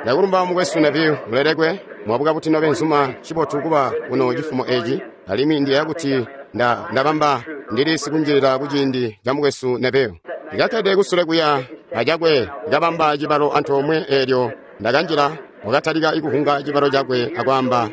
Ndakulumba mukwesu Neville, mulelekwe. Mwabuka buti nobenzuma, ncibotu kuba kuno cifumo eci. Alimwi ndiyeeya kuti ndabamba ndili sikunjilila kuciindi ca mukwesu Neville. Ndikakkede kusule kuya acakwe, ndikabamba cibalo antoomwe eelyo ndakanjila, wakatalika kuhunga cibalo cakwe akwaamba,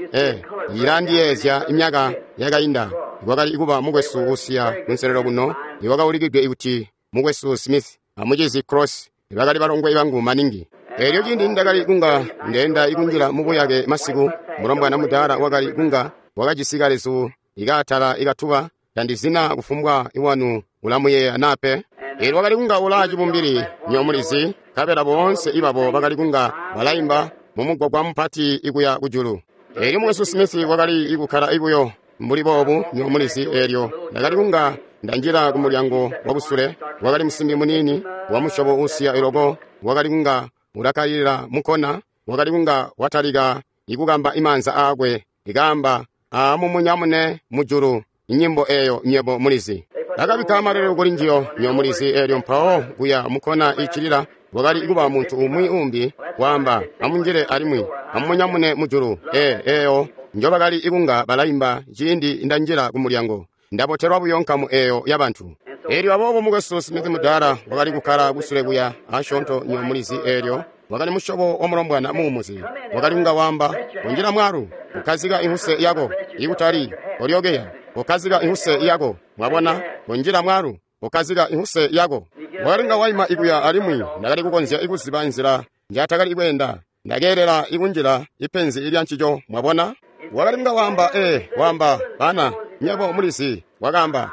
ilandiyeezya imyaka yakainda ikwakali kuba mukwesu usiya kunselelo kuno iwakaulikidwe kuti mukwesu Smith amucizi Cross, ibakali balongwe bangu maningi. Eelyo ciindi ndakali kunga ndeenda ikunjila mubuyake masiku, mulombwana mudaala wakali kunga wakajisi kalezu ikaatala ikatuba, tandizina kufumbwa iwanu ulamuyeeya nape. Eelyo wakali kunga ulaa cibumbili nyomulizi, nkabela boonse ibabo bakali kunga balaimba mumugwagwa mupati ikuya kujulu. Eelyo mukwesu Smith wakali ikukkala ibuyo mbuli boobu nyomulizi. Eelyo ndakali kunga ndanjila kumulyango wakusule, wakali musimbi muniini wa musyobo uusiya iloko, wakali kunga ulakalila mukona, wakali kunga watalika ikukamba imaanza aakwe, ikaamba amumunyamune mujulu inyimbo eyo nywebo mulizi. Akabikka malele kuli njiyo nyomulizi. Eelyo mpawo kuya mukona icilila wakali kuba muntu umwi umbi waamba amunjile alimwi amumunyamune mujulu. Eyo njobakali ikunga balaimba ciindi ndanjila kumulyango. Ndabotelwa buyo nkamu eyo yabantu. Eelyo aboobo mukwesu Smith mudaala wakali kukkala kusule kuya asyoonto nyomulizi. Eelyo wakali musyobo wa mulombwana muumuzi, wakali kunga waamba kunjila mwalu kukkazika inhuse yako, ikutali olyokeya, kukkazika inhuse yako. Mwabona, kunjila mwalu kukkazika inhuse yako. Wakali kunga waima ikuya alimwi ndakali kukonzya ikuziba nzila njatakali kweenda. Ndakeelela ikunjila ipenzi ilya ncico. Mwabona, wakali kunga waamba waamba bana nyebo mulizi. Wakaamba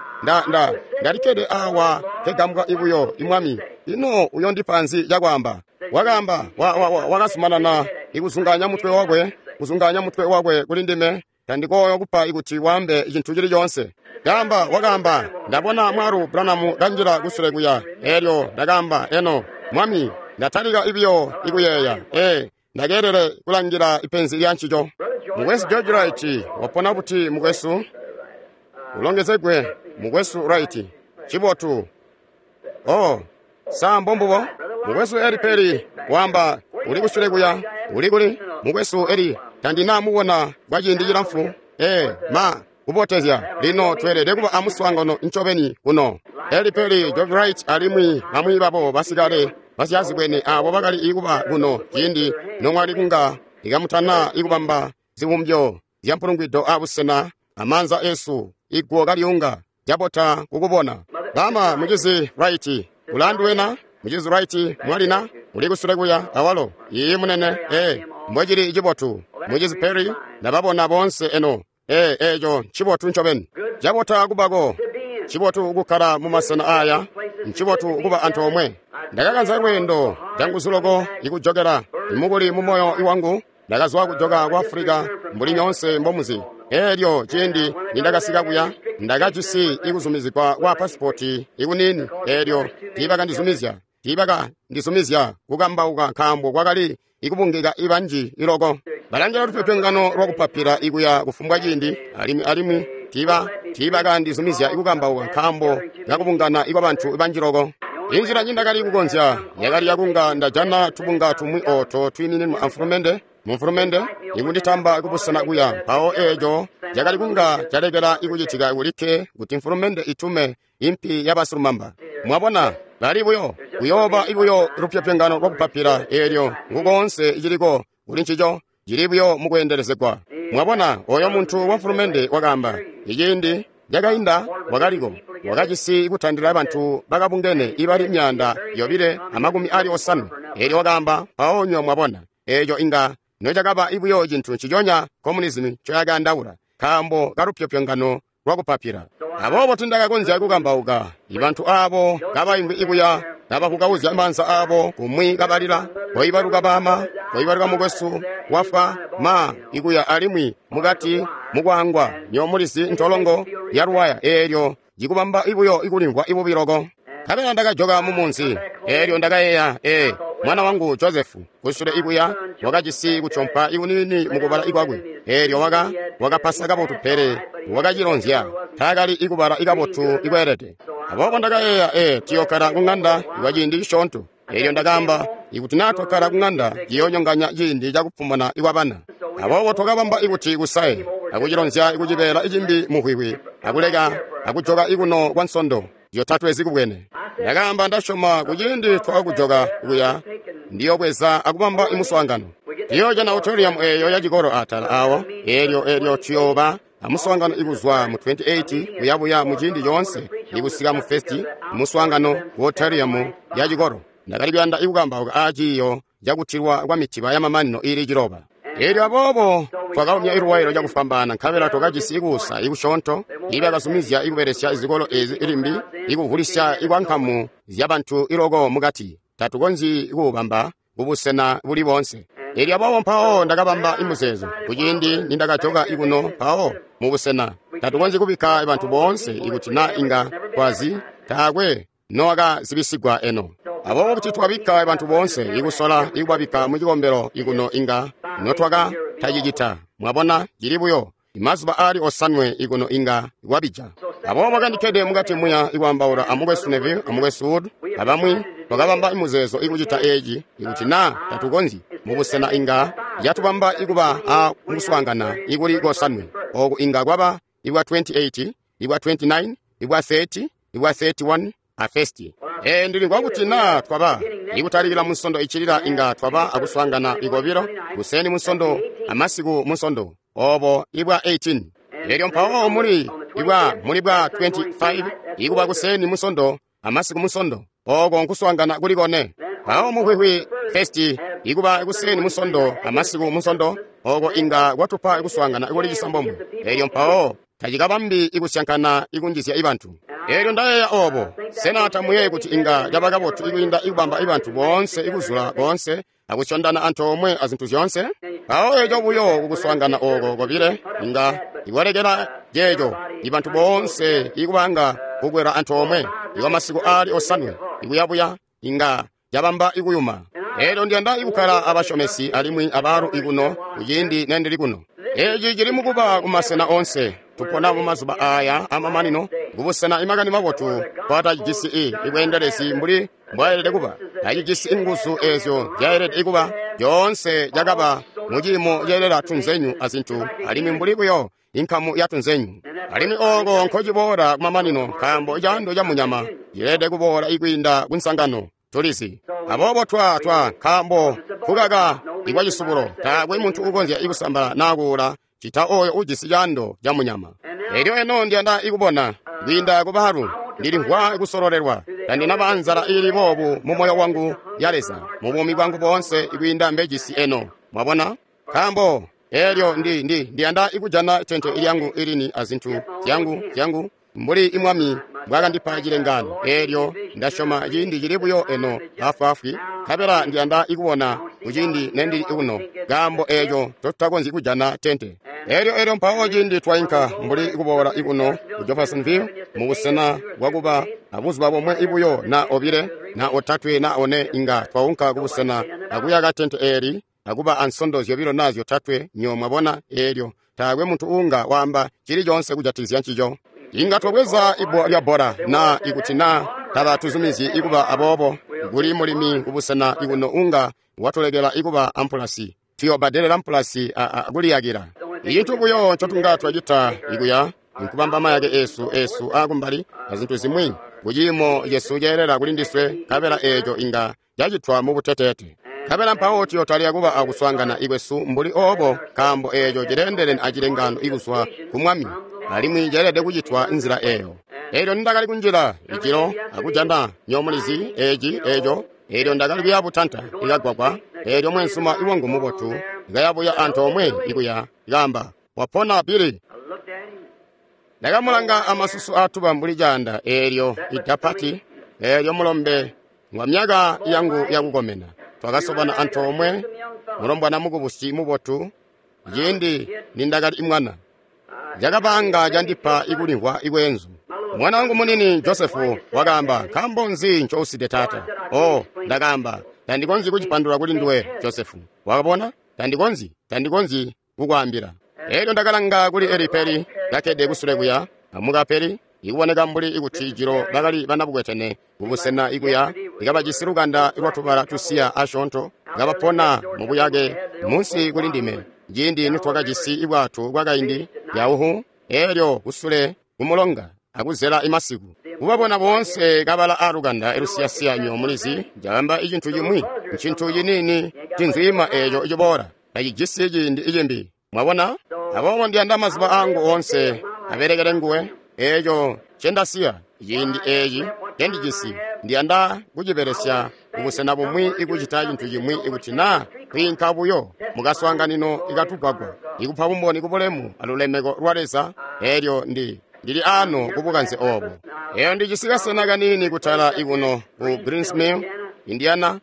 ndalikkede awa kegambwa ibuyo imwami, ino uyondipa nzi cakwaamba. Wakaamba wakazumanana ikuzunganya mutwe wakwe, kuzunganya mutwe wakwe kuli ndime, tandikoyo kupa ikuti waambe cintu cili coonse. Kaamba wakaamba ndabona mwalu Branham kanjila kusule kuya. Eelyo ndakaamba eno mwami, ndatalika ibiyo ikuyeeya ndakeelele kulangila ipenzi lya ncico. Mukwesu George Wright wapona buti mukwesu? Ulongezegwe mukwesu Wright, cibotu. Oh, sa mbombubo? Mukwesu Eli Peli wamba uli kusule kuya, uli kuli mukwesu Eli tandinamubona kwa ciindi cilamfu. Ma kubotezya lino tweelede kuba amuswaangano ncobeni kuno. Eli Peli, George Wright alimwi bamwi babo basikale basyazibwene abo bakali ikuba kuno ciindi nomwali kunga ikamutana ikubamba zibumbyo zya mpulungwido abusena amaanza esu iguwo kalyunga cabota kukubona. Bama mucizi Wright ulanduwena mucizi Wright mwalina uli kusule kuya awalo iyi munene mbwecili cibotu. Mucizi Perry ndababona boonse eno eco ncibotu ncobeni. Cabota kubako, ncibotu kukkala mumasena aya, ncibotu kuba antoomwe. Ndakakanza lweendo canguzu loko ikujokela imukuli mumoyo iwangu. Ndakazwa kujoka ku Afulika mbuli nyoonse mbomuzi. Eelyo ciindi nindakasika kuya ndakajisi ikuzumizigwa kwa pasipoti ikunini. Eelyo tiibakandizumizya kukambauka nkaambo kwakali ikubungika ibanji iloko. Balangila lupyopyongano lwakupapila ikuya kufumbwa ciindi, alimwi tiibakandizumizya ikukambauka nkaambo kakubungana ikwa bantu banji loko. Inzila nyindakali kukonzya yakali yakunga ndajana tubunga tumwi ooto twiimininwa amfulumende mumfulumende ikunditamba kubusena kuya. Mpawo eeco cakali kunga calekela ikucitika kulikke kuti mfulumende itume impi yabasilumamba. Mwabona, bali buyo kuyooba ibuyo lupyopyongano lwakupapila. Eelyo ngukoonse iciliko kuli ncico cili buyo mukweendelezegwa. Mwabona, oyo muntu wa mfulumende wakaamba iciindi cakainda wakaliko wakajisi kutandila bantu bakabungene ibali 250. Eelyo wakaamba mpawo nywa mwabona eeco inga nocakaba ibuyo cintu nciconya komunizimu ncoyakandaula nkaambo kalupyopyongano lwakupapila. Aboobo tindakakonzya kukambauka ibantu aabo kabaimvwi ikuya kabakukauzya maanza aabo kumwi kabalila koibaluka bama, koibaluka mukwesu wafwa ma ikuya alimwi mukati mukwaangwa nyomulizi ntolongo ya luwaya. Eelyo cikubamba ibuyo ikulimvwa ibubi loko. Nkabela ndakajoka mumunzi. Eelyo ndakayeeya mwana wangu Josefu kusule ikuya wakajisi kucompa ikunini mukubala ikwakwe. Eelyo wakapasa kabotu pele wakacilonzya taakali ikubala ikabotu ikweelede. Aboobo ndakayeeya tiyokkala kung'anda ikwa ciindi cisyoonto. Elyo ndakaamba, ikuti naa twakkala kung'anda, ciyoonyonganya ciindi cakupumuna ikwabana. Aboobo twakabamba ikuti kusaye, akucilonzya ikucibeela icimbi muhwihwi, akuleka akujoka ikuno kwa nsondo zyotatwe zikubwene. Ndakaamba, ndasyoma kuciindi twakakujoka kuya, ndiyobweza akubamba imuswaangano. Tuyoojana auditorium eeyo ya cikolo atala awo, eelyo tuyooba amuswaangano ikuzwa mu 28 kuyabuya mu ciindi coonse ikusika mu festi muswaangano ku auditorium ya cikolo. Ndakali kuyanda ikukambauka aaciiyo cakutilwa kwa mitiba yamamanino iili 9. Eelyo aboobo twakaumya iluwailo cakufwambaana, nkabela twakajisi ikuusa ikusyoonto ibakazumizya ikubelesya izikolo ezi limbi ikuvulisya ikwankamu zyabantu iloko mukati. Tatukonzyi kuubamba kubusena buli boonse. Eelyo aboobo mpawo ndakabamba imuzeezo kuciindi nindakajoka ikuno mpawo mubusena tatukonzyi kubikka bantu boonse ikuti na inga twazi taakwe nowakazibisigwa eno. Aboobo kuti twabikka bantu boonse ikusola ikubabikka mu cikombelo ikuno inga notwaka tacicita. Mwabona, cili buyo imazuba aali 7 ikuno inga kwabija. Aboobo kandikkede mukati muya ikwaambaula amukwesu Neville amukwesu Wood abamwi, twakabamba imuzeezo ikucita eeci ikuti naa tatukonzyi mubusena inga yatubamba ikuba a muswaangana ikuli kosanwe. Ooku inga kwaba ikwa 28, ikwa 29, ikwa 30, ikwa 31 a festi. Ndilimvwa kuti naa twaba ikutalikila munsondo icilila inga twaba akuswaangana ikobilo kuseni munsondo amasiku munsondo obo ibwa 18. Elyo mpawo muli ibwa muli bwa 25 ikuba kuseni munsondo amasiku munsondo oko nkuswaangana kuli kone. Mpawo muhwihwi festi ikuba kuseni munsondo amasiku munsondo oko inga kwatupa ikuswaangana kuli cisambomwe. Elyo mpawo tacikabambi ikusyankana ikunjizya ibantu. Elyo ndayeeya obo, sena tamuyeeyi kuti inga caba kabotu ikwiinda ikubamba ibantu boonse ikuzula boonse akusyondana antoomwe azintu zyoonse? Mpawo eco buyo kukuswaangana oko kobile inga ikwalekela ceeco ibantu boonse ikubanga kukwela antoomwe ikwa masiku aali 7 ikuyabuya inga cabamba ikuyuma. Elyo ndiyanda ikukkala abasyomesi alimwi abaalu ikuno kuciindi nendili kuno. Eeci cili mukuba kumasena onse. Tupona mumazuba aaya amamanino kubusena imakani mabotu kwatacijisi ibweendelezi mbuli mbwaelede kuba. Tacijisi inguzu eezyo zyaelede kuba. Zyoonse cakaba muciimo ceelela tunzenyu azintu alimwi mbuli buyo inkamu ya tunzenyu. Alimwi ooko nkociboola kumamanino nkaambo caando ca munyama cileelede kuboola ikwiinda kunsangano. Tulizi. Aboobo twa nkaambo kukaka ikwa cisubulo taakwe muntu ukonzya ikusambala naa kuula cita oyo ujisi caando ca munyama. Elyo eno ndiyanda ikubona kwiinda kubaalu ndilimvwa ikusololelwa. Tandinaba nzala iili boobu mu moyo wangu ya Leza mu buumi bwangu boonse ikwiinda mbejisi eno. Mwabona? Nkaambo elyo ndiyanda ikujana tente ilyangu ilini azintu zyangu mbuli imwami mbwakandipa cilengano. Elyo ndasyoma ciindi cili buyo eno afwaafwi, nkabela ndiyanda ikubona kuciindi nendili kuno, nkaambo eeco totutakonzyi kujana tente. Elyo mpawo ciindi twainka mbuli kuboola ikuno ku Jeffersonville mubusena bwakuba abuzuba bomwe ibuyo na obile na otatwe na one inga twaunka kubusena akuyaka tente eeli akuba ansondo zyobilo na zyotatwe nyo mwabona. Elyo taakwe muntu uunga waamba cili coonse kujatikizya ncico. Inga twabweza ibbwa lya bbola na ikuti na tabatuzumizyi ikuba aboobo kuli mulimi kubusena ikuno unga watulekela ikuba ampulasi. Tuyobbadelela mpulasi kuliyakila. Icintu buyo ncotunga twacita ikuya nkubamba mayake esu aakumbali azintu zimwi kuciimo cesu ceelela kuli ndiswe, nkabela eeco inga cacitwa mubuteteete. Nkabela mpawo tuyotalika kuba akuswaangana ikwesu mbuli oobo, nkaambo eeco cileendelene acilengano ikuzwa ku Mwami, alimwi ceelede kucitwa nzila eeyo. Elyo nindakali kunjila icilo akujana nyomulizi eeci eeco, elyo ndakali kuya butanta ikagwagwa, elyo mwensuma iwangu mubotu ikayabuya antoomwe ikuya ikaamba, "Wapona Billy." Ndakamulanga amasusu aatuba mbuli caanda, eelyo idapati, eelyo mulombe ngwa myaka yangu yakukomena. Twakasobana antoomwe, mulombwana mukubusi mubotu, ciindi nindakali imwana. Cakabanga candipa ikulimvwa ikweenzu. Mwana wangu munini Josefu wakaamba, "Nkaambo nzi ncouside taata?" Oh, ndakaamba, "Tandikonzyi kucipandula kuli nduwe, Josefu. Wakabona? Tandikonzyi kukwaambila." Elyo ndakalanga kuli Eli Peri kakkede kusule kuya, amuka Peri. Ikuboneka mbuli ikuti jilo bakali banabukwetene kubusena ikuya ikabajisi lukanda lwatubala tusiya asyoonto, kabapona mubuyake munsi kuli ndime ciindi nitwakajisi ibwato bwakaindi yauhu elyo kusule kumulonga akuzela imasiku. Kubabona boonse kabala alukanda lusiyasiya nyo mulizi caamba icintu cimwi, ncintu ciniini cinzwiima eeco ciboola tacijisi ciindi icimbi. Mwabona? Aboobo ndiyanda mazuba angu oonse abelekele nguwe. Eeco ncendasiya ciindi eeci ncendijisi ndiyanda kucibelesya kubusena bumwi ikucita cintu cimwi ikuti naa kwiinka buyo mukaswaanganino ikatugwagwa ikupa bumboni kubulemu alulemeko lwa Leza. Eelyo ndili ano kubukanze obo. Eyo ndijisi kasena kaniini kutala ikuno ku Greens Mill, Indiana.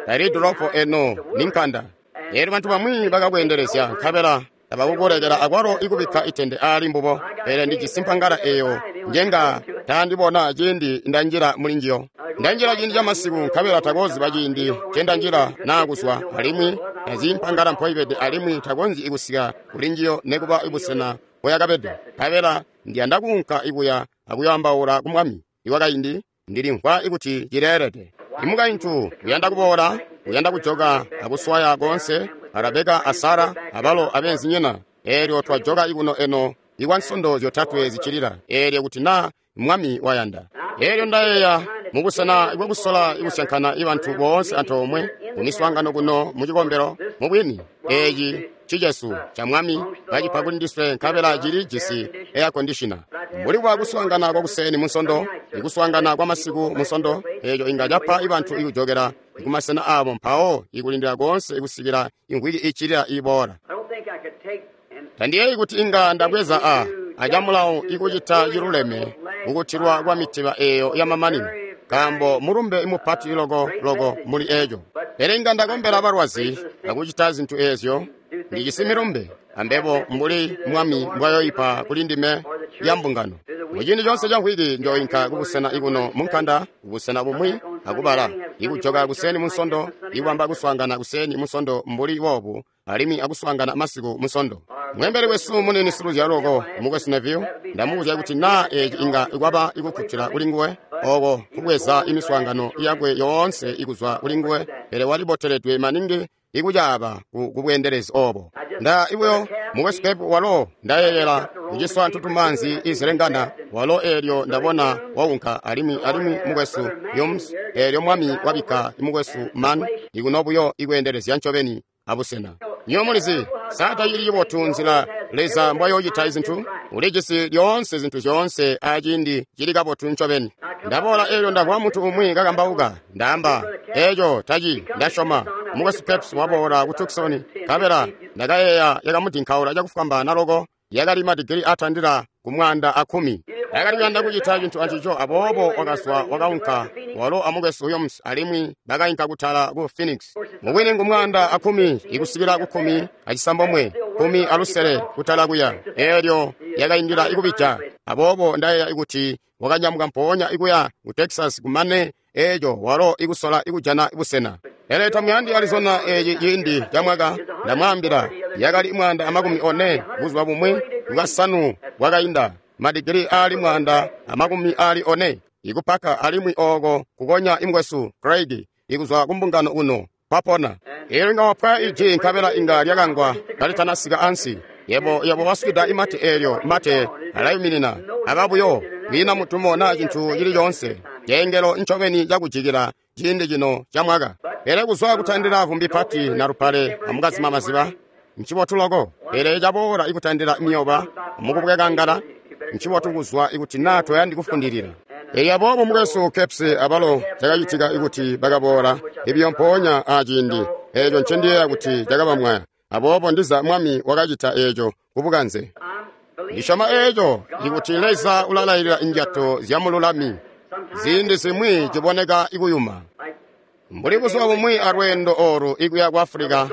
Tali dolopo eno ni nkanda. Eelyo bantu bamwi bakakweendelezya nkabela tabakukulekela akwalo ikubikka itende aali mbubo. Pele ndijisi mpangala eyo njenga tandibona ciindi ndanjila muli njiyo. Ndanjila ciindi camasiku nkabela takoziba ciindi ncendanjila naa kuzwa, alimwi tazi mpangala mpoibede alimwi takonzyi ikusika kuli njiyo nekuba ibusena mpoyakabede. Nkabela ndiyanda kuunka ikuya akuyoambaula ku Mwami iwakaindi, ndilimvwa ikuti cileelede. Imukaintu uyanda kuboola, uyanda kujoka akuswaya koonse, Rebeka a Sara abalo abeenzinyina. Eelyo twajoka ikuno eno ikwa nsondo zyotatwe ziccilila, eelyo kuti naa Mwami wayanda. Eelyo ndayeeya mubusena bwakusola ikusyankana ibantu boonse antoomwe mumiswaangano kuno mucikombelo. Mubwini eeci cicesu ca Mwami bacipa kuli ndiswe nkabela cilijisi air conditioner. Mbuli bwa kuswaangana kwakuseni munsondo, ikuswaangana kwa masiku munsondo, eeco inga capa ibantu ikujokela kumasena abo mpawo ikulindila koonse ikusikila imvwiki iccilila iboola. Tandiyeeyi kuti inga ndabweza acamulawo ikucita ciluleme kukutilwa kwa mitiba eeyo yamamanino, nkaambo mulumbe mupati loko loko muli eeco. Pele inga ndakombela balwazi akucita zintu eezyo. Ndijisi milumbe ambebo mbuli Mwami mbwayoipa kuli ndime ya mbungano. Muciindi coonse ca mvwiki njoinka kubusena ikuno munkanda kubusena bumwi akubala ikujoka kuseni munsondo, ikubamba kuswaangana kuseni munsondo mbuli boobu, alimwi akuswaangana masiku munsondo. Mwembeli wesu munini siluzyalo loko mukwesu Neville, ndamubuzya kuti naa eeci inga kwaba ikukkutila kuli nguwe oko kubweza imiswaangano yakwe yoonse ikuzwa kuli nguwe, pele waliboteledwe maningi ikucaaba kubweendelezi obo. Nda ibuyo mukwesu Pep walo ndayeeyela kuciswa ntutumanzi izilengana walo eelyo ndabona waunka, alimwi mukwesu Yums eelyo Mwami wabikka mukwesu Man ikuno buyo ikweendelezya ncobeni abusena. Nyo mulizi saa tacili cibotu nzila Leza mbwayoocita izintu. Ulijisi lyoonse zintu zyoonse aciindi cili kabotu ncobeni. Ndaboola eelyo ndamvwa muntu umwi kakambauka, ndaamba eeco taci ndasyoma. Mukwesu Peps waboola ku Tucson, nkabela ndakayeeya yakamudinkaula cakufwambaana loko, yakali madigili atandila ku 110. Yakali kuyanda kucita cintu ancico, aboobo wakazwa wakaunka walo amukwesu Yoms, alimwi bakainka kutala ku Phoenix. Mubwini ngu 110 ikusikila ku 16, 16 kutala kuya. Eelyo yakaindila ikubija. Aboobo ndayeeya ikuti wakanyamuka mpoonya ikuya ku Texas kumane eeco walo ikusola ikujana busena. Pele tamuyandi Arizona eeci ciindi ca mwaka, ndamwaambila yakali 140 buzuba bumwi bwasanu bwakainda, madigili aali 140 ikupaka, alimwi ooko kukonya imukwesu Craig ikuzwa kumbungano uno kwapona. Eelyo inga wapwaya iji nkabela inga lyakangwa kalitanasika ansi. Yebo waswida imate eelyo mate alayuminina aba buyo kwiina mutumo naa cintu cili coonse. Ceengelo ncobeni cakujikila ciindi cino ca mwaka. Pele kuzwa kutandila vumbi pati na lupale amukazima maziba ncibotu loko. Pele caboola ikutandila miyoba mukubwekangala ncibotu kuzwa ikuti naa toyandi kufundilila. Eelyo aboobo mukwesu Caps abalo cakacitika ikuti bakaboola ibiyo mpoonya aciindi eeco ncendiyeeya kuti cakabamwaya. Aboobo ndiza Mwami wakacita eeco kubukanze. Ndisyoma eeco ikuti Leza ulalailila injato zyamululami. Ziindi zimwi ciboneka ikuyuma. Mbuli buzuba bumwi alweendo oolu ikuya ku Afulika,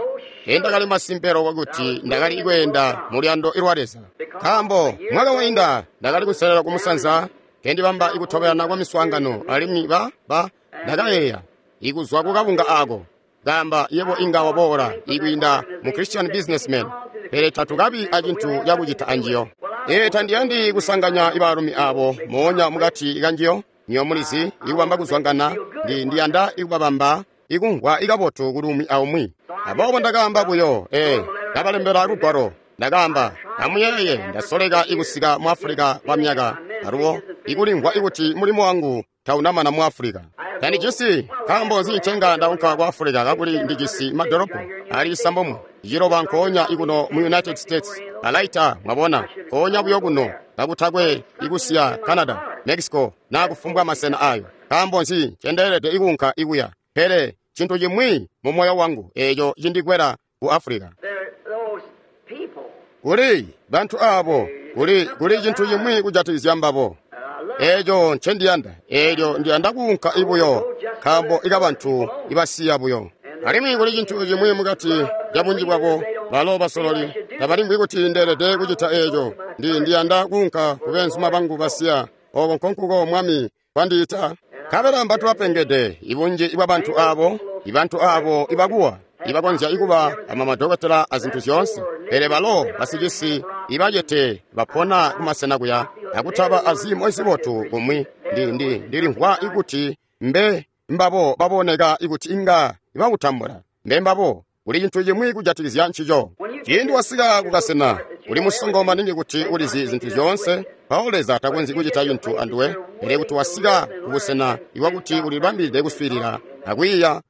ndakali masimpe loko kuti ndakali ikweenda muluyando lwa Leza. Nkaambo mwaka wainda ndakali kuselela kumusanza kendibamba ikutobelana kwa miswaangano, alimwi ndakayeeya ikuzwa kukabunga ako kamba yebo inga waboola ikwiinda mu Christian Businessman, pele tatukabi acintu cakucita anjiyo. Ee, tandiyandi kusanganya ibaalumi abo moonya mukati kanjiyo. Nyo mulizi ikubamba kuzwangana, ndiyanda ikubabamba ikumvwa ikabotu kuli umwi aumwi. Aboobo ndakaamba buyo, ndabalembela lugwalo. Ndakaamba, amuyeeye, ndasoleka ikusika mu Afulika kwa myaka alubo ikulimvwa ikuti mulimo wangu taunamana mu Afulika. Tandijisi nkaambo nzi ncenga ndaunka ku Afulika kakuli ndijisi madolopo ali 9 nkoonya ikuno mu United States. Alaita, mwabona, nkoonya buyo kuno kakutakwe ikusiya Canada, Mexico na kufumbwa masena ayo. Nkaambo nzi ncendeelede ikuunka ikuya? Pele cintu cimwi mu moyo wangu eeco cindikwela ku Afulika. Kuli bantu abo, kuli cintu cimwi kujatikizya mbabo. Eeco ncendiyanda, eelyo ndiyanda kuunka ibuyo, nkaambo ikabantu ibasiya buyo. Alimwi kuli cintu cimwi mukati ca bunji bwabo, balo basololi, tabalimvwi kuti ndeelede kucita eeco. Ndiyanda kuunka ku beenzuma bangu basiya, oko nkonkuko Mwami kwandiita. Nkabela mbantu bapengede, ibunji bwa bantu abo, ibantu abo ibakuwa, ibakonzya ikuba amamadokotela azintu zyoonse. Pele balo basicisi ibacete bapona kumasena kuya akutaba aziimo zibotu kumwi. Ndilimvwa ikuti mbe mbabo baboneka ikuti inga ibakutambula. Mbe mbabo kuli cintu cimwi kujatikizya ncico. Ciindi wasika kukasena uli musongo maningi kuti ulizi zintu zyoonse, mpawo Leza takonzyi kucita cintu anduwe. Pele kuti wasika kubusena iwakuti ulibambilide kuswiilila akwiiya,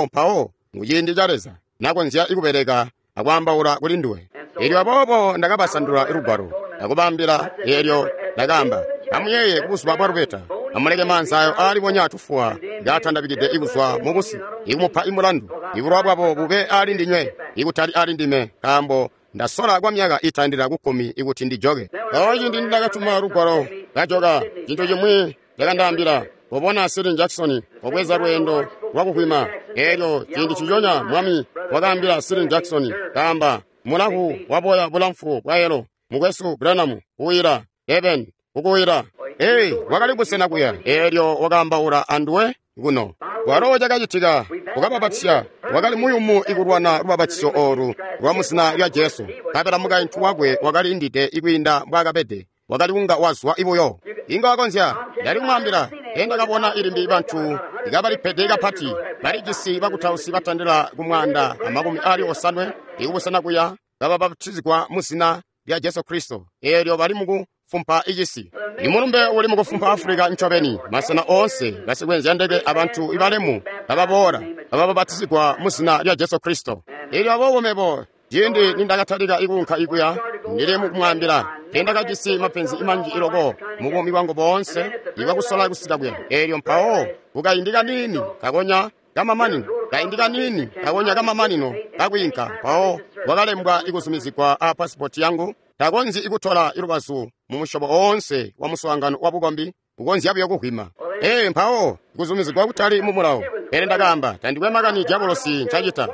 mpawo nguciindi ca Leza nakonzya ikubeleka akwaambaula kuli nduwe. Eelyo aboobo ndakabasandula lugwalo akubambila. Eelyo ndakaamba, amuyeeye kubuzuba bwa lubeta, amuleke maanzi ayo aalibonya tufuwa kaatandabikide ikuzwa mubusi ikumupa imulandu. Ibulowa bwabo bube aali ndinywe, ikutali aali ndime, nkaambo ndasola kwa myaka itandila ku 10 ikuti ndijoke. Mpawo ciindi ndakatuma lugwalo kajoka, cintu cimwi cakandaambila, "Kobona Sidney Jackson obweza lweendo lwakukwima." Eelyo ciindi ciconya Mwami wakaambila Sidney Jackson, kaamba, "Mulavu waboya bulamfu bwa yelo, mukwesu Branham kuwira Eben kukuwira." Ee, wakali busena kuya. Eelyo wakaambaula anduwe kuno. Walo cakacitika ukababatisya, wakali muyumu ikulwana lubabatisyo oolu lwa muzina lya Jesu. Nkabela mukaintu wakwe wakali indide ikwiinda mbwaakabede, wakali kunga wazwa ibuyo. Inga wakonzya, ndali kumwaambila, ndakabona ilimbi bantu ikabalipede kapati, balijisi bakutausi batandila ku 150 ikubusena kuya kababatizigwa muzina lya Jesu Kristo. Eelyo bali mukufumpa icisi. Imulumbe uli mukufumpa Afulika ncobeni, masena oonse basikwenzya ndeke abantu ibalemu bababoola bababatizigwa muzina lya Jesu Kristo. Eelyo aboobo mebo ciindi nindakatalika ikuunka ikuya, ndili mukumwaambila, ndakajisi mapenzi manji iloko mubuumi bwangu boonse ibwakusola kusika kuya. Eelyo mpawo kukaindi kaniini kakonya kamamanino, kaindi kaniini kakonya kamamanino kakwiinka, mpawo wakalembwa ikuzumizigwa a pasipoti yangu. Takonzyi ikutola ilubazu mu musyobo oonse wa muswaangano wa bukombi, ukonzya buyo kuhwima. Ee, mpawo kuzumizigwa kutali mu mulawo. Pele ndakaamba, tandikwe makani diabolosi ncacita.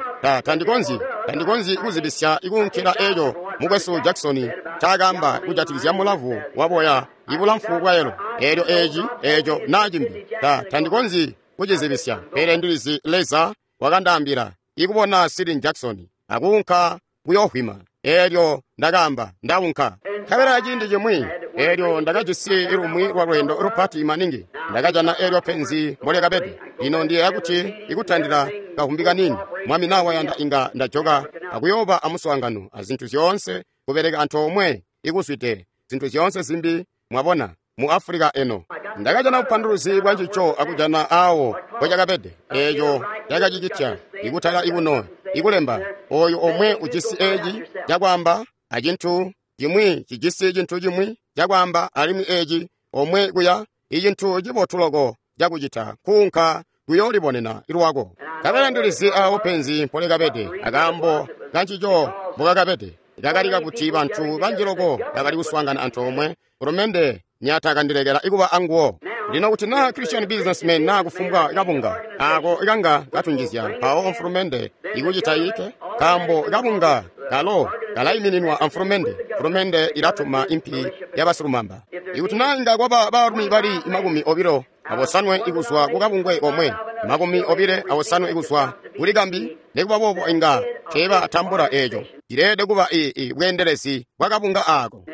Tandikonzyi kuzibisya ikuunkila eeco mukwesu Jackson ncaakaamba kujatikizya mulavu waboya ibulamfu bwa yelo. Eelyo eeci, eeco naa cimbi. Tandikonzyi kucizibisya. Pele ndilizi Leza wakandaambila ikubona Sidney Jackson akuunka kuyohwima. Eelyo ndakaamba, ndaunka. Nkabela ciindi cimwi, eelyo ndakajisi lumwi lwa lweendo lupati maningi. Ndakajana eelyo penzi mbolyakabede. Lino ndiyeeya kuti ikutandila kahumbi kaniini, Mwami naa wayanda inga ndajoka akuyooba amuswaangano azintu zyoonse kubeleka antoomwe ikuzwide zintu zyoonse zimbi, mwabona, mu Afulika eno. Ndakajana bupanduluzi bwa ncico akujana awo mpocakabede. Eeco cakacicitya ikutala ikuno ikulemba oyu omwe ujisi eeci cakwaamba acintu cimwi cijisi cintu cimwi cakwaamba, alimwi eeci omwe kuya icintu cibotu loko cakucita kuunka kuyoolibonena lwako. Nkabela ndilizi awo penzi mpolikabede akaambo kancico mbokakabede. Kakali kakuti bantu banji loko bakali kuswaangana antoomwe, ulumende nyatakandilekela ikuba anguwo. Lino kuti naa Christian businessman naa kufumbwa kabunga ako kanga katunjizya, mpawo mfulumende ikucita ike, nkaambo kabunga kalo kalaimininwa amfulumende. Mfulumende ilatuma impi yabasilumamba. Ikuti naa inga kwaba baalumi bali 29 ikuzwa kukabungwe komwe, 29 ikuzwa kuli kambi, nikuba boobo inga teebatambula eeco. Cileelede kuba bweendelezi bwa kabunga aako.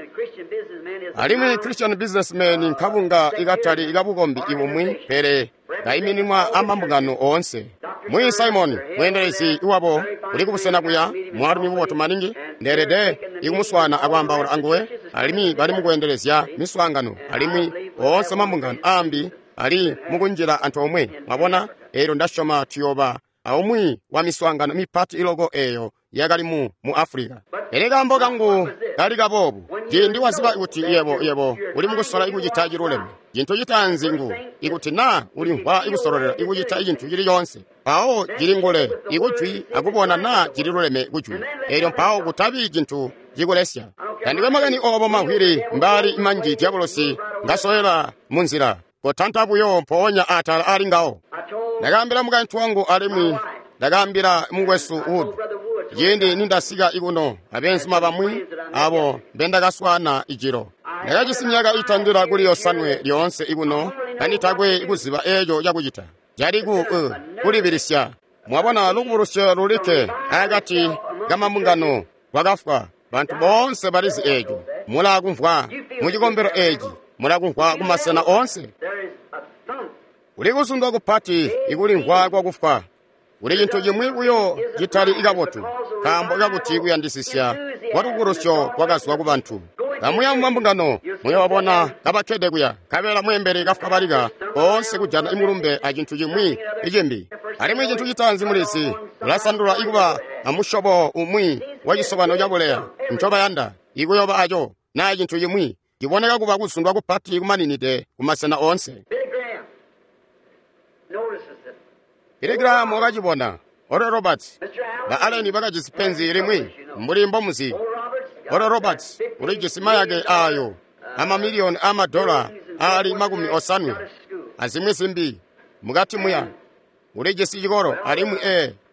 Alimwi Christian Businessmen nkabunga ikatali kabukombi ibumwi, pele kaimininwa amambungano oonse. Mwi Simon, mweendelezi wabo uli kubusena kuya, mwaalumi mubotu maningi, ndeelede ikumuswaana akwaambaula anguwe, alimwi bali mukweendelezya miswaangano, alimwi oonse mambungano aambi ali mukunjila antoomwe. Mwabona, eelyo ndasyoma tuyooba aumwi wa miswaangano mipati iloko eeyo yakali mu Africa. Pele kaambo kangu kali kaboobu, ciindi waziba kuti yebo uli mukusola ikucita ciluleme, cintu citaanzi ngu ikuti naa ulimvwa ikusololela ikucita cintu cili coonse, mpawo cilingule ikujwi akubona naa cililuleme kujwi, eelyo mpawo kutabi cintu cikulesya. Tandikwe makani oobo mawili mbali manji diabolosi ngasolela munzila, kotanta buyo mpoonya atala ali ngawo. Ndakaambila mukaintu wangu alimwi ndakaambila mukwesu Wood ciindi nindasika ikuno abeenzuma bamwi abo mbendakaswaana ijilo. Ndakajisi myaka itandila kuli yosanwe lyoonse ikuno kanditakwe kuziba eeco cakucita. Cali kulibilisya. Mwabona lukubulusyo lulikke akati kamambungano lwakafwa. Bantu boonse balizi eeco. Mulakumvwa mucikombelo eeci, mulakumvwa kumasena oonse. Kuli kuzundwa kupati ikulimvwa kwakufwa. Kuli cintu cimwi buyo citali kabotu, nkaambo kakuti kuyandisisya kwalubulusyo kwakazwa kubantu. Kamuya mumambungano muyoobona kabakkede kuya, nkabela mweembeli kafwabalika koonse kujana imulumbe acintu cimwi icimbi. Alimwi cintu citaanzi mulizi, ulasandula ikuba amusyobo umwi wacisobano cabuleya ncobayanda ikuyoba aco, naa cintu cimwi ciboneka kuba kuzundwa kupati kumaninide kumasena oonse. Billy Graham wakacibona. Oral Roberts ba Allen bakajisi penzi limwi mbuli mbomuzi. Oral Roberts ulijisi mayake ayo amamiliyoni amadola ali 50 azimwi zimbi mukati muya. Ulijisi cikolo alimwi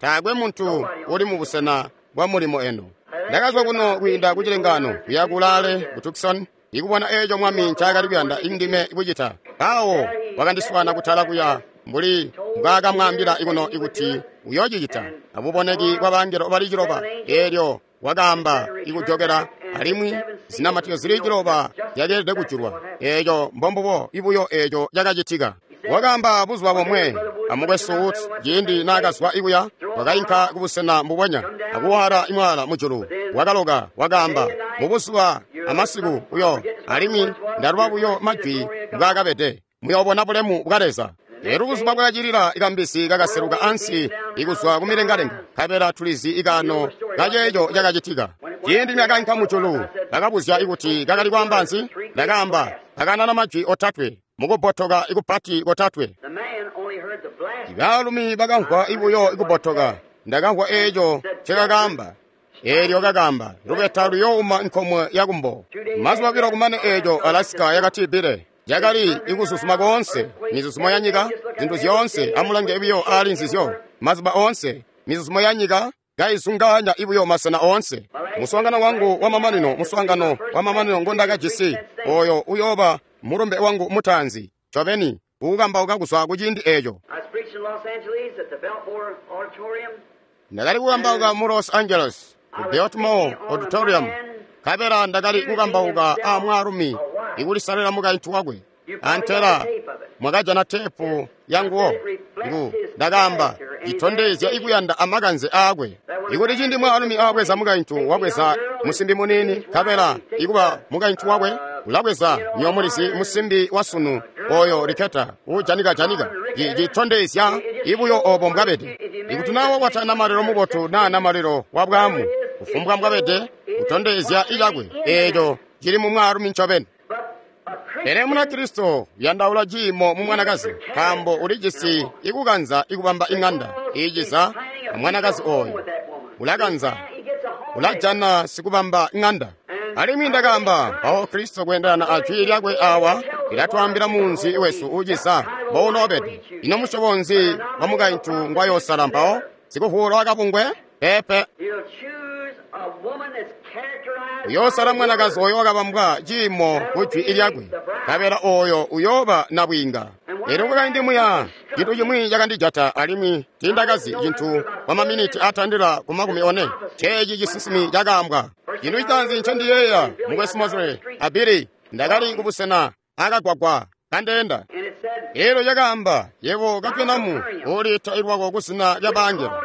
taakwe muntu uli mubusena bwa mulimo eno. Ndakazwa kuno kwiinda kucilengano kuya kulaale ku Tucson ikubona eeco Mwami ncaakali kuyanda indime kucita. Mpawo wakandiswaana kutala kuya mbuli mbwaakamwaambila ikuno ikuti uyoocicita abuboneki bwa bangelo bali ciloba. Eelyo wakaamba ikujokela alimwi zinamatizyo zili ciloba zyakeelede kujulwa. Eeco mbombubo ibuyo eeco cakacitika. Wakaamba buzuba bomwe amukwesu Wood ciindi naakazwa ikuya, wakainka kubusena mbubonya akuwaala imwaala mujulu. Wakaloka wakaamba mubuzuba amasiku uyo, alimwi ndaluba buyo majwi mbwaakabede. Muyoobona bulemu bwa Leza. Eelyo buzuba bwakacilila ikambisi kakaseluka ansi ikuzwa kumilengalenga, nkabela tulizi ikaano kaceeco cakacitika. Ciindi nakainka mujulu, bakabuzya ikuti kakali kwaamba nzi. Ndakaamba kakanana majwi otatwe mukubbotoka ikupati kotatwe. Baalumi bakamvwa ibuyo ikubbotoka. Ndakamvwa eeco ncekakaamba. Eelyo kakaamba lubeta luyouma nkomwe yakumbo. Mazuba obilo kumane eeco Alaska yakatibile. Yakali ikuzuzuma koonse, mizuzumo ya nyika, zintu zyoonse amulange buyo aali nzizyo. Mazuba oonse, mizuzumo ya nyika kaizungaanya ibuyo masena oonse. Muswaangano wangu wamamanino, muswaangano wamamanino ngondakajisi, oyo uyooba mulumbe wangu mutaanzi, ncobeni ukukambauka kuzwa kuciindi eeco. Ndakali kukambauka mu Los Angeles, ku Biltmore Auditorium, nkabela ndakali kukambauka a mwaalumi ikulisalila mukaintu wakwe. Antela mwakajana tepu yanguwo. Ngu ndakaamba citondezya ikuyanda amakanze aakwe. Ikuti ciindi mwaalumi aabweza mukaintu wabweza musimbi muniini, nkabela ikuba mukaintu wakwe ulabweza nyomulizi musimbi wasunu oyo Riketa uujanika-janika. Citondezya ibuyo obo mbwabede. Ikuti naa wakwata namalelo mubotu naa namalelo wa bwaamu, kufumbwa mbwabede kutondezya icakwe eeco cili mu mwaalumi ncobeni. Pele Munakristo uyandaula ciimo mu mwanakazi, nkaambo ulijisi ikukanza ikubamba iŋanda iiciza amwanakazi oyo. Ulakanza, ulajana sikubamba iŋanda. Alimwi ndakaamba mpawo Kristo kweendelana a jwi lyakwe awa lilatwaambila munzi wesu uuciza mbounoobede. Ino musyobo nzi wa mukaintu ngwayoosala mpawo? Sikuvuula wakabungwe? Peepe. Uyoosala mwanakazi oyo wakabambwa ciimo ku jwi lyakwe, nkabela oyo uyooba nabwiinga. Eelyo kwakaindi muya cintu cimwi cakandijata alimwi tiindakazi cintu kwa maminiti atandila ku 40. Ceeci cisinsimi cakaambwa. Cintu citaanzi ncendiyeeya, mukwesu Mosley a Billy, Ndakali kubusena akagwagwa kandeenda. Elyo cakaamba, yebo Kapenamu, uliita ilwako kuzina lya bangelo.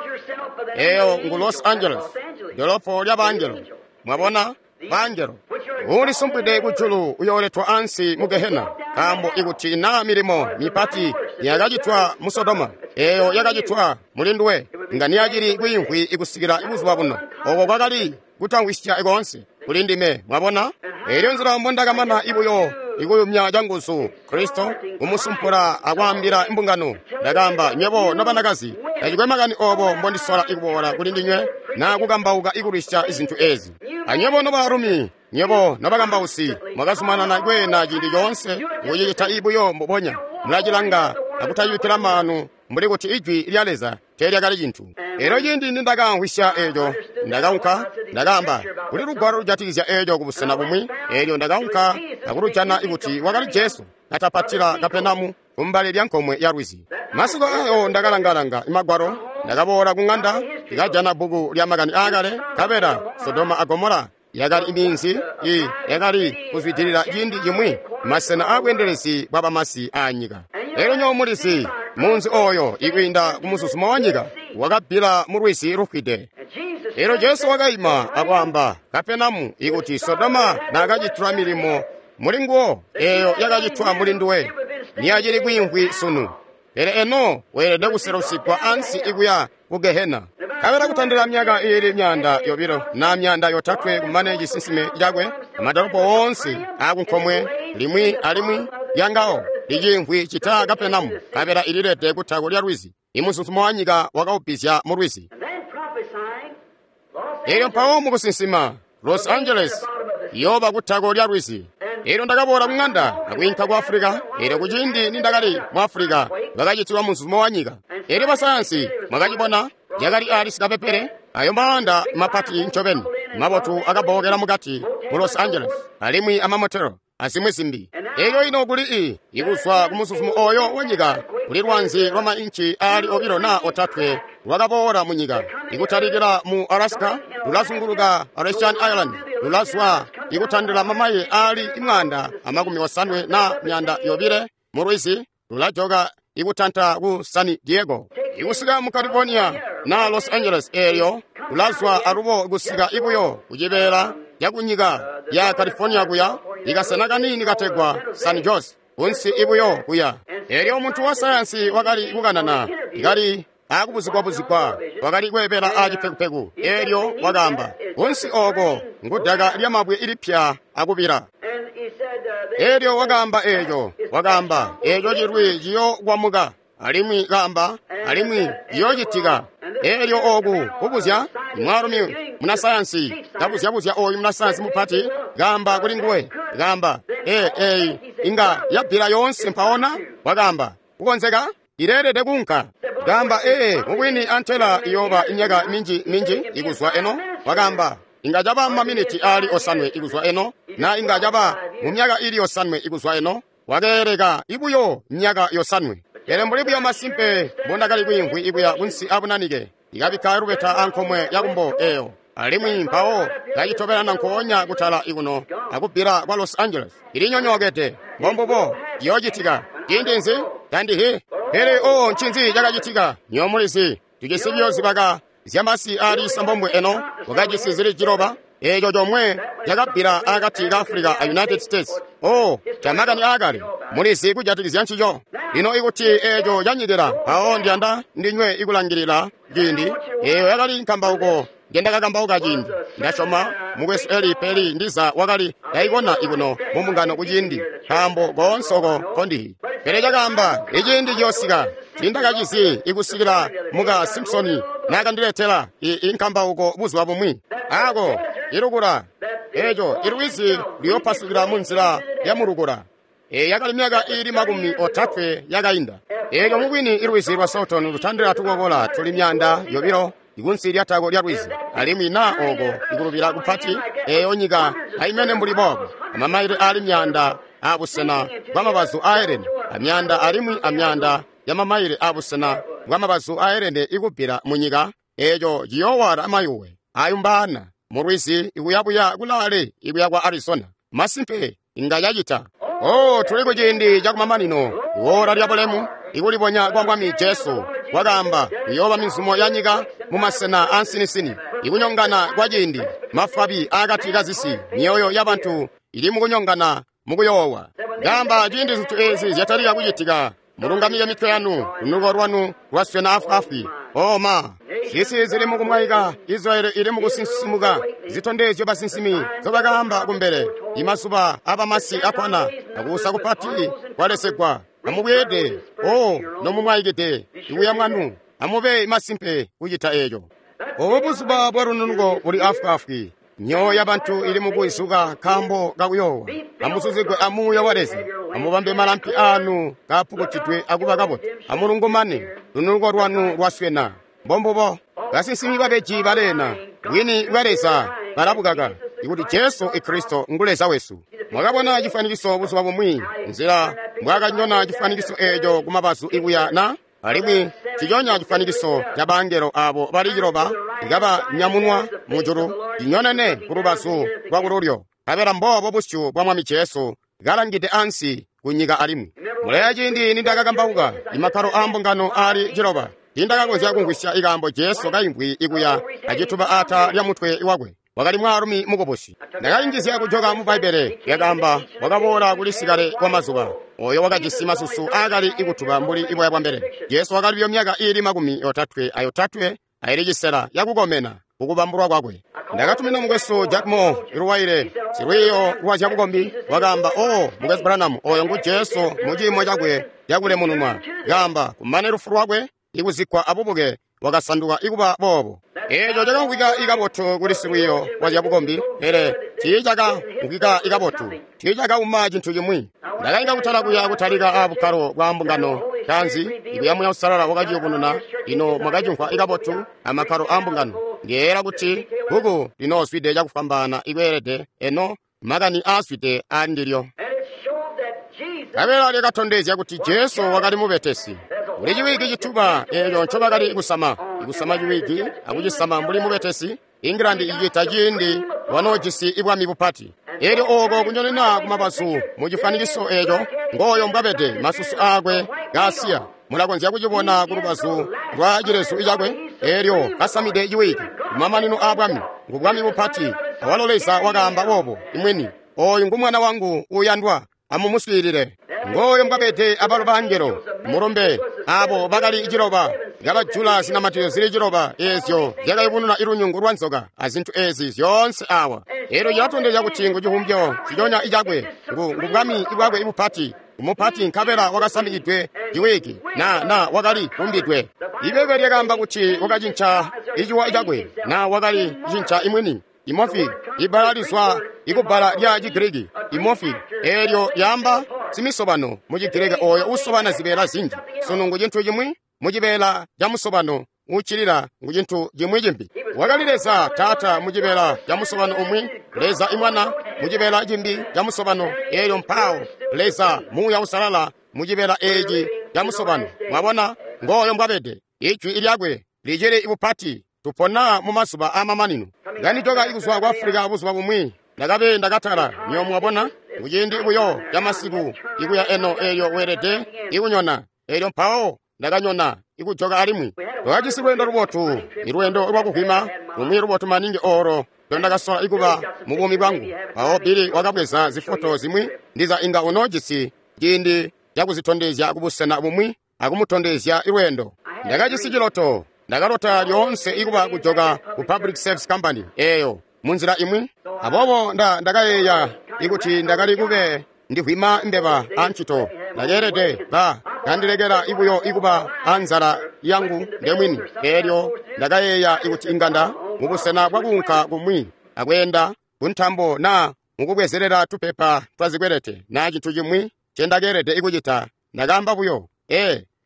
Eyo ngu Los Angeles, dolopo lya bangelo. Mwabona? Bangelo. Ulisumpwide kujulu uyooletwa ansi mu Gehena, nkaambo ikuti naa milimo mipati yakacitwa mu Sodoma, eyo yakacitwa mulinduwe, nga niyacili kwiimvwi ikusikila buzuba buno. Oko kwakali kutamvwisya koonse kuli ndime, mwabona? Elyo nzila mbondakamana ibuyo ikuyumya canguzu Kristo kumusumpula akwaambila imbungano. Ndakaamba, nywebo nobanakazi, tacikwe makani obo mbondisola ikuboola kuli ndinywe na kukambauka ikulwisya izintu ezi. Anywebo nobaalumi, nywebo nobakambausi, mwakazumanana kweena ciindi coonse mukucicita ibuyo mbubonya. Mulacilanga akutacibikkila maanu mbuli kuti ijwi lya Leza teelyakali cintu. Elyo ciindi nindakamvwisya eeco, ndakaunka, ndakaamba, kuli lugwalo lujatikizya eeco kubusena bumwi. Elyo ndakaunka akulujana kuti wakali Jesu katapatila Kapenamu kumbali lya nkomwe ya lwizi. Masiku ayo ndakalangalanga imagwalo, ndakaboola ku ng'anda, ndikajana bbuku lya makani aakale, nkabela Sodoma a Gomora yakali iminzi yakali kuzwidilila ciindi cimwi masena aabweendelezi bwa bamasi aanyika. Elyo nywebo mulizi, munzi oyo ikwiinda kumuzuzumo wa nyika wakabbila mu lwizi lufwide. Elyo Jesu wakaima akwaamba, Kapenamu, ikuti Sodoma naakacitwa milimo mulinguwo eyo yakacitwa mulinduwe, niyacili kwiimvwi sunu. Pele eno weelede kuselusigwa ansi ikuya ku Gehena. Kabela kutandila myaka iili 200 na 300 kumane cisinsime cakwe, amadolopo woonse akunkomwe limwi alimwi lyangawo liciimvwi cita Kapenamu, kabela ililede kutako lya lwizi. Imuzuzumo wa nyika wakaubbizya mu lwizi. Elyo mpawo mukusinsima, Los Angeles yoba kutako lya lwizi. Elyo ndakaboola ku ng'anda akwiinka ku Afulika. Elyo kuciindi nindakali mu Afulika, bakacitilwa muzuzumo wa nyika. Elyo basayansi mwakacibona, yakali ali sikapepele, ayo maanda mapati ncobeni mabotu akabbokela mukati mu Los Angeles, alimwi amamotelo azimwi zimbi. Elyo ino kuli ikuzwa ku muzuzumo oyo wa nyika, kuli lwanzi lwa mainci aali 2 na 3 lwakaboola mu nyika, ikutalikila mu Alaska, lulazunguluka Aleutian Island, lulazwa ikutandila mamayi aali 180 na 200 mu lwizi, lulajoka ikutanta ku San Diego, ikusika mu California na Los Angeles. Elyo lulazwa alubo kusika ibuyo kucibeela yakunyika ya California kuya ikasena kanini kategwa San Jose kunsi ibuyo kuya. Elyo muntu wa sayansi wakali kukanana, ikali akubuzigwa-buzigwa, wakali kweebela acipekupeku. Elyo wakaamba, kunsi oko ngudaka lyamabwe ilipya akubila. Elyo wakaamba eeco, wakaamba eeco cilwi ciyokwamuka, alimwi kaamba, alimwi ciyoocitika. Elyo oku kubuzya mwaalumi munasayansi kabuzyabuzya oyu munasayansi mupati, kaamba kuli nguwe, kaamba, eyi inga yabbila yoonse mpaona. Wakaamba, kukonzeka ileelede kuunka. Kaamba, mubwini antela iyooba imyaka minji minji ikuzwa eno. Wakaamba, inga caba maminiti aali 7 ikuzwa eno, na inga caba mu myaka ili 7 ikuzwa eno. Wakeeleka ibuyo myaka 7. Pele mbuli buyo masimpe mbondakali kwiimvwi ikuya kunsi abunanike, ikabikka lubeta ankomwe yakumbo eyo, alimwi mpawo kacitobelana nkoonya kutala ikuno akubbila kwa Los Angeles. Ilinyonyookede. Mbombubo ciyoocitika. Ciindi nzi? Tandihi. Pele ncinzi cakacitika? Nywebo mulizi, tujisi buyo zibaka zyamasi aali 9 eno, wakajisi zili 9. Eeco comwe cakabbila akati ka Africa a United States. Camakani aakale, mulizi kujatikizya ncico. Lino ikuti eeco canyikila, mpawo ndiyanda ndinywe ikulangilila ciindi. Eeyo yakali nkambauko ngendakakambauka ciindi. Ndasyoma mukwesu Eli Peli ndiza wakali yayibona ikuno mu mbungano kuciindi, nkaambo koonse oko kondihi. Pele cakaamba, iciindi ciyoosika, tiindakacizi ikusikila muka Simpsoni naakandiletela inkambauko buzuba bumwi. Ako ilukula eeco ilwizi luyopasukila mu nzila ya mulukula. Eyi yakali myaka iili 30 yakainda. Eelyo mubwini ilwizi lwa Salton lutandila tukokola tuli 200 ikunsi lyatako lya lwizi, alimwi na oko ikulubila kupati eyo nyika aimene mbuli boobo, amamaile aali 100 abusena bwamabazu aelene, amyanda alimwi amyanda ya mamaile abusena bwamabazu aelene ikubbila mu nyika. Eeco ciyoowala amayuwe ayumbaana mu lwizi ikuyabuya kulaale ikuya kwa Arizona. Masimpe. Inga cacita. Oh, tuli ku ciindi cakumamanino, iwora lya bulemu, ikulibonya kwa Mwami Jesu. Wakaamba, kuyooba mizumo ya nyika mu masena ansinisini, ikunyongana kwa ciindi, mafwabi akati ka zisi, myoyo ya bantu ili mukunyongana mukuyoowa. Kaamba ciindi zintu ezi zyatalika kucitika, mulungamike mitwe yanu, lunuko lwanu lwaswena afwaafwi. Oh ma, zisi zili mukumwaika, Israeli ili mukusinsimuka, zitondezyo basinsimi zobakaamba kumbele. Imazuba abamasi akwana, akuusa kupati kwalesegwa. Amubweede, oh, nomumwaikide, ikuya mwanu, amube masimpe kucita eco. Obo buzuba bwa lununuko buli afwaafwi. Myoyo ya bantu ili mukuizuka nkaambo kakuyoowa. Amusuzigwe amuuya wa Leza. Amubambe malampi anu kapukutidwe akuba kabotu. Amulungumane, lununuko lwanu lwaswena. Mbombubo, basinsimi babeji baleena, bwini bwa Leza balabukaka, ikuti Jesu Kristo ngu Leza wesu. Mwakabona chifanikiso buzuba bumwi, nzila mbwakanyona chifanikiso eco kumabazu ikuya na alimwi ciconya chifanikiso ca bangelo abo bali ciloba ikaba nyamunwa mujulu cinyonene ku lubazu lwa kululyo, kabela mboobo busyu bwa Mwami Jesu kalangide ansi ku nyika alimwi. Muleya ciindi nindakakambauka imakkalo a mbungano ali ciloba, tiindakakonzya kumvwisya ikaambo Jesu kaimvwi ikuya acituba ata lya mutwe wakwe. Wakali mwaalumi mukubusi. Ndakainjizya kujoka mu Bbaibbele lyakaamba wakaboola kuli sikale kwa mazuba oyo wakajisi masusu aakali ikutuba mbuli iboya bwa mbelele. Jesu wakali buyo myaka iili 38 ayili cisela yakukomena kukubambulwa kwakwe. Ndakatumina mukwesu Jack Moore iluwaile silwiiyo lwa zyabukombi. Wakaamba, "Oh, mukwesu Branham, oyo ngu Jesu mu ciimo cakwe cakulemununwa." Kaamba kumane lufu lwakwe ikuzikkwa abubuke wakasanduka ikuba boobo. Eeco cakamvwika ikabotu kuli silwiiyo lwa zyabukombi, pele tiicakamvwika ikabotu, tiicakauma cintu cimwi. Ndakainga kutala kuya kutalika abukkalo bwa mbungano tanzi, ikuya Muya Uusalala wakaciyubununa. Ino mwakacimvwa ikabotu amakkalo a mbungano. Ndiyeeyela kuti bbuku linoozwide cakufwambaana ikweelede eno makani aazwide aandilyo. Kabela lyakatondezya kuti Jesu wakali mubetesi. Kuli ciwigi cituba eeco ncobakali kusama, ikusama ciwigi akucisama mbuli mubetesi. England icita ciindi wanoojisi ibwami bupati. Eelyo ooko kunyonena kumabazu mu cifanikiso eeco, ngooyo mbwabede masusu aakwe kaasiya. Mulakonzya kucibona ku lubazu lwa cilezu cakwe, eelyo kasamide ciwigi. Kumamanino aa bwami, ngu bwami bupati. Awalo Leza wakaamba boobo imwini, "Ooyu ngu mwana wangu uuyandwa, amumuswiilile." Ngooyo mbwabede abalo bangelo mulumbe abo bakali ciloba kabajula zinamatizyo zili ciloba eezyo zyakayubununa ilunyungu lwa nzoka azintu ezi zyoonse awa. Eelyo cilatondezya kuti ngu civumbyo ciconya icakwe, ngu bwami bwakwe ibupati, umupati nkabela wakasamikidwe ciwigi na wakali kumbidwe. Ibebe lyakaamba kuti wakacinca iciwa cakwe na wakali cinca imwini. Imofi, ibbala lizwa ikubbala lya Chigiriki imofi, eelyo lyaamba simisobano mu Chigiriki oyo usobana zibeela zinji. Sunu ngu cintu cimwi mu cibeela ca musobano uccilila ngu cintu cimwi cimbi. Wakali Leza Taata mu cibeela ca musobano umwi, Leza Imwana mu cibeela cimbi ca musobano, eelyo mpawo Leza Muuya Uusalala mu cibeela eeci ca musobano. Mwabona, ngooyo mbwabede. Ijwi lyakwe licili ibupati. Tupona mu mazuba aamamanino. Nganijoka ikuzwa ku Afulika buzuba bumwi, ndakabe ndakatala. Nyo mwabona, kuciindi buyo ca masiku ikuya eno eelyo weelede ikunyona. Eelyo mpawo ndakanyona ikujoka alimwi. Twakajisi lweendo lubotu, ilweendo lwakuvwima, lumwi lubotu maningi oolo ndondakasola ikuba mu buumi bwangu. Mpawo Billy wakabweza zifoto zimwi, ndiza inga unoojisi ciindi cakuzitondezya kubusena bumwi akumutondezya ilweendo. Ndakajisi ciloto. Ndakalota lyoonse ikuba kujoka ku Public Service Company eeyo munzila imwi. Aboobo ndakayeeya ikuti ndakali kube ndivwima mbeba ancito. Ndakeelede ba kandilekela ibuyo ikuba anzala yangu ndemwini. Eelyo ndakayeeya ikuti inganda mubusena bwakuunka kumwi akweenda kuntambo na mukubwezelela tupepa twazikwelete na cintu cimwi ncendakeelede ikucita. Ndakaamba buyo,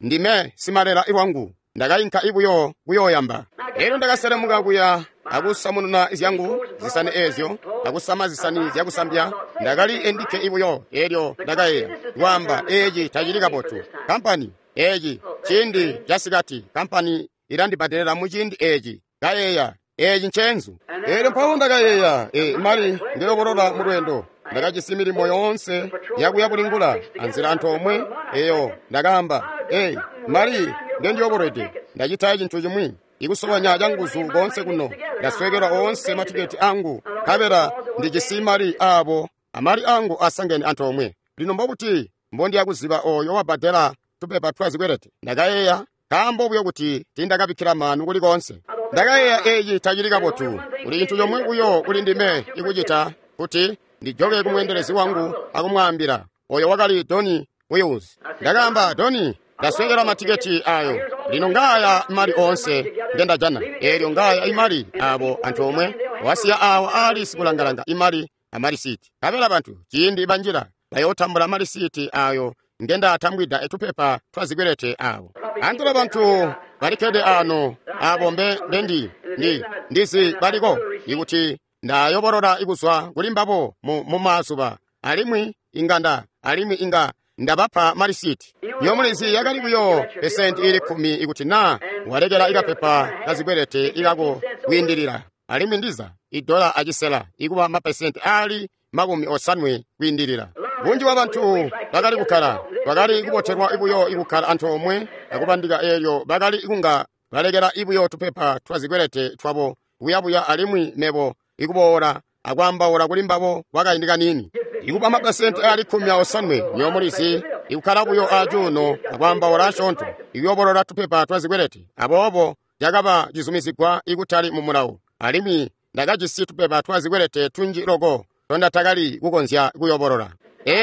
ndime simalela iwangu. Ndakainka ibuyo kuyooyamba. Eelyo ndakaselemuka kuya akusamununa zyangu zisani eezyo akusama zisani zyakusambya. Ndakali endikke ibuyo. Eelyo ndakayeeya kwaamba, eeci tacili kabotu. Kampani eeci ciindi casikati, kampani ilandibbadelela muciindi eeci. Kayeeya, eeci nceenzu. Eelyo mpawo ndakayeeya, mali ndilobolola mu lweendo. Ndakajisi milimo yoonse yakuya bulingula anzila antoomwe eyo. Ndakaamba, "Ei, mali ngendiyobolwede, ndacita cintu chimwi ikusobanya canguzu koonse kuno. Ndaswekelwa oonse matiketi angu, nkabela ndijisi mali aabo amali angu asangene antoomwe. Lino mbobuti mbondiya kuziba oyo wabbadela tupepa twa zikwelete?" Ndakayeeya, nkaambo buyo kuti tiindakabikkila maanu kulikonse. Ndakayeeya, eeci tacili kabotu. Kuli cintu comwe buyo kuli ndime ikucita, kuti ndijoke kumweendelezi wangu akumwaambila. Oyo wakali Donny Wills. Ndakaamba, "Donny, ndaswekelwa matiketi ayo. Lino ngaaya mali oonse ngendajana. Eelyo ngaaya imali abo antoomwe wasiya awo aali sikulangalanga imali amalisiti. Nkabela bantu ciindi banjila bayootambula malisiti ayo ngendatambwida tupepa twa zikwelete awo. Antela bantu balikkede ano abo mbe ndendi ndi ndizi baliko ikuti ndayobolola ikuzwa kuli mbabo mu mazuba, alimwi inga alimwi inga ndabapa malisiti. Yomulizi yakali buyo pesenti ili 10 ikuti na walekela ikapepa kazikwelete ikako kwiindilila, alimwi ndiza $1.25 ikuba mapesenti ali 50 kwiindilila. Bunji bwa bantu bakali kukkala, bakali kubotelwa ibuyo ikukkala antoomwe akubandika, eelyo bakali kunga balekela ibuyo tupepa twa zikwelete twabo buyabuya, alimwi mebo ikuboola akwaambaula kuli mbabo kwakaindi kaniini. Ikuba mapesenti ali 15 nyomulizi ikukkala buyo acuuno akwaambaula asyoonto, ikuyobolola tupepa twa zikwelete. Aboobo cakaba cizumizigwa ikutali mu mulawo, alimwi ndakajisi tupepa twa zikwelete tunji loko tondatakali kukonzya kuyobolola.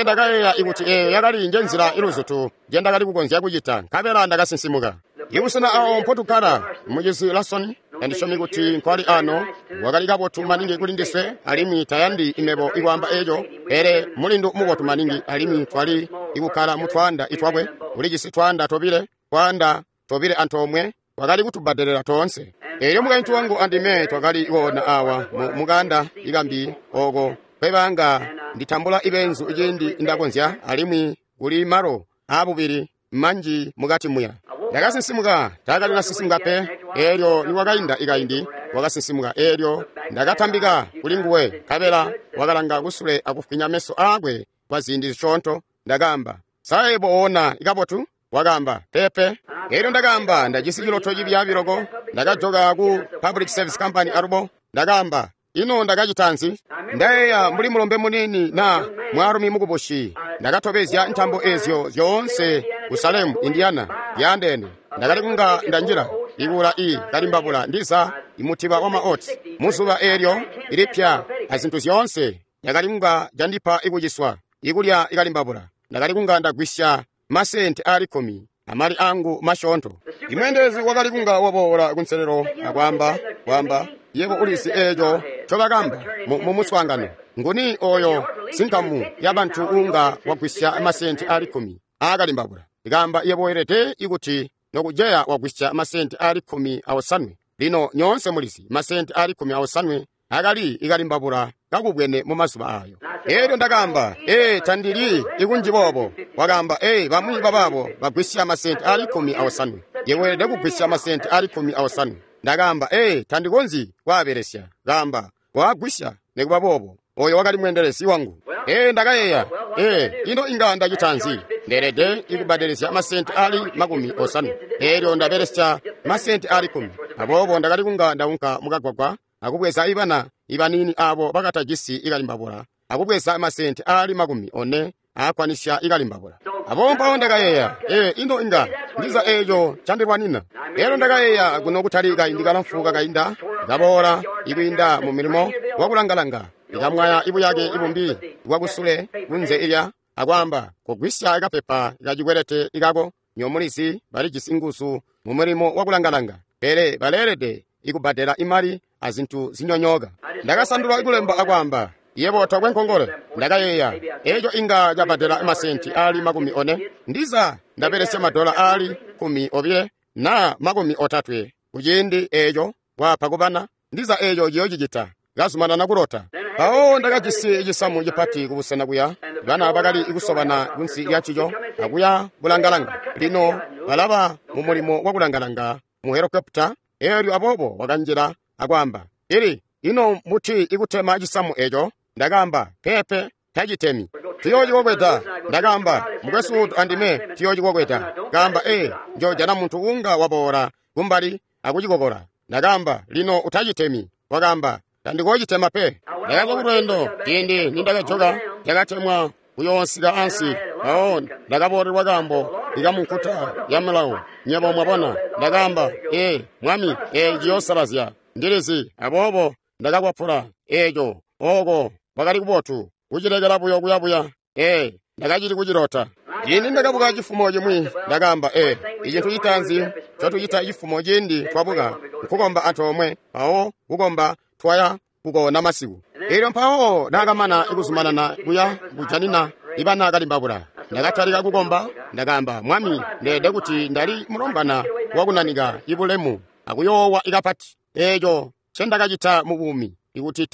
Ndakayeeya ikuti eeyo yakali njenzila iluzutu njendakali kukonzya kucita, nkabela ndakasinsimuka. Ibusena awo mpotukkala, mucizi Lasoni, andisyomi kuti nkwali ano, wakali kabotu maningi kuli ndiswe, alimwi tayandi imebo ikwaamba eco, pele mulindu mubotu maningi, alimwi twali ikukkala mutwaanda itwakwe. Ulijisi twaanda tobile antoomwe, wakali kutubbadelela toonse. Eelyo mukaintu wangu andime twakali koona awa mukanda ikambi oko kwebanga nditambula ibenzu ciindi ndakonzya, alimwi kuli malo aabubili manji mukati muya. Ndakasinsimuka, taakali nasinsimuka pe. Eelyo niwakainda ikaindi wakasinsimuka, eelyo ndakatambika kuli nguwe, nkabela wakalanga kusule akufwinya meso aakwe kwa ziindi zisyoonto. Ndakaamba, "Sa yebo oona ikabotu?" Wakaamba, "Pepe." Eelyo ndakaamba, "Ndajisi ciloto cibyaabi loko." Ndakajoka ku Public Service Company alubo. Ndakaamba, "Ino ndakacita nzi?" Ndayeeya mbuli mulombe muniini na mwaalumi mukubusi. Ndakatobezya ntambo ezyo zyoonse ku Salem, Indiana, yaandeene. Ndakali kunga ndanjila ikuula i kalimbabula ndiza imutiba wa maoti muzuba eelyo ilipya azintu zyoonse. Ndakali kunga candipa ikuciswa ikulya ikalimbabula. Ndakali kunga ndagwisya masenti ali 10 amali angu masyoonto. Imweendelezi wakali kunga waboola kunselelo akwaamba, kwaamba, "Yebo ulizi eeco ncobakamba mu muswaangano. Nguni oyo sinkamu ya bantu unga wagwisya masenti ali 10 aakalimbabula?" Ikaamba, "Yebo weelede ikuti nokujeya wagwisya masenti ali 15. Lino nyoonse mulizi masenti ali 15 akali ikalimbabula kakubwene mu mazuba ayo. Eelyo ndakaamba, "Ee, tandili ikunji boobo." Wakaamba, "Ee, bamwi babaabo bagwisya masenti ali 15. Yebo weelede kugwisya masenti ali 15. Ndakaamba, "Ee, tandikonzyi kwaabelesya." Kaamba, "Waagwisya nikuba boobo." Oyo wakali mweendelezi wangu. Ee, ndakayeeya, "Ee, ino inga ndacita nzi? Ndeelede ikubbadelesya masenti ali 50. Eelyo ndabelesya masenti ali 10. Aboobo ndakali kunga ndaunka mukagwagwa akubweza ibana ibanini abo bakatajisi ikalimbabula, akubweza masenti ali 40 aakwanisya ikalimbabula. Aboobo mpawo ndakayeeya, "Ee, ino inga ndiza eeco candilwanina." Eelyo ndakayeeya kuno kutali kaindi kalamfu kakainda, kaboola ikwiinda mu milimo wakulangalanga, ikamwaya ibuyake ibumbi bwakusule kunze ilya, akwaamba, "Kogwisya ikapepa kacikwelete ikako." Nyomulizi balijisi nguzu mu mulimo wakulangalanga, pele baleelede ikubbadela imali azintu zinyonyooka. Ndakasandula ikulemba akwaamba, "Yebo tokwe nkongole." Ndakayeeya, eeco inga cabbadela masenti ali 40. Ndiza ndabelesya madola ali 12 na 30 kuciindi eeco wapa kubana. Ndiza eeco ciyoocicita. Kazumanana kulota. Mpawo ndakajisi cisamu cipati kubusena kuya. Bana bakali kusobana kunsi lya ncico akuya kulangalanga. Lino balaba mu mulimo wakulangalanga mu helikopita. Eelyo aboobo wakanjila akwaamba, "Ili, ino mbuti ikutema cisamu eeco?" Ndakaamba, "Pepe, tacitemi. Tuyoocikokweda. Ndakaamba, mukwesu Wood andime tuyoocikokweda. Kaamba, ee, njoojana muntu unga waboola kumbali akucikokola. Ndakaamba, lino utacitemi. Wakaamba, tandikoocitema pe. Ndakazwa kulweendo ciindi nindakajoka cakatemwa kuyoosika ansi. Mpawo ndakaboolelwa kaambo ikamunkuta ya milawo. Nywebo mwabona, ndakaamba, ee, mwami, ee ciyoosalazya. Ndilizi, aboobo ndakakwapula eeco. Ooko kwakali kubotu kucilekela buyo kuyabuya. Ee, ndakacili kucilota. Ciindi ndakabuka cifumo cimwi, ndakaamba, ee, icintu citaanzi ncotucita cifumo ciindi twabuka nkukomba antoomwe, mpawo kukomba twaya kukoona masiku. Eelyo mpawo naakamana kuzumanana kuya kujanina ibana kalimbabula. Ndakatalika kukomba, ndakaamba, mwami, ndeede kuti ndali mulombwana wakunanika ibulemu akuyoowa ikapati. Eeco ncendakacita mu buumi, ikuti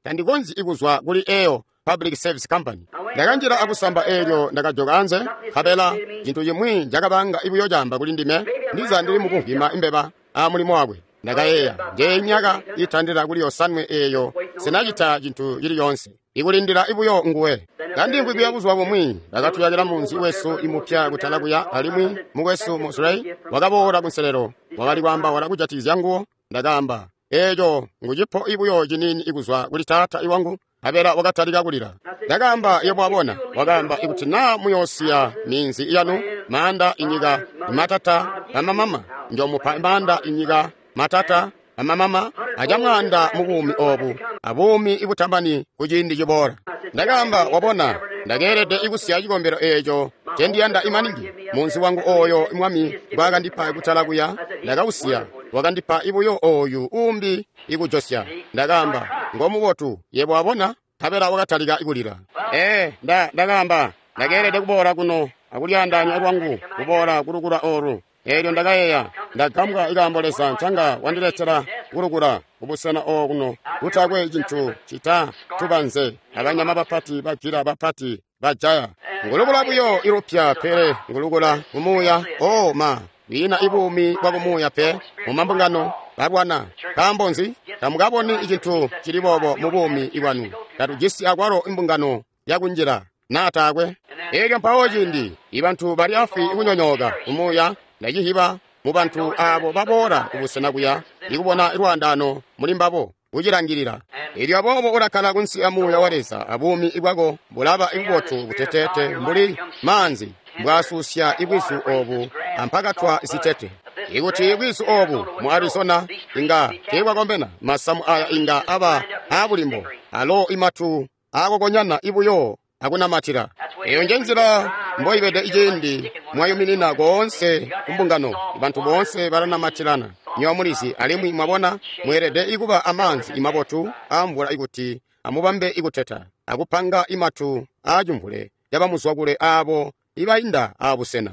tandikonzyi kuzwa kuli eyo Public Service Company. Ndakanjila akusamba eelyo ndakajoka anze, nkabela cintu cimwi cakabanga ibuyo camba kuli ndime, ndiza ndili mukuvwima imbeba a mulimo wakwe. Ndakayeeya, njeeyi myaka itandila kuli yosanwe eeyo sinacita cintu cili yoonse, ikulindila ibuyo nguwe. Kandimvwi kuya buzuba bumwi, ndakatuyakila munzi wesu imupya kutala kuya, alimwi mukwesu Mosley wakaboola kunselelo, wakali kwaambaula kujatikizya nguwo. Ndakaamba, eeco ngucipo ibuyo ciniini ikuzwa kuli taata iwangu. Nkabela wakatalika kulila. Ndakaamba, yebo wabona. Wakaamba, ikuti naa muyoosiya minzi yanu, maanda inyika, matata amamama, njomupa maanda inyika, matata amamama, acamwaanda mu buumi oobu, abuumi ibutamani kuciindi ciboola. Ndakaamba, wabona, ndakeelede ikusiya cikombelo eeco ncendiyanda imaningi. Munzi wangu ooyo mwami ngwaakandipa kutala kuya, ndakausiya. Wakandipa ibuyo ooyu uumbi ikujosya. Ndakaamba, ngomubotu, yebo wabona. Nkabela wakatalika kulila. Ee, ndakaamba, ndakeelede kuboola kuno akulyaandaanya lwangu kuboola kulukula oolu. Eelyo ndakayeeya, ndagambwa ikaambo Leza ncanga wandiletela kulukula kubusena okuno kutakwe cintu cita tubanze abanyama bapati bagila bapati bajaya. Ngulukula buyo ilupya, pele ngulukula kumuuya. O ma, kwiina ibuumi bwa kumuuya pe mumambungano balwana. Nkaambo nzi? Tamukaboni cintu cili boobo mu buumi bwanu. Tatujisi akwalo imbungano yakunjila naa taakwe. Eelyo mpawo ciindi ibantu bali afwi kunyonyooka kumuuya, ndacihiba mu bantu aabo baboola kubusena kuya ikubona lwaandaano muli mbabo kucilangilila. Eelyo aboobo ulakkala kunsi amuuya wa Leza, abuumi bwako bulaba ibubotu buteteete mbuli maanzi mbwaasusya ibwizu oobu ampakatwa zitete. Ikuti bwizu oobu mu Arizona inga teebwakombena, masamu aya inga aba aabulimbo, alo imatu aakokonyana ibuyo akunamatila. Eyo njenzila mboibede iciindi mwayuminina koonse kumbungano, bantu boonse balanamatilana. Nywebo mulizi, alimwi mwabona, mweelede ikuba amaanzi imabotu aamvula ikuti amubambe ikuteta, akupanga imatu aacimvule yabamuzwakule aabo ibainda aabusena.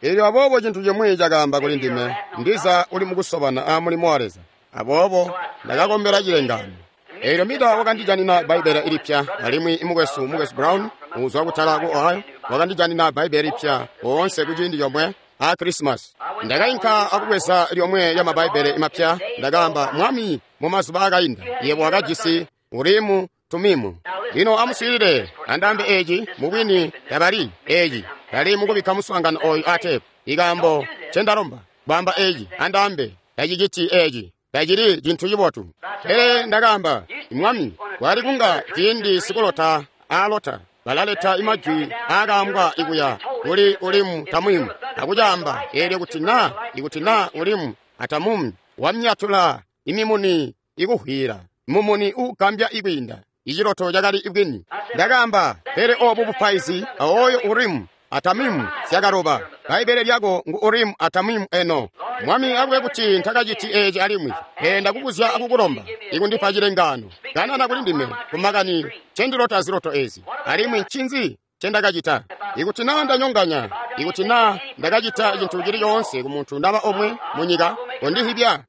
Eelyo aboobo cintu cimwi cakaamba kuli ndime, ndiza uli mukusobana a mulimo wa Leza. Aboobo ndakakombela cilengaano. Eelyo Mida wakandijanina Bbaibbele ilipya, alimwi mukwesu Brown uzwa kutala ku Ohio wakandijanina Bbaibbele lipya oonse kuciindi comwe a Christmas. Ndakainka akubweza lyomwe lya mabaibbele imapya. Ndakaamba, mwami, mu mazuba akainda yebo wakajisi Urimu Tumimu. Lino amuswiilile, andaambe eeci mubwini tabali eeci tali mukubikka muswaangano ooyu ateepu. Ikaambo ncendalomba kwaamba eeci, andaambe taciciti eeci, tacili cintu cibotu. Pele ndakaamba, mwami, kwali kunga ciindi sikulota aalota balaleta imajwi aakaambwa ikuya kuli Urimu Tamimu akucaamba eelyo kuti naa ikuti naa Urimu Atamumu wamyatula imimuni ikuhwila mumuni uugambya ikwiinda iciloto cakali ibwini. Ndakaamba, pele oobu bupaizi aooyo Urimu Atamimu zyakaloba. Bbaibbele lyako ngu Urimu Atamimu eno. Mwami akube kuti ntakaciti eeci alimwi. Pele ndakubuzya akukulomba ikundipa cilengaano. Kanana kuli ndime kumakani ncendilota ziloto eezi, alimwi ncinzi ncendakacita. Ikuti naa ndanyonganya, ikuti naa ndakacita cintu cili coonse kumuntu naba omwe munyika, kondihibya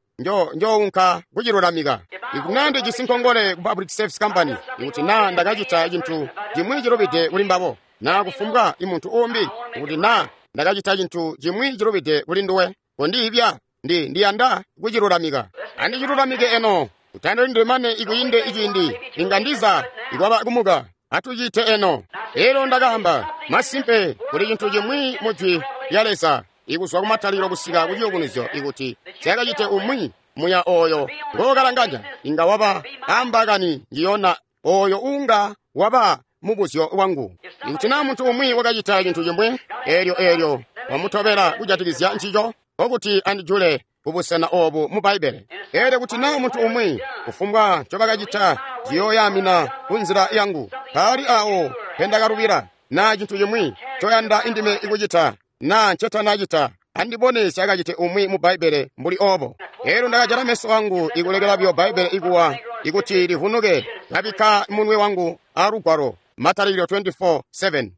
njounka kucilulamika. Ikuti naa ndijisi nkongole ku Public Service Company, ikuti naa ndakacita cintu cimwi cilubide kuli mbabo, naa kufumbwa imuntu uumbi, ikuti naa ndakacita cintu cimwi cilubide kuli nduwe, kondihibya, ndiyanda kucilulamika. Andicilulamike eno. Utandilindile mane ikwiinde iciindi inga ndiza ikwaba kumuka. Atucite eno. Elyo ndakaamba, masimpe kuli cintu cimwi mu Jwi lya Leza ikuzwa kumatalikilo kusika ku ciyubunuzyo ikuti syakacite umwi muya oyo ngokalanganya inga waba ambakani njiyona oyo unga waba mubuzyo wangu. Ikuti naa muntu umwi wakacita cintu cimwi eelyo wamutobela kujatikizya ncico, nkokuti andijule kubusena obu mu Bbaibbele. Eelyo kuti naa muntu umwi kufumbwa ncobakacita ciyooyamina ku nzila yangu, mpaali awo pendakalubila naa cintu cimwi ncoyanda indime ikucita naa ncetanacita, andibone syakacite umwi mu Bbaibbele mbuli obo. Eelyo ndakajala meso angu ikulekela buyo Bbaibbele ikuwa ikuti livunuke, kabikka munwe wangu alugwalo. Matalikilo 24:7.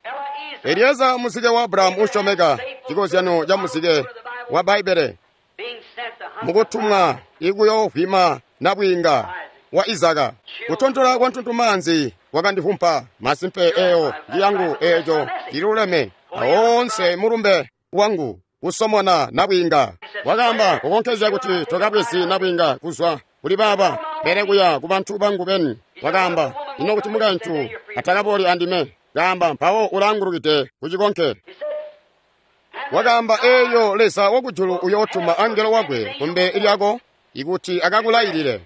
Elieza muzike wa Abrahamu usyomeka, cikozyano ca muzike wa Bbaibbele mukutumwa ikuyovwima nabwiinga wa Izaka. Kutontola kwa ntuntumaanzi kwakandivumpa. Masimpe eyo ndi yangu, eeco ciluleme awoonse mulumbe wangu kusomona nabwiinga. Wakaamba kukonkezya kuti tokabwezi nabwiinga kuzwa kuli baaba, pele kuya ku bantu bangu beni. Wakaamba, ino kuti mukaintu atakabooli andime? Kaamba, mpawo ulaangulukide kucikonke. Wakaamba, eeyo Leza wakujulu uyootuma angelo wakwe kumbe lyako ikuti akakulailile.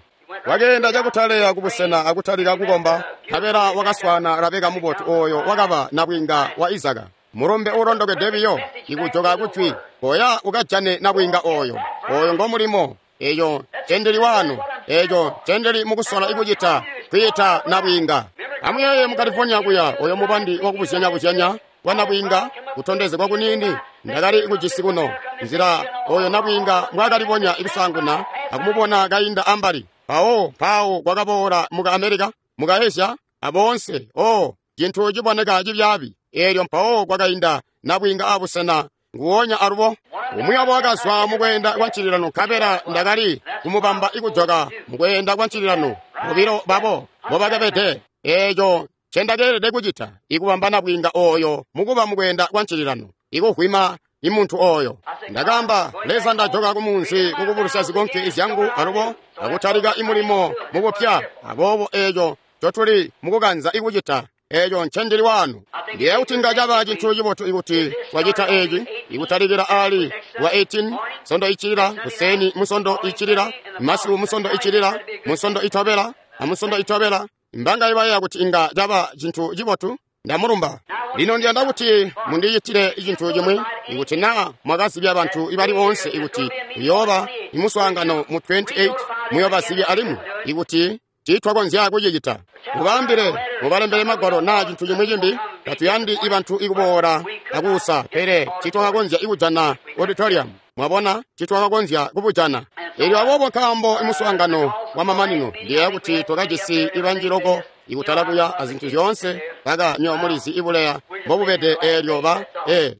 Wakeenda cakutaleya kubusena akutalika kukomba, nkabela wakaswaana Rabeka mubotu oyo wakaba nabwiinga wa Izaka. Mulumbe uulondokede biyo ikujoka kujwi, koya ukajane nabwiinga oyo. Oyo ngomulimo. Eyo ncendili wanu, eco ncendili mukusola ikucita, kwiita nabwiinga. Amuyeeye mu California kuya oyo mubandi wakubuzyanya-buzyanya kwa nabwiinga kutondezegwa kuniini ndakali kujisi kuno. Nzila oyo nabwiinga mbwaakalibonya ikusaanguna akumubona kainda ambali. Mpawo mpawo kwakaboola muka America, muka Asia, aboonse, oh, cintu ciboneka cibyaabi. Eelyo mpawo kwakainda nabwiinga abusena nguwonya alubo. Umwi wabo wakazwa mukweenda kwa ncililano, nkabela ndakali kumubamba ikujoka mukweenda kwa ncililano. Bobilo babo mbobakabede. Eeco ncendakeelede kucita ikubamba nabwiinga oyo mukuba mukweenda kwa ncililano, ikuvwima imuntu oyo. Ndakaamba, Leza, ndajoka kumunzi kukubulusya zikonke izyangu alubo akutalika imulimo mubupya. Aboobo eeco ncotuli mukukanza ikucita, eeco ncendili wanu. Ndiye kuti inga caba cintu cibotu ikuti twacita eeci ikutalikila ali wa 18 sondo icilila, kuseni musondo icilila, masiku musondo icilila, musondo itobela, amusondo itobela. Mbanga ibayeeya kuti inga caba cintu cibotu. Ndamulumba. Lino ndiyanda kuti mundicitile cintu cimwi. Ikuti naa mwakazibya bantu ibali boonse ikuti kuyooba imuswaangano mu 28, muyoobazibya alimwi ikuti tiitwakonzya kucicita. Mubaambile, mubalembele magwalo naa cintu cimwi cimbi. Tatuyandi ibantu ikuboola akuusa, pele tiitwakakonzya ikujana auditorium. Mwabona, tiitwakakonzya kubujana. Eelyo aboobo nkaambo imuswaangano wamamanino, ndiyeeya kuti twakajisi ibanji loko ikutala kuya azintu zyoonse kaka nyo mulizi ibuleya mbobubede. Eelyo ba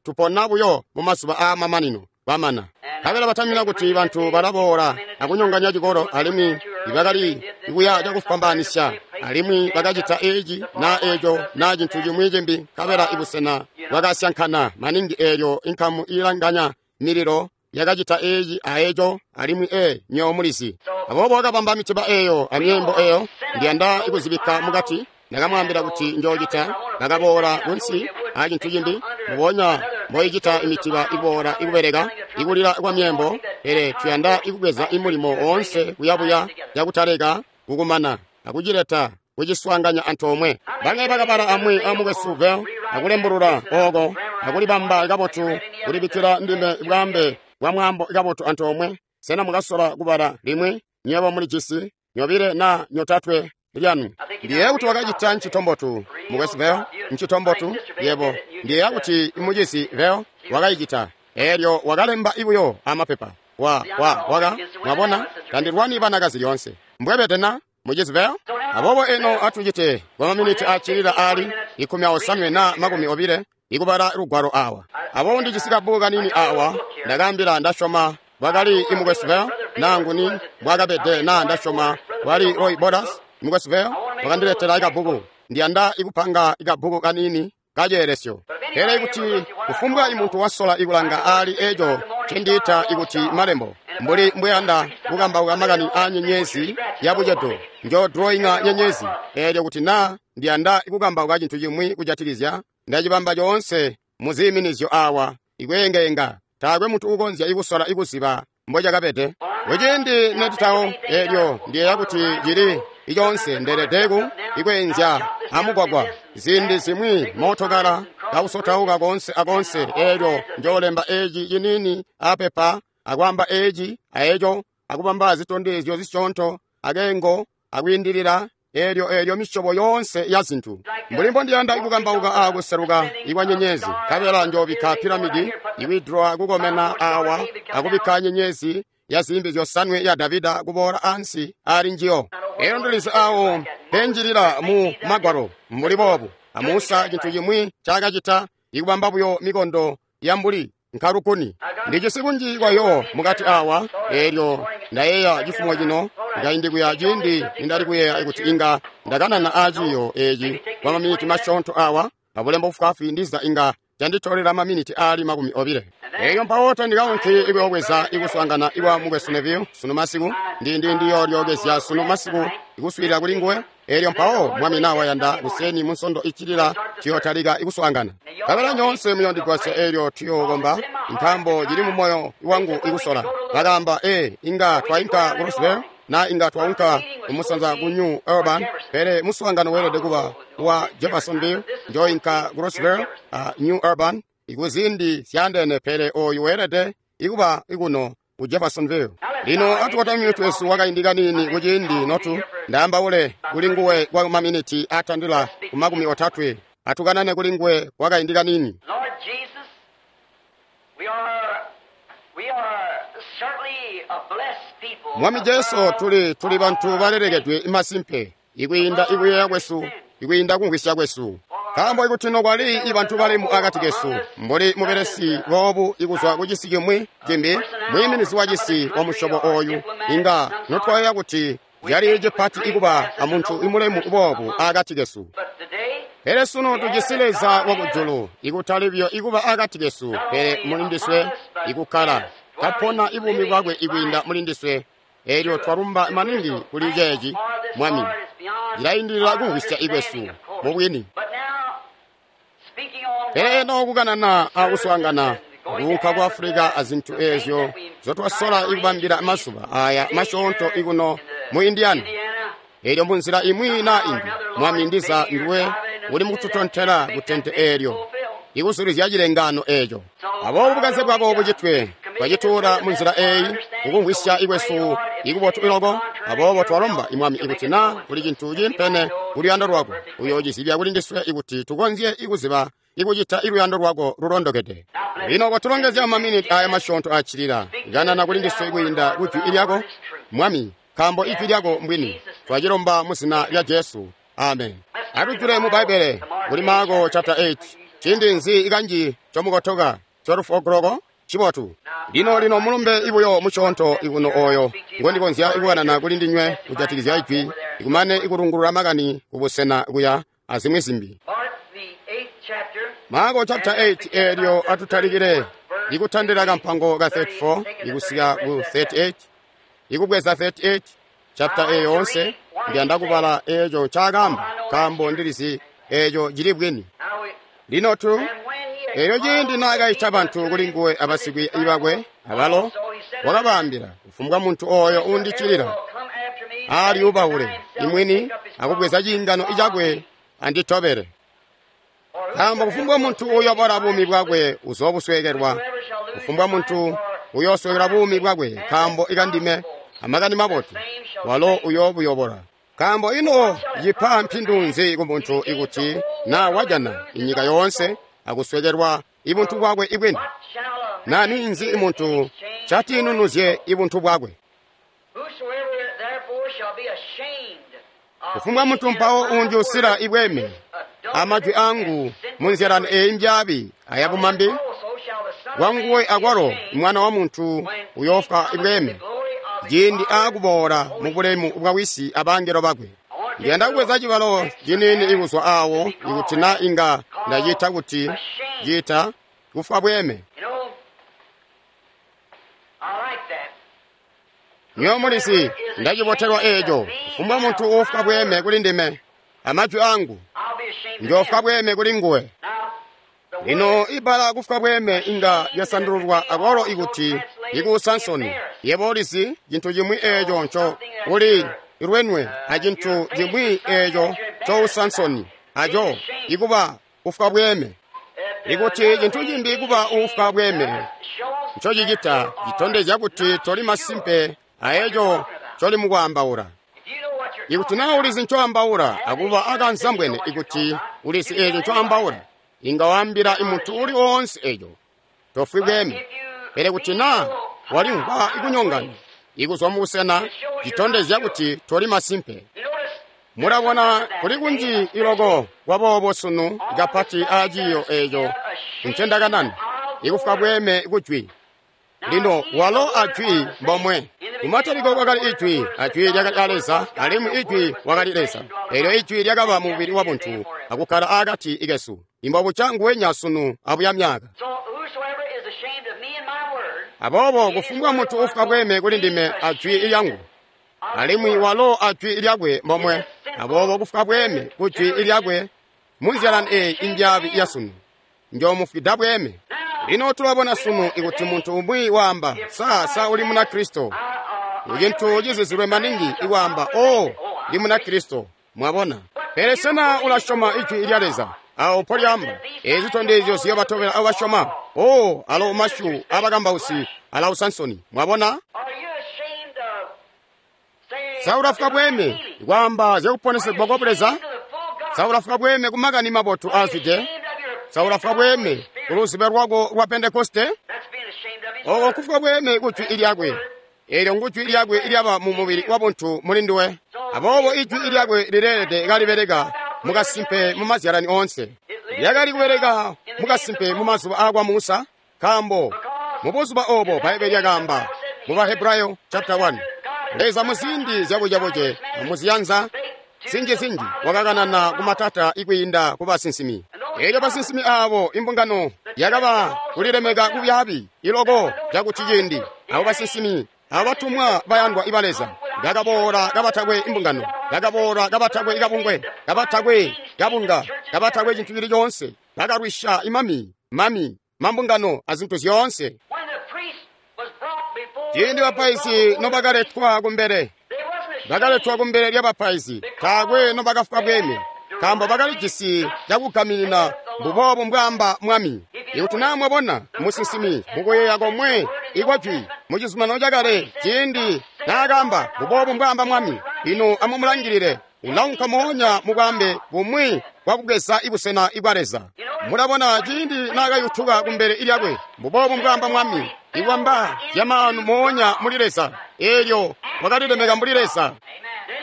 tupona buyo mumazuba aamamanino kwamana. Nkabela batamina kuti bantu balaboola akunyonganya cikolo, alimwi ibakali kuya cakufwambaanisya, alimwi bakacita eeci naa eeco naa cintu cimwi cimbi. Nkabela ibusena bwakasyankana maningi. Eelyo inkamu iilanganya mililo yakacita eeci aeco, alimwi nyo mulizi. Aboobo wakabamba mitiba eyo amyeembo eyo. Ndiyanda ikuzibikka mukati. Ndakamwaambila kuti njoocita. Bakaboola kunsi acintu cimbi mbubonya mboicita imitiba ikuboola ikubeleka ikulila kwa myeembo. Pele tuyanda ikubweza imulimo woonse kuyabuya cakutaleka kukumana akucileta kuciswaanganya antoomwe. Bamwi bakabala amwi amukwesu Bell akulembulula ooko akulibamba kabotu kulibikkila ndime bwaambe bwa mwaambo kabotu antoomwe. Sena mukasola kubala limwi? Nywebo mulijisi nyobile naa nyotatwe lyanu. Ndiyeeya kuti wakacita ncitombotu, mukwesu Bell, ncitombotu yebo. Ndiyeeya kuti imucizi Bell wakayicita. Eelyo wakalemba ibuyo amapepa. Waka mwabona, tandilwani banakazi lyoonse. Mbwebede na mucizi Bell? Aboobo eno atucite kwa maminiti acilila ali 18 na 20 ikubala lugwalo awa. Aboobo ndijisi kabbuku kanini awa. Ndakaambila ndasyoma bwakali imukwesu Bell naa nguni bwakabede naa ndasyoma wali Roy Borders. Mukwesu Bell wakandiletela ikabbuku. Ndiyanda ikupanga ikabbuku kanini kaceelesyo. Pele ikuti kufumbwa imuntu wasola ikulanga ali eco ncendiita ikuti malembo. Mbuli mbweyanda kukambauka makani a nyenyezi ya bucedo, njo drawinga nyenyezi. Eelyo kuti na ndiyanda kukambauka cintu cimwi kujatikizya, ndacibamba coonse mu ziiminizyo awa, ikweengenga. Taakwe muntu ukonzya ikusola ikuziba mbocakabede. Kuciindi netitawo, eelyo ndiyeeya kuti cili iconse ndeeledeku ikweenzya amugwagwa. Ziindi zimwi mootokala kausotauka konse akonse, eelyo njoolemba eci ciniini apepa, akwaamba eci aeco, akubamba zitondezyo zisyoonto, akengo, akwiindilila, eelyo misyobo yoonse ya zintu. Mbuli mbondiyanda kukambauka a kuseluka ikwa nyenyezi, nkabela njoobikka piramidi ikwidrowa kukomena awa, akubikka nyenyezi ya zimbi zyosanwe ya Davida kuboola ansi ali njiyo. Eelyo ndilizi awo penjilila mu magwalo mbuli boobu. Amusa cintu cimwi cakacita ikubamba buyo mikondo ya mbuli nkalukuni. Ndijisi kunji kwayo mukati awa, eelyo ndayeeya cifumo cino kaindi kuya ciindi nindali kuyeeya kuti inga ndakanana aciyo eci kwa maminiti masyoonto awa, pabulembo bufwaafwi ndiza inga canditolela maminiti aali 20. Eyo mpawo tandikaunki ikuyoobweza ikuswaangana ikwa mukwesu Neville sunu masiku, ndiyoolyokezya sunu masiku ikuswiilila kuli nguwe. Eelyo mpawo Mwami na wayanda kuseni mu nsondo iccilila tuyotalika ikuswaangana. Nkabela nyoonse muyondigwasya eelyo tuyookomba, nkaambo cili mu moyo wangu ikusola. Bakaamba, inga twainka ku Roseville, na inga twaunka kumusanza ku New Urban, pele muswaangano weelede kuba wa Jeffersonville. Njoinka ku Roseville, New Urban, ikuzindi zyaandeene, pele oyu weelede ikuba ikuno ku Jeffersonville. Lino atukotamye mitwe yesu wakaindi kaniini kuciindi notu ndaambaule kuli nguwe kwa maminiti atandila ku 30. Atukanane kuli nguwe kwakaindi kaniini. Lord Jesus, we are certainly a blessed people. Mwami Jesu, tuli bantu balelekedwe masimpe, ikwiinda ikuyeeya kwesu, ikwiinda kumvwisya kwesu. Nkaambo ikuti nokwali ibantu bali akati kesu, mbuli mubelesi boobu ikuzwa ku cisi cimwi cimbi, mwiiminizi wa cisi wa musyobo oyu, inga notwayeeya kuti cali cipati ikuba amuntu imulemu boobu akati kesu. But today, Pele sunu tujisi Leza wakujulu, ikutali buyo ikuba akati kesu, pele mulindiswe ikukkala, kapona ibuumi bwakwe ikwiinda mulindiswe. Eelyo twalumba maningi kuli ceeci, Mwami. Cilaindilila kumvwisya ikwesu mubwini. but now, speaking on Pele eno kukanana akuswaangana kuunka ku Afulika azintu eezyo zotwasola ikubambila mazuba aya masyoonto ikuno mu Indiana. Indiana, Eelyo munzila imwi na imbi, Mwami ndiza ndiwe uli mukututontela ku tente eelyo, ikuzulizya cilengano eeco. Aboobo bukanze bwako bucitwe, twacituula munzila eeyi, kukumvwisya ikwesu ikubotu iloko. Aboobo twalomba Mwami ikuti na kuli cintu cimpene kuluyando lwako, uyoocizibya kuli ndiswe ikuti tukonzye ikuziba ikucita iluyando lwako lulondokede. Lino kwatulongezya maminiti aya masyoonto accilila, kanana kuli ndiswe kwiinda kujwi lyako, Mwami, nkaambo ijwi lyako mbwini. Twacilomba mu zina lya Jesu. Amen. Atujule mu Bbaibbele kuli Marko chapter 8. Ciindi nzi ikanji comukotoka 12 o'clock cibotu. Lino mulumbe ibuyo musyoonto ikuno oyo ngondikonzya ikukanana kuli ndinywe kujatikizya ijwi, ikumane ikulungulula makani kubusena kuya azimwi zimbi. Mark the 8th chapter, Marko chapter 8 eelyo atutalikile ikutandila kampango ka 34 ikusika ku 38, ikubweza 38 chapter eyo yoonse. Ndiyanda kubala eeco ncaakaamba, nkaambo ndilizi eeco cili bwini. now we, Lino tu and when he had eelyo ciindi called naakaita bantu kuli nguwe abasikwi bakwe abalo, wakabaambila, kufumbwa muntu oyo uundiccilila come after me, alyubaule imwini akubweza ciingano icakwe anditobele. Nkaambo kufumbwa muntu uyobola buumi bwakwe uzoobusweekelwa, kufumbwa muntu uyoosweekelwa buumi bwakwe nkaambo ikandime amakani mabotu, walo uyoobuyobola. Nkaambo ino cipa mpindu nzi kumuntu ikuti na wajana inyika yoonse akusweekelwa ibuntu bwakwe ibwini? what shall a Na ninzi imuntu catinunuzye ibuntu bwakwe? Whosoever therefore shall be ashamed of Kufumbwa me muntu and mpawo of my undyusila words, ibweme amajwi angu munzilani eyi mbyaabi ayabumambi, also shall the Son of wanguwe Man be akwalo ashamed mwana wa muntu when he uyofwa cometh in the ibweme glory of his ciindi Father akuboola mu bulemu bwa wisi abangelo bakwe. Ndiyanda kubweza cibalo ciniini ikuzwa awo ikuti na inga ndacita kuti cita kufwa bweme. You know, Nywebo mulizi, ndacibotelwa eeco. Kufumbwa muntu uufwa bweeme kuli ndime amajwi angu, I'll be ashamed of njoofwa him. bweeme kuli nguwe. Now, the Lino word ibbala kufwa bweeme inga lyasandululwa akwalo ikuti ikuusa nsoni. Yebo ulizi cintu cimwi eeco nco uli lwenwe acintu cimwi eeco cousa nsoni aco ikuba kufwa bweeme. that, Ikuti cintu cimbi kuba uufwa bweeme shows ncocicita citondezya kuti toli masimpe aeco coli mukwaambaula. if you know what you're Ikuti naa ulizi ncoambaula akuba akanzambwene ikuti ulizi eeco ncoambaula, inga waambila muntu uli oonse eeco, tofwi bweeme. Pele kuti naa walimvwa ikunyongana ikuzwa mubusena, citondezya kuti toli masimpe. You notice Mulabona kuli kunji iloko kwaboobo sunu kapati aaciyo eeco ncendakanana, ikufwa bweeme kujwi. Lino walo ajwi mbomwe. Kumatalikilo kwakali ijwi, ajwi lyakali a Leza, alimwi ijwi wakali Leza. Eelyo ijwi lyakaba mubili wabuntu akukkala akati kesu. Imbobuca nguwenya sunu abuya myaka. So whosoever is ashamed of me and my word, Aboobo kufumbwa muntu uufwa bweeme kuli ndime ajwi lyangu, alimwi walo ajwi lyakwe mbomwe. Aboobo kufwa bweeme kujwi lyakwe munzyalani eeyi indyaabi ya sunu, njoomufwida bweeme. Lino tulabona sunu ikuti muntu umwi waamba, sa uli muna Kristo. Cintu cizizilwe maningi ikwaamba, o ndi muna Kristo, mwabona. Pele sena ulasyoma ijwi lya Leza? Awo mpolyamba, eezi zitondezyo ziyobatobela abo basyoma. O, alo masyu abakambausi alausa nsoni, mwabona? are you ashamed of saying Sa ulafwa bweeme ikwaamba zyakuponesegwa kwa Buleza? of the full gospel? Sa ulafwa bweeme kumakani mabotu aazwide? Ashamed of your Sa ulafwa bweeme kuluzibe lwako lwa Pentekoste? That's being ashamed of his Oko word. kufwa bweeme kujwi lyakwe. Eelyo ngujwi lyakwe lyaba mu mubili wa buntu muli nduwe. Aboobo ijwi lyakwe lileelede kalibeleka mukasimpe mu mazyalani oonse. Lyakali kubeleka mukasimpe mu mazuba aakwa Musa, nkaambo mu buzuba obo Bbaibele lyakaamba mu Bahebrayo chapter 1. Leza mu ziindi zyabucebuce muziyanza zinji-zinji wakakanana kumatata ikwiinda ku basinsimi. Eelyo basinsimi aabo imbungano yakaba kulilemeka kubyaabi iloko cakuti ciindi abo basinsimi abo batumwa bayandwa iba Leza bakaboola kabatakwe imbungano, bakaboola kabatakwe kabungwe, kabatakwe kabunga, kabatakwe cintu cili coonse, bakalwisya imami, mami, mambungano azintu zyoonse. When the priest was brought before Ciindi bapaizi nobakaletwa kumbele, they wasn't ashamed. bakaletwa kumbele lya bapaizi, taakwe nobakafwa bweeme, nkaambo bakalijisi cakugaminina mbuboobo mbwaamba mwami. Ikuti naa mwabona musinsimi mukuyeeya komwe ikwajwi mu cizuminano cakale ciindi naakaamba mbuboobo mbwaamba mwami, ino amumulangilile ulaunka moonya mubwambe bumwi bwakubweza ibusena ibwa Leza. Mulabona ciindi naakayutuka kumbele lyakwe mbuboobo mbwaamba mwami, ikwamba zyamaanu moonya muli Leza, eelyo wakalilemeka mbuli Leza.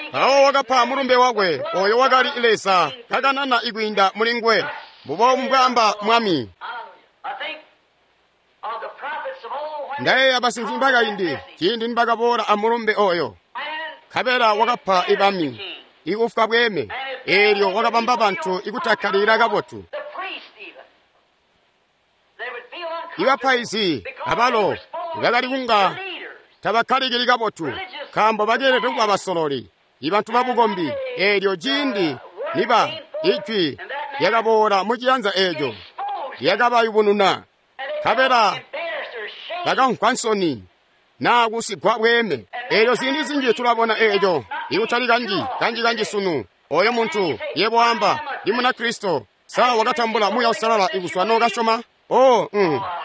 Mpawo wakapa mulumbe wakwe oyo wakali Leza kakanana ikwiinda muli nguwe mbuboobo mbwaamba mwami. I think of the prophets of old when Ndayeeya basinsimi bakaindi ciindi nibakaboola amulumbe oyo, and nkabela wakapa ibami ikufwa bweeme, eelyo wakabamba bantu ikutakkalilila kabotu. the priests even. They would feel uncomfortable Ibapaizi because abalo they were supposed to bakali be kunga the leaders. tabakkalikili kabotu nkaambo bakeelede kuba basololi ibantu babukombi. Eelyo ciindi niba ijwi lyakaboola mu ciyanza eeco Exposed lyakabayubununa, and they nkabela felt embarrassed or ashamed. bakamvwa nsoni naa kusigwa bweeme. Eelyo ziindi zinji tulabona eeco ikutali kanji kanji-kanji sunu. Oyo muntu yebo wamba ndi muna Kristo, sa wakatambula Muuya Uusalala ikuzwa nookasyoma? O,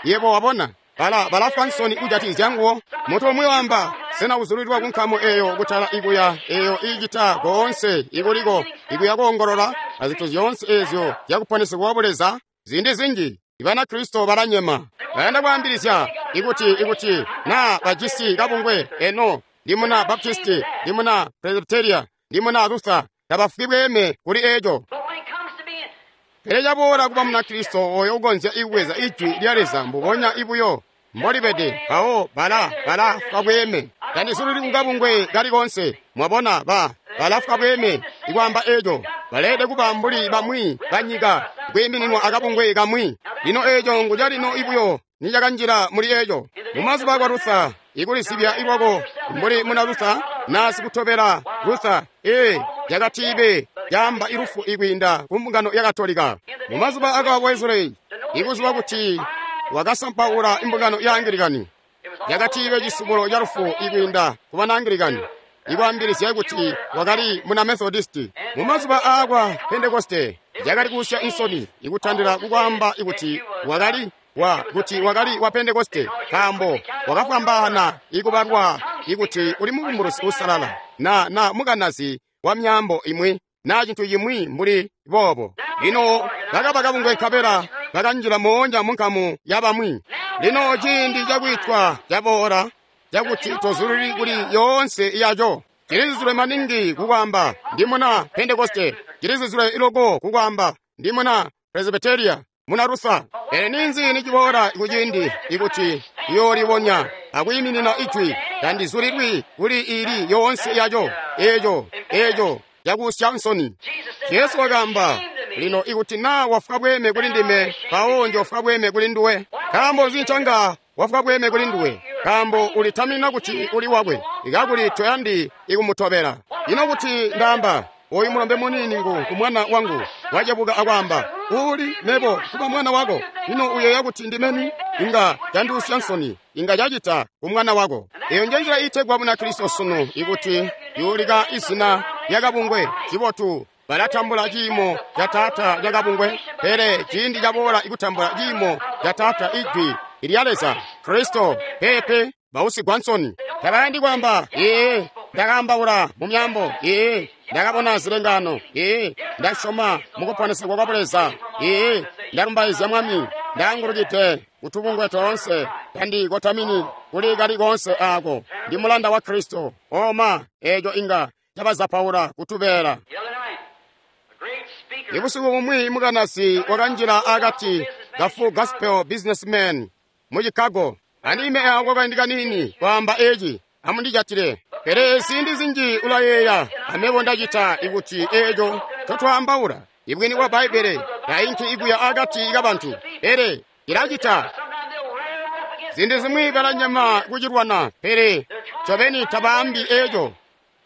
yebo wabona bala balafwa nsoni kujatikizya nguwo. Muntu umwi wamba, sena uzulilwa ku nkamu eeyo kutala ikuya eeyo iicita koonse ikuliko ikuya koongolola azintu zyoonse eezyo zyakuponesegwa kwa Buleza? Ziindi zinji ibana Kristo balanyema, bayanda kwaambilizya ikuti naa bajisi kabungwe eno ndi muna Baptisti, ndi muna Presbyteria, ndi muna Luther, tabafwi bweeme kuli eeco. But when it comes to being Pele caboola kuba muna Kristo oyo ukonzya ikubweza ijwi lya Leza mbubonya ibuyo mbolibede, mpawo balafwa bweeme. Tandizulili kukabungwe kali konse, mwabona balafwa bweeme ikwaamba eeco. Baleelede kuba mbuli bamwi banyika kwiimininwa akabungwe kamwi. Lino eeco nguca lino ibuyo nicakanjila muli eeco. Mumazuba akwa Luther Ikulizibya ilwako mbuli muna Luther na sikutobela Luther, ee, yakatibe yamba ilufu ikwiinda ku mbungano ya Katolika. Mu mazuba aka Wesley, ikuziba kuti wakasampaula imbungano ya Anglikani, yakatibe cisubulo ca lufu ikwiinda ku bana Anglikani, ikwaambilizya kuti wakali muna Methodist. Mu mazuba aakwa Pentekoste, yakali kusya insoni ikutandila kukwaamba ikuti wakali wa kuti wakali wa Pentekoste, nkaambo wakafwambaana ikubalwa ikuti uli mubumbulusi usalala na mukanazi wa myambo imwi na cintu cimwi mbuli boobo. Lino bakaba kabungwe nkabela bakanjila moonya mu nkamu ya bamwi. Lino ciindi cakwitwa caboola cakuti tozululi kuli yoonse yaco. Cilizizilwe maningi kukwaamba ndi muna Pentekoste, cilizizilwe iloko kukwaamba ndi muna Presbyteria, muna Luther. Pele ninzi niciboola kuciindi ikuti iyoolibonya akwiiminina ijwi, tandizulilwi kuli ili yoonse yaco, eco cakusya nsoni. Jesu wakaamba, lino ikuti na wafwa bweme kuli ndime, mpawo njofwa bweme kuli nduwe. Nkaambo nzi ncanga wafwa bweme kuli nduwe? Nkaambo ulitamina kuti uli wakwe, ikakuli toyandi ikumutobela. Ino kuti ndaamba, oyu mulombe muniini ngu kumwana wangu, wacebuka akwaamba, uli mebo kuba mwana wako, ino uyeeya kuti ndimeni? Inga candiusya nsoni, inga cacita ku mwana wako. Eyo njenjila iitegwa Bunakristo sunu, ikuti yuulika izina lyakabungwe cibotu, balatambula ciimo ca Taata cakabungwe, pele ciindi caboola ikutambula ciimo ca Taata ijwi lya Leza Kristo, peepe bausigwa nsoni. Tabayandi kwaamba, ee, ndakaambaula mu myambo, ee, ndakabona zilengano, ee, ndasyoma mukuponesegwa kwa Buleza, ee, ndalumbaizya Mwami, ndaangulukide kutubungwe toonse, tandikotamini kuli kali koonse aako, ndi mulanda wa Kristo. Oma, eeco inga cabazapaula kutubeela. The other night, a great speaker Ibusiku bumwi mukanasi wakanjila akati ka Full Gospel Businessmen mu Chicago. Andime ako kaindi kanini kwaamba eci, amundijatile. Pele ziindi zinji ulayeeya, amebo ndacita ikuti eeco ncotwaambaula. Ibwini bwa Bbaibbele tainki ikuya akati kabantu, pele ilacita. sometimes they'll rear up against Ziindi zimwi balanyema kucilwana, pele ncobeni tabaambi eeco.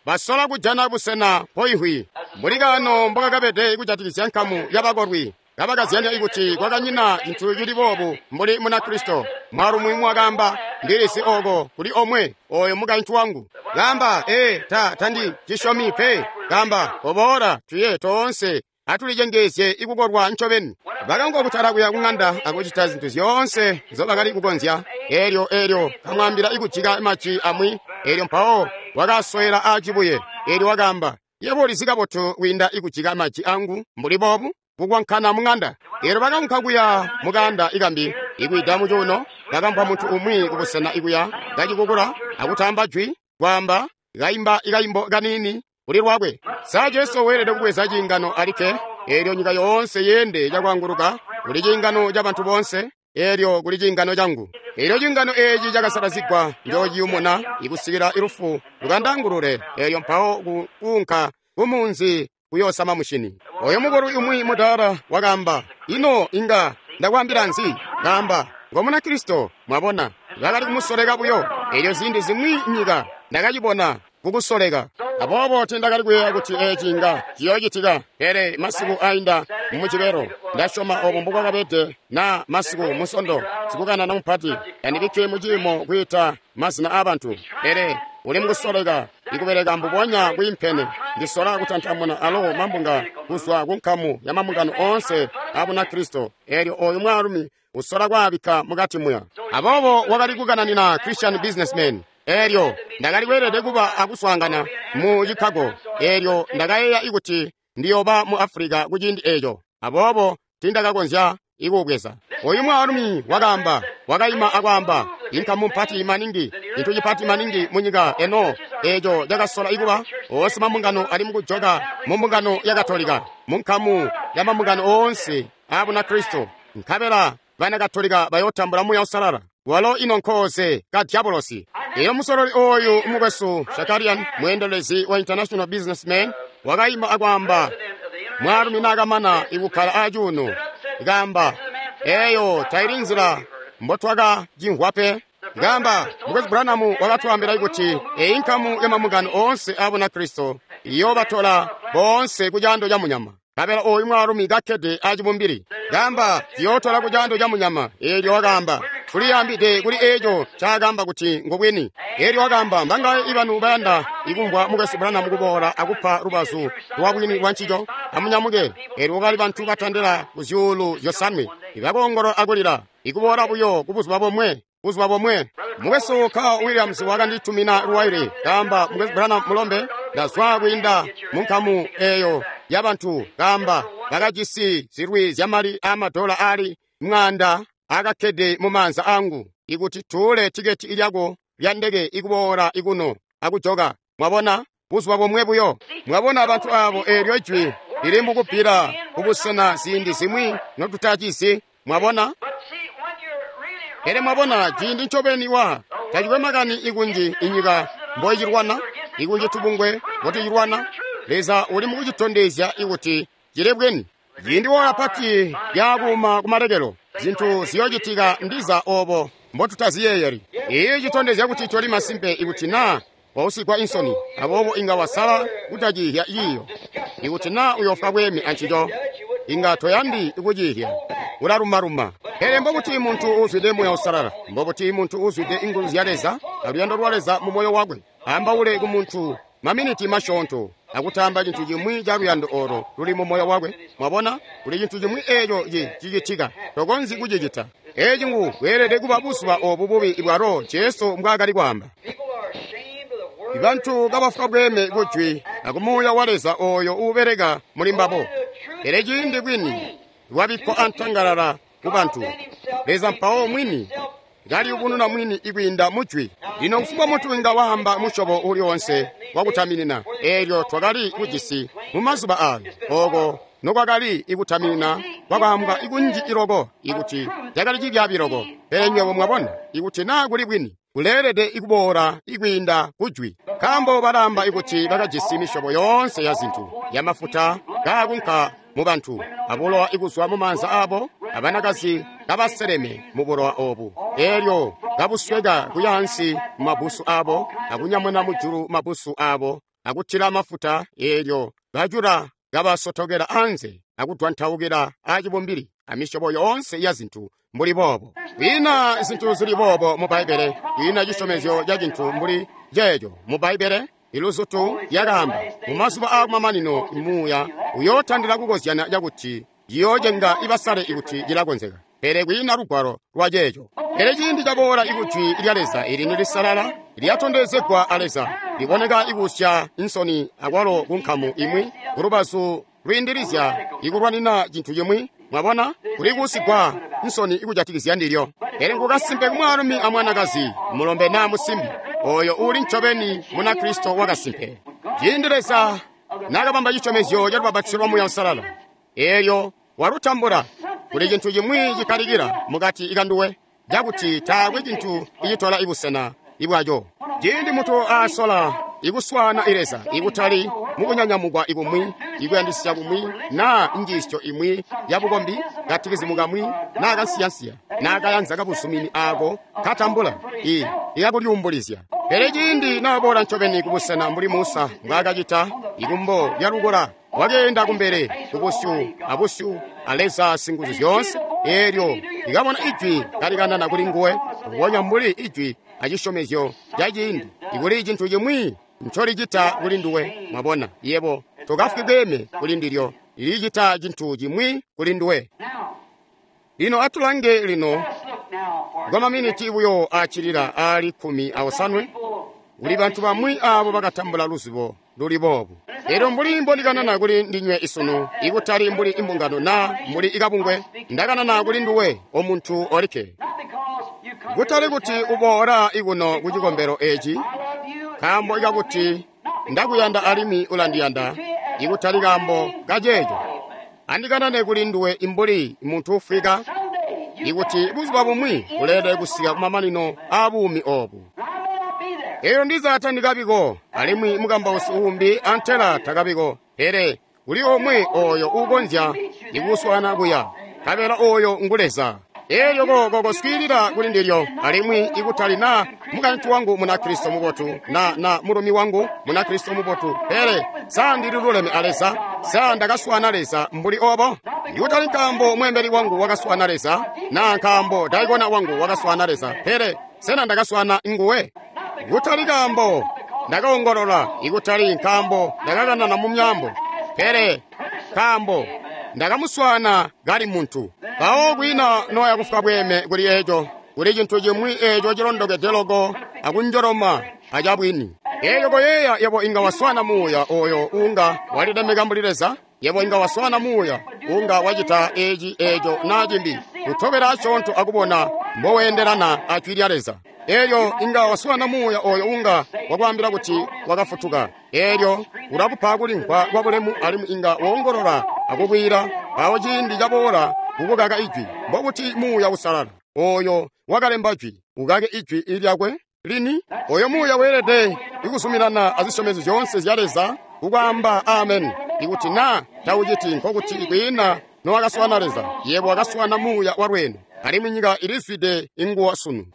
Basola kujana busena mpoihwi. Mbuli kano mbokakabede kujatikizya nkamu yabakolwi, kabakazyanya ikuti kwakanyina cintu cili boobu mbuli Munakristo. Mwaalumi umwi wakaamba, ndilisi oko kuli omwe oyo mukaintu wangu. Kaamba, ee, tandi cisyomi pe. Kaamba, koboola tuye toonse atulicengezye ikukolwa ncobeni. Bakangokutala kuya kung'anda akucita zintu zyoonse nzobakali kukonzya. Eelyo kamwaambila ikujika maji amwi. Eelyo mpawo wakaswela aacibuye. Eelyo wakaamba, yebo ulizi kabotu kwiinda ikujika maji angu mbuli boobu kukwankana mung'anda. Eelyo bakaunka kuya mukanda ikambi ikwida mucuuno, bakamvwa muntu umwi kubusena ikuya kacikukula akutamba jwi kwaamba kaimba ikaimbo kanini kuli lwakwe. Sa Jesu weelede kubweza ciingano alikke? Eelyo nyika yoonse yeende cakwaanguluka kuli ciingano ca bantu boonse, eelyo kuli ciingano cangu. Eelyo ciingano eeci cakasalazigwa njoociyumuna ikusikila ilufu lukandangulule. Eelyo mpawo kuunka kumunzi kuyoosama mushini. Oyo mukolwi umwi mudaala wakaamba, ino inga ndakwaambila nzi? Kaamba, ngo Munakristo, mwabona, bakali kumusoleka buyo. Eelyo ziindi zimwi nyika ndakacibona kukusoleka. Aboobo tindakali kuyeeya kuti eeci inga ciyoocitika, pele masiku ainda mumujibelo ndasyoma obo mbukwakabede na masiku musondo sikukanana mupati tandibikke muciimo kwiita mazina aabantu, pele uli mukusoleka ikubeleka mbubonya kwiimpene. Ndisola kutantamuna alo mambunga kuzwa ku nkamu ya mambungano oonse a Bunakristo. Eelyo oyu mwaalumi usola kwaabikka mukati muya. Aboobo wakali kukananina Christian Businessman. Eelyo ndakali kweelede kuba akuswaangana mu Chicago. Eelyo ndakayeeya ikuti ndiyooba mu Africa kuciindi eeco. Aboobo tindakakonzya ikuubweza. Oyu mwaalumi wakaamba, wakaima akwaamba, inkamu mpati maningi, cintu cipati maningi munyika eno eeco cakasola ikuba oonse mambungano ali mukujoka mu mbungano ya Katolika, mu nkamu ya mambungano oonse a Bunakristo, nkabela bana Katolika bayotambula Muuya Uusalala. Walo ino nkooze ka diabolosi. Iyo musololi oyu mukwesu Shakarian, mweendelezi wa International Businessman, wakaima akwaamba, mwaalumi naakamana ikukkala acuuno, kaamba, eeyo taili nzila mbotwakacimvwa pe. Kaamba, Mukwesu Branham wakatwaambila kuti eyi nkamu ya mambungano oonse a Bunakristo iyoobatola boonse ku caando ca munyama. Nkabela oyu mwaalumi kakkede acibumbili. Kaamba, ciyootola ku caando ca munyama. Eelyo wakaamba, tuliyambide kuli eeco ncaakaamba kuti ngubwini. Eelyo wakaamba, mbangaye ibanu bayanda ikumvwa Mukwesu Branham kuboola akupa lubazu lwa bwini lwa ncico? Amunyamuke. Eelyo kwakali bantu batandila ku 5,000 ibakoongolola akulila, ikuboola buyo ku buzuba bomwe. Buzuba bomwe. Mukwesu Carl Williams wakanditumina luwaile, kaamba, Mukwesu Branham mulombe, ndazwa kwiinda mu nkamu eyo ya bantu, kaamba, bakajisi zilwi zyamali aamadola aali 100 akakkede mu maanza angu, ikuti tuule tiketi lyako lya ndeke ikuboola ikuno akujoka. Mwabona, buzuba bomwe buyo. Mwabona bantu abo eelyo jwi lili mukubbila kubusena ziindi zimwi notutacizi. Mwabona? Pele mwabona, ciindi ncobeni wa tacikwe makani ikunji inyika mboicilwana, ikunji tubungwe mbotucilwana, Leza uli mukucitondezya ikuti cili bwini. Ciindi woola pati lyakuuma kumalekelo, zintu ziyoocitika ndiza obo mbotutaziyeeyeli. Iyi citondezya kuti toli masimpe ikuti naa wausigwa insoni, aboobo inga wasala kutacihya ciiyo. Ikuti naa uyofwa bweeme ancico, inga toyandi kucihya, ulalumaluma. Pele mbobuti muntu uuzwide Muuya Uusalala, mbobuti muntu uuzwide inguzu zya Leza aluyando lwa Leza mu moyo wakwe, ambaule ku muntu maminiti masyoonto akutamba cintu cimwi ca luyando olo luli mu moyo wakwe. Mwabona, kuli cintu cimwi eeco cicitika, tokonzyi kucicita. Eeci ngu bweelede kuba buzuba obu bubi bwalo Jesu mbwaakali kwaamba. Bantu kabafwa bweeme kujwi akumuuya wa Leza oyo uubeleka muli mbabo. Pele ciindi bwini lwabikkwa antangalala ku bantu, Leza mpawo mwini kaliyubununa mwini ikwiinda mujwi. Lino kufumbwa muntu inga waamba musyobo uli onse wakutaminina, eelyo twakali kujisi mu mazuba ayo, ooko nokwakali ikutaminina kwakaambwa ikunji iloko ikuti cakali cibyaabi loko. Pele nywebo mwabona, ikuti naa kuli bwini, kuleelede ikuboola ikwiinda kujwi. Nkaambo balaamba ikuti bakajisi misyobo yoonse ya zintu, ya mafuta kaakunka mu bantu, abulowa ikuzwa mu maanza abo, abanakazi kabaseleme mu bulowa obu, eelyo kabusweka kuyaansi mu mabusu abo, akunyamuna mujulu mabusu abo, akutila mafuta, eelyo bacula kabasotokela anze akudwantaukila acibumbili amisyobo yoonse ya zintu mbuli boobo. Kwiina zintu zili boobo mu Bbaibbele, kwiina cisyomezyo ca cintu mbuli ceeco mu Bbaibbele. Iluzutu lyakaamba mu mazuba aakumamanino muuya uyootandila kukozyana cakuti ciyoocenga ibasale ikuti cilakonzeka, pele kwiina lugwalo lwa ceeco. Pele ciindi caboola ikujwi lya Leza ili nilisalala lyatondezegwa a Leza, liboneka ikusya insoni akwalo ku nkamu imwi kulubazu lwiindilizya ikulwanina cintu cimwi. Mwabona, kuli kuusigwa nsoni ikujatikizya ndilyo. Pele ngukasimpe kumwaalumi amwanakazi, mulombe naa musimbi, oyo uuli ncobeni Munakristo wakasimpe. Ciindi Leza naakabamba cisyomezyo ca lubapatizo lwa Muuya Uusalala, eelyo walutambula, kuli cintu cimwi cikkalikila mukati ikanduwe, cakuti taakwe cintu icitola ibusena ibwaco. Ciindi muntu aasola ikuswaana Leza ikutali mukunyanyamukwa ikumwi, ikuyandisya kumwi, naa njiisyo imwi ya bukombi, katikizimu kamwi, naa kansiyansiya, naa kayanza kabuzumini aako katambula ikakulyuumbulizya. Pele ciindi naaboola ncobeni kubusena mbuli Musa mbwaakacita ikumbo lya lukola, wakeenda kumbele kubusyu abusyu a Leza Singuzu zyoonse, eelyo likabona ijwi kalikanana kuli nguwe, mbubonya mbuli ijwi acisyomezyo ca ciindi, ikuli cintu cimwi ncolicita kuli nduwe. Mwabona, yebo tokafwi bweeme kuli ndilyo, licita cintu cimwi kuli nduwe. Lino atulange lino kwa maminiti buyo aacilila aali 18, kuli bantu bamwi aabo bakatambula luzibo luli boobu. Elyo mbuli mbondikanana kuli ndinywe isunu, ikutali mbuli imbungano naa mbuli ikabungwe, ndakanana kuli nduwe omuntu olikke. Kutali kuti uboola ikuno ku cikombelo eci, nkaambo ikakuti ndakuyanda alimwi ulandiyanda, ikutali kaambo kaceeco. Andikanane kuli nduwe imbuli muntu ufwika, ikuti buzuba bumwi uleelede kusika kumamanino aabuumi obu. Elyo ndiza tandikabiko, alimwi mukambausi uumbi antela takabiko, pele kuli omwe oyo uukonzya ikuswaana kuya, nkabela oyo ngu Leza. Elyo koko swiilila kuli ndilyo, alimwi ikutali na mukaintu wangu Munakristo mubotu na mulumi wangu Munakristo mubotu, pele sa ndili luleme a Leza? Sa ndakaswaana Leza mbuli obo? Ikutali nkaambo mweembeli wangu wakaswaana Leza, na nkaambo daikona wangu wakaswaana Leza, pele sena ndakaswaana nguwe? Kutali kaambo ndakaongolola, ikutali nkaambo ndakakanana mu myaambo, pele nkaambo ndakamuswaana kali muntu. Mpawo kwiina noya kufwa bweeme kuli eco, kuli cintu cimwi eco cilondokede loko akunjoloma acabwini. Elyo koyeeya, yebo inga waswaana muuya oyo unga walilemeka mbuli Leza. Yebo inga waswaana muuya unga wacita eci, eco na cimbi, kutobela asyoonto akubona mboweendelana a jwi lya Leza. Elyo inga waswaana muuya oyo unga wakwaambila kuti wakafutuka. Elyo ulakupa kulimvwa kwa bulemu, alimwi inga woongolola akukwiila. Mpawo ciindi caboola kukukaka ijwi, mbokuti Muuya Uusalala oyo wakalemba jwi ukake ijwi lyakwe lini? Oyo muuya weelede ikuzuminana azisyomezyo zyoonse zya Leza kukwaamba amen. Ikuti na tauciti, nkokuti kwiina nowakaswaana Leza. Yebo wakaswaana muuya wa lweeno, alimwi nyika ilizwide inguwa sunu.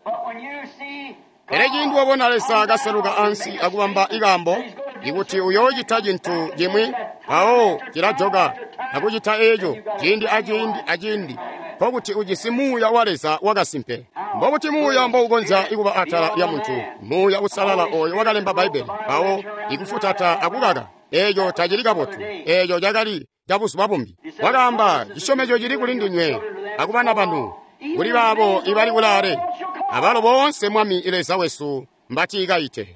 Pele ciindi wabona Leza kaseluka ansi akubamba ikaambo, ikuti uyoocita cintu cimwi, mpawo cilajoka akucita eco ciindi aciindi aciindi, nkokuti ujisi muuya wa Leza wakasimpe. Mbokuti muuya mboukonzya ikuba atala lya muntu, Muuya Uusalala oyo wakalemba Bbaibbele, mpawo ikufutata akukaka eco tacili kabotu. Eco cakali cabuzuba bumbi. Wakaamba, cisyomezyo cili kuli ndinywe akubana banu, kuli baabo ibali kulaale, abalo boonse Mwami Leza wesu mbatiikaite.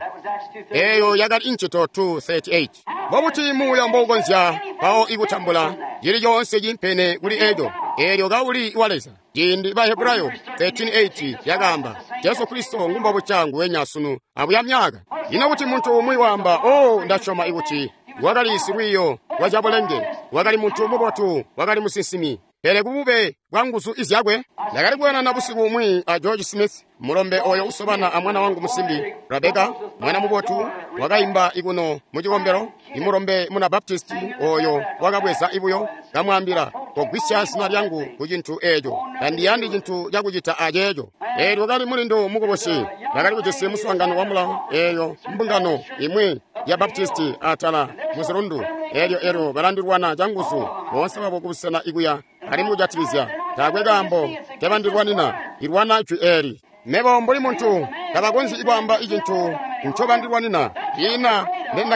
Eyo yakali Incito 2:38. Mbobuti muuya mboukonzya mpawo ikutambula cili coonse cimpene kuli eco, eelyo kauli wa Leza? Ciindi Bahebrayo 13:8 yakaamba, Jesu Kristo ngumbobuca nguwenya sunu abuya myaka. Ino kuti muntu umwi waamba, "Oh, ndasyoma ikuti wakali silwiiyo lwa cabulenge, wakali muntu mubotu, wakali musinsimi," pele kubube bwa nguzu izyakwe. Ndakali kuyanana busiku umwi a George Smith, mulombe oyo usobana a mwana wangu musimbi Rebecca, mwana mubotu, wakaimba ikuno mu cikombelo. Imulombe muna Baptisti oyo wakabweza ibuyo, kamwaambila, "Kogwisya zina lyangu ku cintu eco, tandiyandi cintu cakucita aceeco." Eelyo kali mulindu mukubusi, bakali kujisi muswaangano wa mulawo eyo mbungano imwi ya Baptisti atala muzilundu. Eelyo elyo balandilwana canguzu boonse babo kubusena ikuya, alimwi kujatikizya taakwe kaambo tebandilwanina, ilwana jwi eeli. Mebo mbuli muntu tabakonzyi kwaamba icintu ncobandilwanina, ina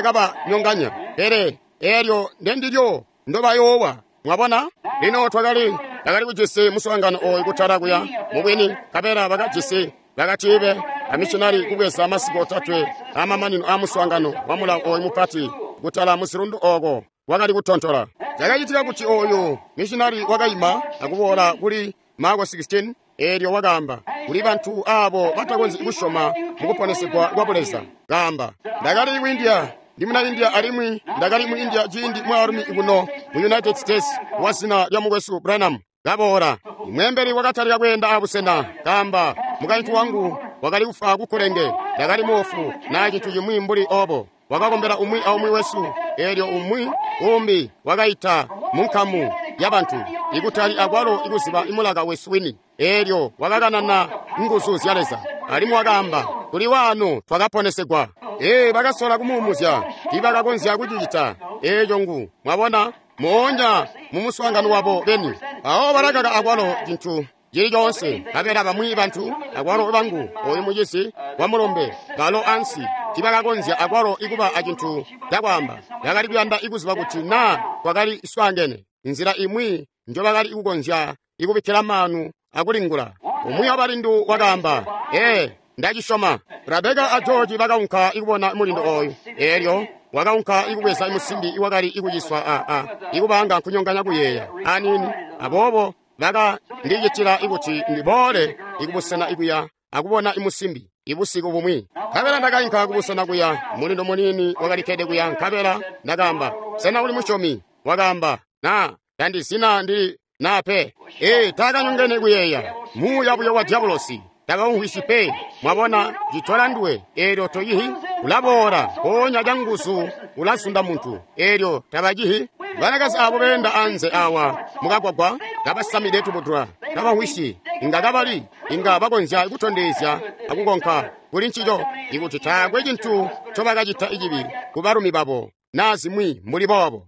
ndendakabanyonganya, pele eelyo ndendilyo ndobayoowa. Mwabona? Lino twakali kujisi muswaangano oyu kutala kuya mubwini, nkabela bakajisi bakatibe amishinari kubweza masiku otatwe amamanino a muswaangano wa mulawo oyu mupati kutala muzilundu oko wakali kutontola. Cakacitika kuti oyu mishinari wakaima akuboola kuli Marko 16, eelyo wakaamba kuli bantu abo batakonzyi kusyoma mukuponesegwa kwa Buleza. Kaamba, "Ndakali ku India, ndi muna India, alimwi ndakali mu India ciindi mwaalumi kuno mu United States wa zina lya mukwesu Branham kaboola. Imweembeli wakatalika kweenda abusena. Kaamba, mukaintu wangu wakali kufwa kukulenge, ndakali moofu na cintu cimwi mbuli obo. Wakakombela umwi aumwi wesu, eelyo umwi umbi wakaita munkamu ya bantu, ikutali akwalo ikuziba imulaka wesu wini. Eelyo wakakanana nguzu zya Leza, alimwi wakaamba, kuli waano twakaponesegwa." Ee, bakasola kumuumuzya, tiibakakonzya kucicita eeco ngu, mwabona, moonya mu muswaangano wabo beni. Awo balakaka akwalo cintu cili coonse, nkabela bamwi bantu akwalo bangu oyu mucisi wa mulombe balo ansi tiibakakonzya akwalo ikuba acintu cakwaamba. Bakali kuyanda ikuziba kuti naa kwakali swaangene nzila imwi njobakali kukonzya ikubikkila maanu akulingula. Umwi wabalindu wakaamba, "Ee, ndacisyoma." Rebeka a George bakaunka ikubona mulindo oyu. Eelyo wakaunka ikubweza musimbi iwakali ikuciswa ikubanga nkunyonganya kuyeeya aniini. Aboobo bakandicitila ikuti ndiboole ikubusena ikuya akubona imusimbi ibusiku bumwi. Nkabela ndakainka kubusena kuya, mulindo muniini wakalikkede kuya. Nkabela ndakaamba, "Sena uli musyomi?" Wakaamba, "Na, tandizina ndili na pe." Ee, taakanyongene kuyeeya, muuya buyo wa diabolosi takaumvwisyi pe. Mwabona, citola nduwe, eelyo toyihi, ulaboola mpoonya canguzu ulazunda muntu, eelyo tabacihi. Banakazi abo beenda anze awa mukagwagwa kabasamide tubudula, tabamvwisyi. Inga kabali, inga bakonzya kutondezya akukonka kuli ncico, ikuti taakwe cintu ncobakacita icibi ku balumi babo naa zimwi mbuli boobo.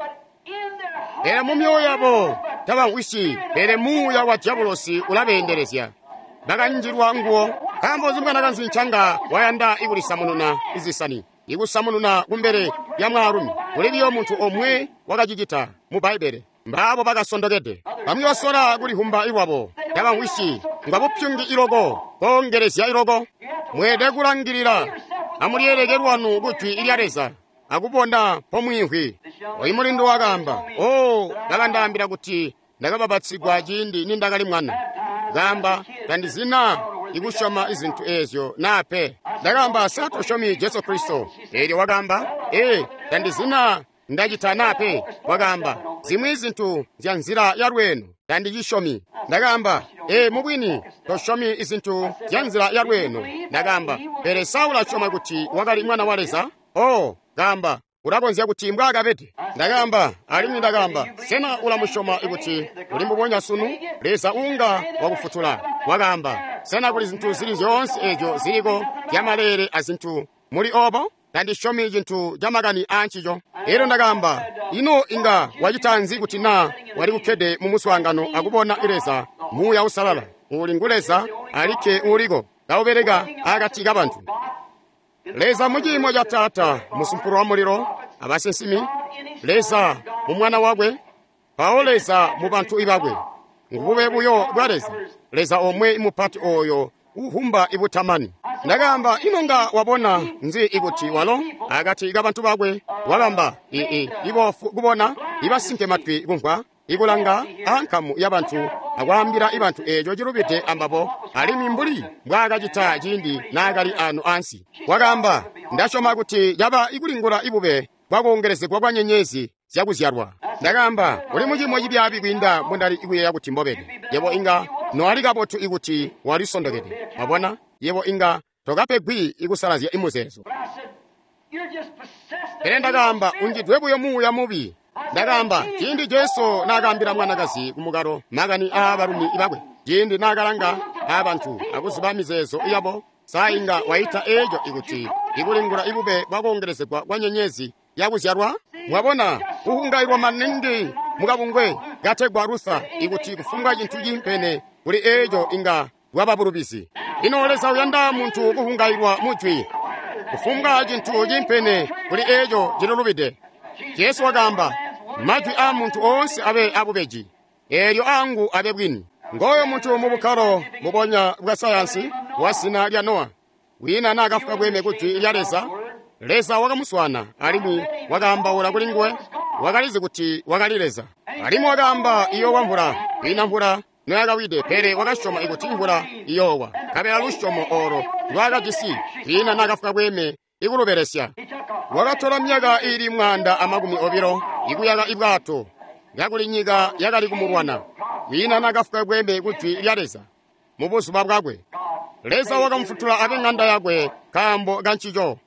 Pele mu myoyo yabo tabamvwisyi, pele muuya wa dyabulosi ulabeendelezya. Bakanjilwa nguwo. Nkaambo nzi mwanakazi ncanga wayanda ikulisamununa izisani, ikusamununa kumbele lya mwaalumi? Kuli biyo muntu omwe wakacicita mu Bbaibbele. Mbaabo bakasondokede. Bamwi basola kulihumba ilwabo. Tabamvwisyi. Ngwa bupyungi iloko, koongelezya iloko. Mweelede kulangilila. Amulyeeleke lwanu ku Jwi lya Leza akubona mpomwiimvwi. Oyu mulindu wakaamba, "Oh, bakandaambila kuti ndakabapatsigwa ciindi nindakali mwana." Kaamba, tandizina ikusyoma izintu eezyo naa pe. Ndakaamba, sa tosyomi Jesu Kristo? Eelyo wakaamba, ee, tandizina ndacita naa pe. Wakaamba, zimwi zintu zya nzila ya lweeno tandicisyomi. Ndakaamba, ee, mubwini tosyomi izintu zya nzila ya lweeno. Ndakaamba, pele sa ulasyoma kuti wakali mwana wa Leza? Oh, kaamba, ulakonzya kuti mbwaakabede. Ndakaamba, alimwi ndakaamba, sena ulamusyoma kuti uli mbubonya sunu? Leza uunga wakufutula. Wakaamba, sena kuli zintu zili zyoonse eezyo ziliko zyamaleele azintu muli obo? Tandisyomi cintu camakani aancico. Elyo ndakaamba, ino inga wacita nzi kuti naa wali kukkede mu muswaangano akubona Leza, Muuya Uusalala, uuli ngu Leza alikke uuliko, kaubeleka akati kabantu? Leza mu ciimo ca Taata, musumpulu wa mulilo, abasinsimi, Leza mu Mwana wakwe, mpawo Leza mu bantu bakwe. Ngubube buyo bwa Leza, Leza omwe mupati oyo uhumba ibutamani. Ndakaamba, ino nga wabona nzi ikuti walo akati kabantu bakwe wabamba iboofu kubona, ibasinke matwi kumvwa, ikulanga ankamu yabantu akwaambila ibantu eeco cilubide ambabo, alimwi mbuli mbwaakacita ciindi naakali ano ansi. Wakaamba, ndasyoma kuti caba ikulingula ibube bwakoongelezegwa kwa nyenyezi zyakuzyalwa. Ndakaamba, uli muciimo cibyaabi kwiinda mbundali kuyeeya kuti mbobede. Yebo inga noali kabotu ikuti walisondokede. Wabona, yebo inga tokapegwi ikusalazya imuzeezo. Pele ndakaamba, unjidwe buyo muuya mubi. Ndakaamba, ciindi Jesu naakaambila mwanakazi kumukalo makani aabalumi bakwe, ciindi naakalanga aabantu akuziba mizeezo yabo, sa inga waita eeco ikuti ikulingula ibube bwakoongelezegwa kwa nyenyezi yakuzyalwa? Mwabona, kuhungailwa maningi mukabungwe kategwa Luther ikuti kufumbwa cintu ciimpene kuli eeco inga bwaba bulubizi. Ino Leza uyanda muntu kuhungailwa mujwi, kufumbwa cintu ciimpene kuli eeco cilulubide. Jesu wakaamba, majwi aa muntu oonse abe abubeji, eelyo aangu abe bwini. Ngooyo muntu mu bukkalo mubonya bwa sayansi wa zina lya Nowa, wina naakafwa bweme ku jwi lya Leza. Leza wakamuswana alimwi wakaambaula kuli nguwe. Wakalizi kuti wakali Leza. Alimwi wakaamba iyoowa mvula, kwiina mvula noyakawide, pele wakasyoma ikuti mvula iyoowa. Nkabela lusyomo oolo lwakajisi, kwiina naakafwa bweme ikulubelesya. Wakatola myaka iili 120 ikuyaka ibwato, kakuli nyika yakali kumulwana. Kwiina naakafwa bweme ku jwi lya Leza mubuzuba bwakwe. Leza wakamufutula abe ng'anda yakwe nkaambo kancico.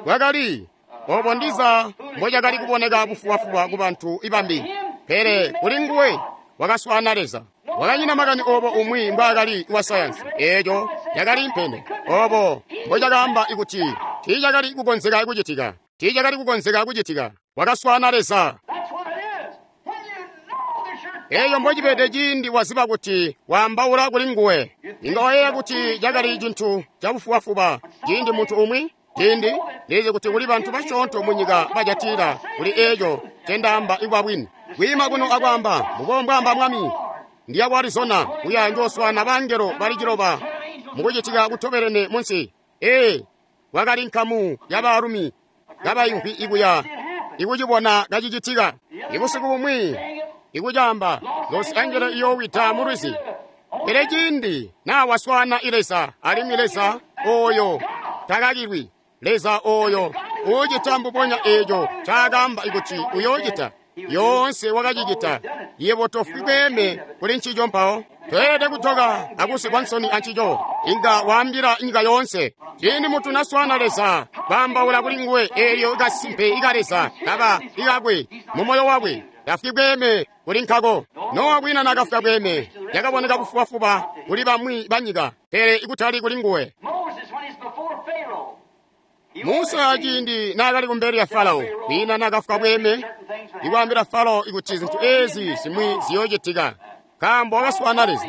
Bwakali obo ndiza mbocakali kuboneka bufubafuba ku bantu ibambi, pele kuli nguwe wakaswaana Leza. Wakanyina makani obo umwi mbwaakali wa sayansi, eeco cakali impene. Obo mbocakaamba ikuti tiicakali kukonzeka kucitika, tiicakali kukonzeka kucitika. Wakaswaana Leza. Eeyo mbocibede ciindi waziba kuti waambaula kuli nguwe. Inga wayeeya kuti cakali cintu cabufubafuba ciindi muntu umwi, ciindi ndizi kuti kuli bantu basyoonto munyika bajatila kuli eeco ncendaamba ikuba bwini. Kwiima kuno akwaamba, mbubo mbwaamba Mwami, ndiya ku Arizona kuya njooswaana bangelo bali 9 mukucitika kutobelene munsi. Ee, kwakali nkamu yabaalumi kabaimvwi ikuya ikucibona kacicitika. Ibusiku bumwi ikucaamba Los Angeles iyoowida mu lwizi. Pele ciindi naa waswaana Leza, alimwi Leza ooyo takakilwi, Leza ooyo uucita mbubonya eeco ncaakaamba kuti uyoocita, yoonse wakacicita. Yebo tofwi bweeme kuli ncico mpawo. Toelede kutoka akusikwa nsoni ancico. Inga waambila nyika yoonse. Ciindi muntu naswaana Leza, baambaula kuli nguwe eelyo kasimpe ika Leza kaba ikakwe mu moyo wakwe. Tafwi bweeme kuli nkako. Nowa kwiina naakafwa bweeme. Cakaboneka bufubafuba kuli bamwi banyika, pele ikutali kuli nguwe. Moses, when he's before Pharaoh, he Musa ciindi naakali kumbele lya Farao, kwiina naakafwa bweeme ikwaambila Farao ikuti zintu ezi zimwi ziyoocitika, nkaambo wakaswaana Leza.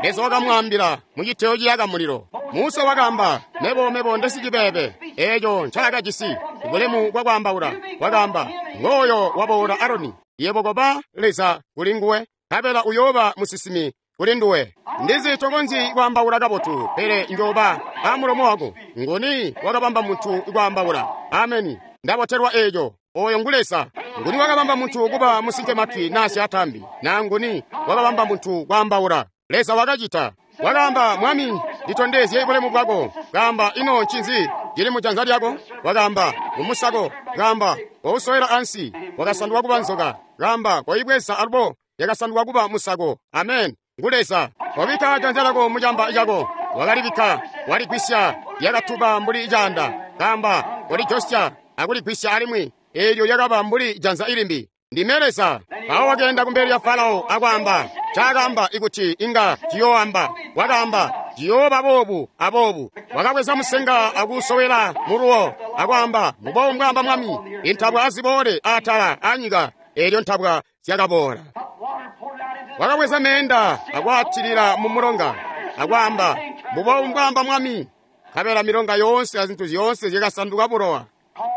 Leza wakamwaambila mu citeyo ciyaka mulilo. Musa wakaamba, mebo ndesicibebe. Eeco ncaakajisi bulemu bwakwaambaula. Wakaamba, ngooyo waboola Aroni, yebo koba Leza kuli nguwe, nkabela uyooba musinsimi kuli nduwe. Ndizi tokonzyi kwaambaula kabotu, pele njooba amulomo wako. Nguni wakabamba muntu kwaambaula? Ameni. Ndabotelwa eeco. Oyo ngu Leza. Nguni wakabamba muntu kuba musinkematwi naa syaataambi? Naa nguni wakabamba muntu kwaambaula? Leza wakacita. Wakaamba, Mwami, nditondezye bulemu bwako. Kaamba, ino ncinzi cili mu janza lyako? Wakaamba, ngumusako. Kaamba, kousowela ansi. Wakasanduka kuba nzoka. Kaamba, koibweza alubo. Yakasanduka kuba musako. Amen. Ngu Leza. Wabika janza lyako mucamba cako. Wakalibikka, waligwisya, lyakatuba mbuli caanda. Kaamba, kolijosya akuligwisya alimwi. Eelyo lyakaba mbuli janza ilimbi. Ndime Leza. Mpawo wakeenda kumbele lya Farao akwaamba ncaakaamba ikuti inga ciyooamba. Wakaamba ciyooba boobu aboobu. Wakabweza musenga akuusowela muluwo akwaamba mbubo mbwaamba Mwami, intabwa aziboole atala anyika. Eelyo ntabwa zyakaboola. water poured out into the Wakabweza meenda akwaatilila mu mulonga akwaamba mbubo mbwaamba Mwami. Nkabela milonga yoonse azintu zyoonse zyakasanduka bulowa.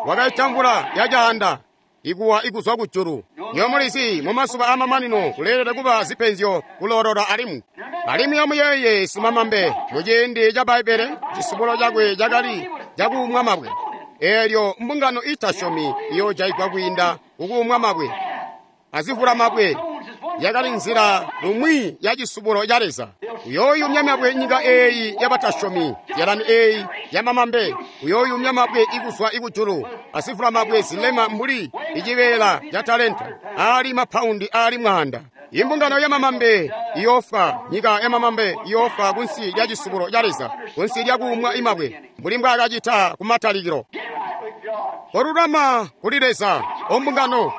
Wakaita mvula yacaanda ikuwa ikuzwa kujulu. Nyomulizi mumazuba amamanino kuleelede kuba zipenzyo kulolola alimwi. Alimwi amuyeeye simamambe muciindi ca Bbaibbele cisubulo cakwe cakali cakuumwa mabwe. Eelyo mbungano itasyomi iyoojaigwa kwiinda kukuumwa mabwe azivula mabwe. Yakali nzila lumwi ya cisubulo ca Leza. Uyooyumya mabwe nyika eeyi yabatasyomi, zyalani eeyi yamamambe. Uyooyumya mabwe ikuzwa ikujulu, azivula mabwe zilema mbuli icibeela ca talenta, aali mapaundi aali 100. Imbungano yamamambe iyoofwa, nyika yamamambe iyoofwa kunsi lya cisubulo ca Leza, kunsi lya kuumwa imabwe, mbuli mbwaakacita kumatalikilo. Get right with God. Kolulama kuli Leza, ombungano.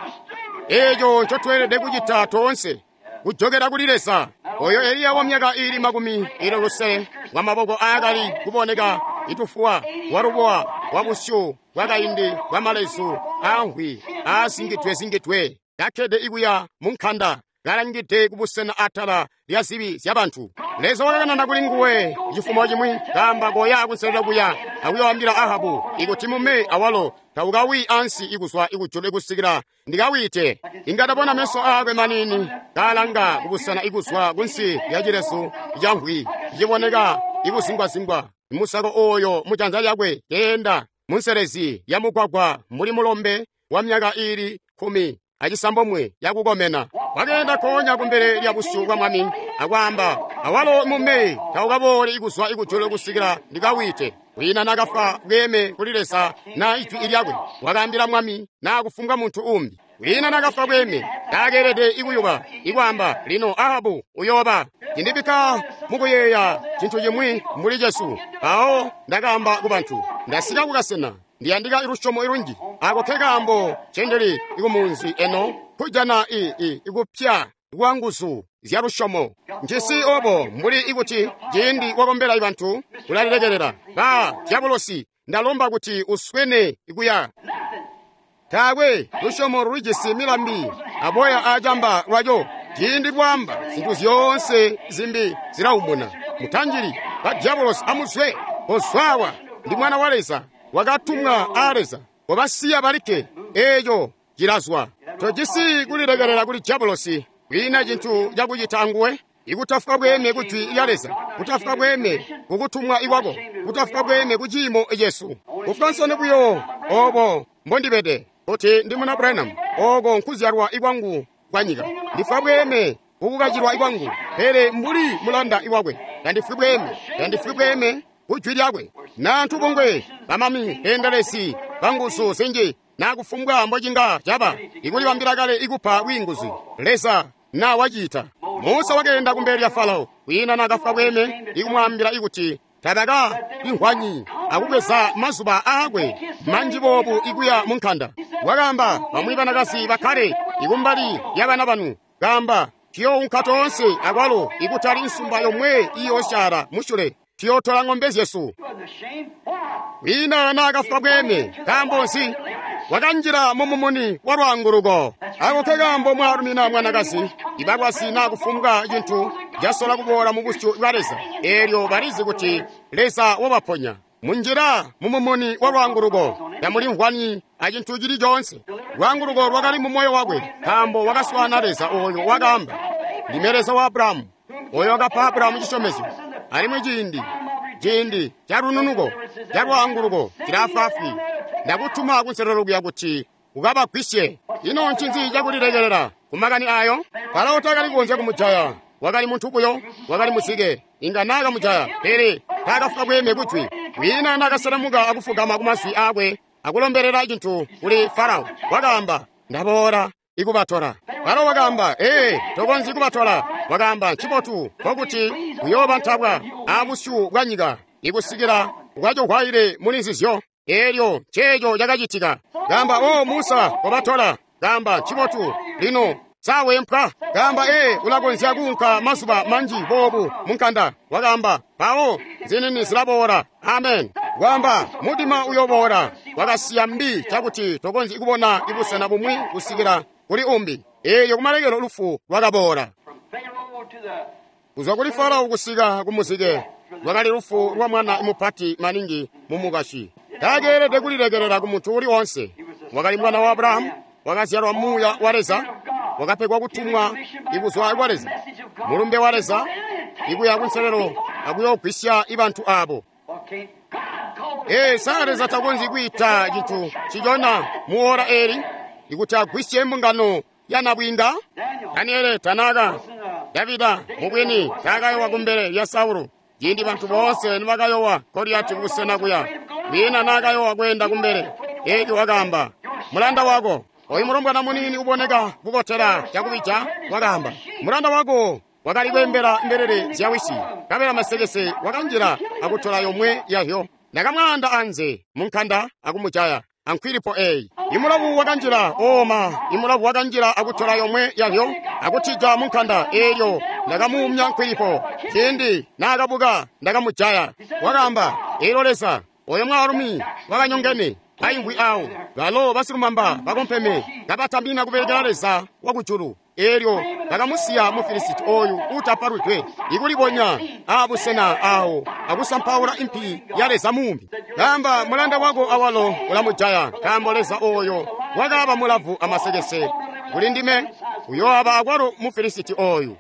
Eeco ncotweelede kucita toonse, kujokera kuli Leza. Oyo Eliya wa myaka iili 60 wa maboko aakali kuboneka itufuwa, walubowa, wabusyu bwakaindi bwamalezu aamvwi aazingidwe-zingidwe, kakkede ikuya mu nkanda, kalangide kubusena atala lya zibi zya bantu. Leza wakakanana kuli nguwe cifumo cimwi, kaamba koya kunselelo kuya akuyoambila Ahabu ikuti mume awalo taukawi ansi ikuzwa ikujulu ikusikila ndikawite. Inga ndabona meso aakwe manini kalanga kubusena ikuzwa kunsi lya cilezu camvwi ciboneka ikuzingwazingwa. Musako oyo mujanza lyakwe keenda munselezi ya mugwagwa mbuli mulombe wa myaka iili 19 yakukomena. Wakeenda konya kumbele lya busyu bwa Mwami akwaamba, awalo mume taukaboole ikuzwa ikujulu kusikila ndikawite. Kwiina nakafwa bweeme kuli Leza na ijwi lyakwe. Wakaambila Mwami na kufumbwa muntu umbi. Kwiina nakafwa bweeme taakeelede ikuyuba ikwaamba lino Ahabu uyooba. Cindibikka mukuyeeya cintu cimwi mbuli Jesu. Mpawo ndakaamba ku bantu, ndasika kukasena ndiyandika lusyomo ilunji. Ako ke kaambo ncendili ikumunzi eno kujana ikupya kwa nguzu zya lusyomo. Njisi obo mbuli ikuti ciindi wakombela bantu ulalilekelela. Ba dyabulosi, ndalomba kuti uswene ikuya. Taakwe lusyomo lulijisi milambi aboya acamba lwaco. Ciindi lwaamba zintu zyoonse zimbi zilaumuna. Mutanjili ba dyabulosi amuzwe, kozwawa ndi mwana wa Leza wakatumwa a Leza. Kobasiya balikke, eeco cilazwa. Tojisi kulilekelela kuli dyabulosi. Kwiina cintu cakucita anguwe. Ikutafwa bweeme ku jwi lya Leza, kutafwa bweeme kukutumwa ikwako, kutafwa bweeme ku ciimo cesu. Kufwa nsoni buyo obo mbondibede kuti ndi muna Branham, oko nkuzyalwa ikwangu kwa nyika. Ndifwa bweeme kukukacilwa ikwangu, pele mbuli mulanda iwakwe. Tandifwi bweeme, tandifwi bweeme ku jwi lyakwe. Nantu bungwe bamami beendelezi banguzu zinji nakufumbwa mbocinga caba ikulibambila kale ikupa bwiinguzi. Leza na wacita. Musa wakeenda kumbele lya Farao, kwiina nakafwa bweeme ikumwaambila ikuti tabaka inhwanyi akubweza mazuba aakwe manji boobu ikuya mu nkanda. Wakaamba bamwi banakazi bakkale ikumbali lya bana banu. Kaamba Tuyounka toonse akwalo ikutali nsumba yomwe iyoosyaala musyule. Tuyootola ng'ombe zyesu. Kwiina naakafwa bweeme. Nkaambo nzi? Wakanjila mumumuni wa lwaanguluko. Ako nkekaambo mwaalumi naa mwanakazi ibalwazi naa kufumbwa cintu casola kuboola mu busyu bwa Leza, eelyo balizi kuti Leza wabaponya. Munjila mumumuni wa lwaanguluko, tamulimvwani acintu cili coonse. Lwaanguluko lwakali mu moyo wakwe, nkaambo wakaswaana Leza ooyo wakaamba, Ndime Leza wa Abrahamu, ooyo wakapa Abrahamu cisyomezyo. Alimwi ciindi ca lununuko ca lwaanguluko cilaafwaafwi. Ndakutuma kunselelo kuya kuti ukabagwisye. Ino ncinzi cakulilekelela kumakani ayo? Farao taakali kukonzya kumujaya. Wakali muntu buyo, wakali muzike. Inga naakamujaya, pele taakafwa bweeme kujwi. Kwiina naakaselemuka akufugama kumazwi aakwe akulombelela cintu kuli Farao. Wakaamba, ndaboola ikubatola. Farao wakaamba, ee, tokonzyi kubatola. Wakaamba, ncibotu, nkokuti kuyooba ntabwa abusyu bwa nyika ikusikila ukacohwaile muli nzizyo. Eelyo nceeco cakacitika. Kaamba, o Musa, kobatola. Kaamba, ncibotu, lino sawempwa. Kaamba, ee, ulakonzya kuunka mazuba manji boobu munkanda. Wakaamba, mpawo zinini zilaboola. Amen. Wamba, mudima uyoboola. Wakasiya mbi cakuti tokonzyi kubona ibusena bumwi kusikila kuli umbi. Eelyo kumalekelo lufu lwakaboola. Kuzwa kuli Farao kusika kumuzike lwakali lufu lwa mwana mupati maningi mumukashi. Takeelede kulilekelela ku muntu uli onse. Wakali mwana wa Abrahamu, wakazyalwa muuya wa Leza, wakapegwa kutumwa ikuzwa kwa Leza, mulumbe wa Leza ikuya kunselelo akuyoogwisya ibantu abo. Ee, sa Leza takonzyi kwiita cintu cicona mu ora eli ikuti agwisye mbungano ya nabwiinga? Daniele tanaka, Davida mubwini taakayowa kumbele lya Saulo. Ciindi bantu boonse nibakayowa Goliyati kubusena kuya, kwiina naakayowa kweenda kumbele. Eelyo wakaamba, mulanda wako oyu mulombwana muniini uboneka kukotela cakubija. Wakaamba, mulanda wako wakali kweembela mbelele zya wisi, nkabela masekese wakanjila akutola yomwe yahyo. Ndakamwaanda anze munkanda akumujaya ankwilipo eyi. Imulavu wakanjila oma, imulavu wakanjila akutola yomwe yahyo akutija munkanda. Eelyo ndakamuumya nkwilipo. Ciindi naakabuka ndakamujaya. Wakaamba, eelyo Leza oyo mwaalumi wakanyongene aimvwi awo, balo basilumamba bakompeme kabatambina kubelekela Leza wakujulu. Eelyo bakamusiya Mufilisiti oyu uutapalwidwe ikulibonya aabusena awo akusampaula impi ya Leza mumbi. Kaamba, mulanda wako awalo ulamujaya, nkaambo Leza oyo wakaaba mulavu amasekese kuli ndime, uyooaba akwalo Mufilisiti oyu.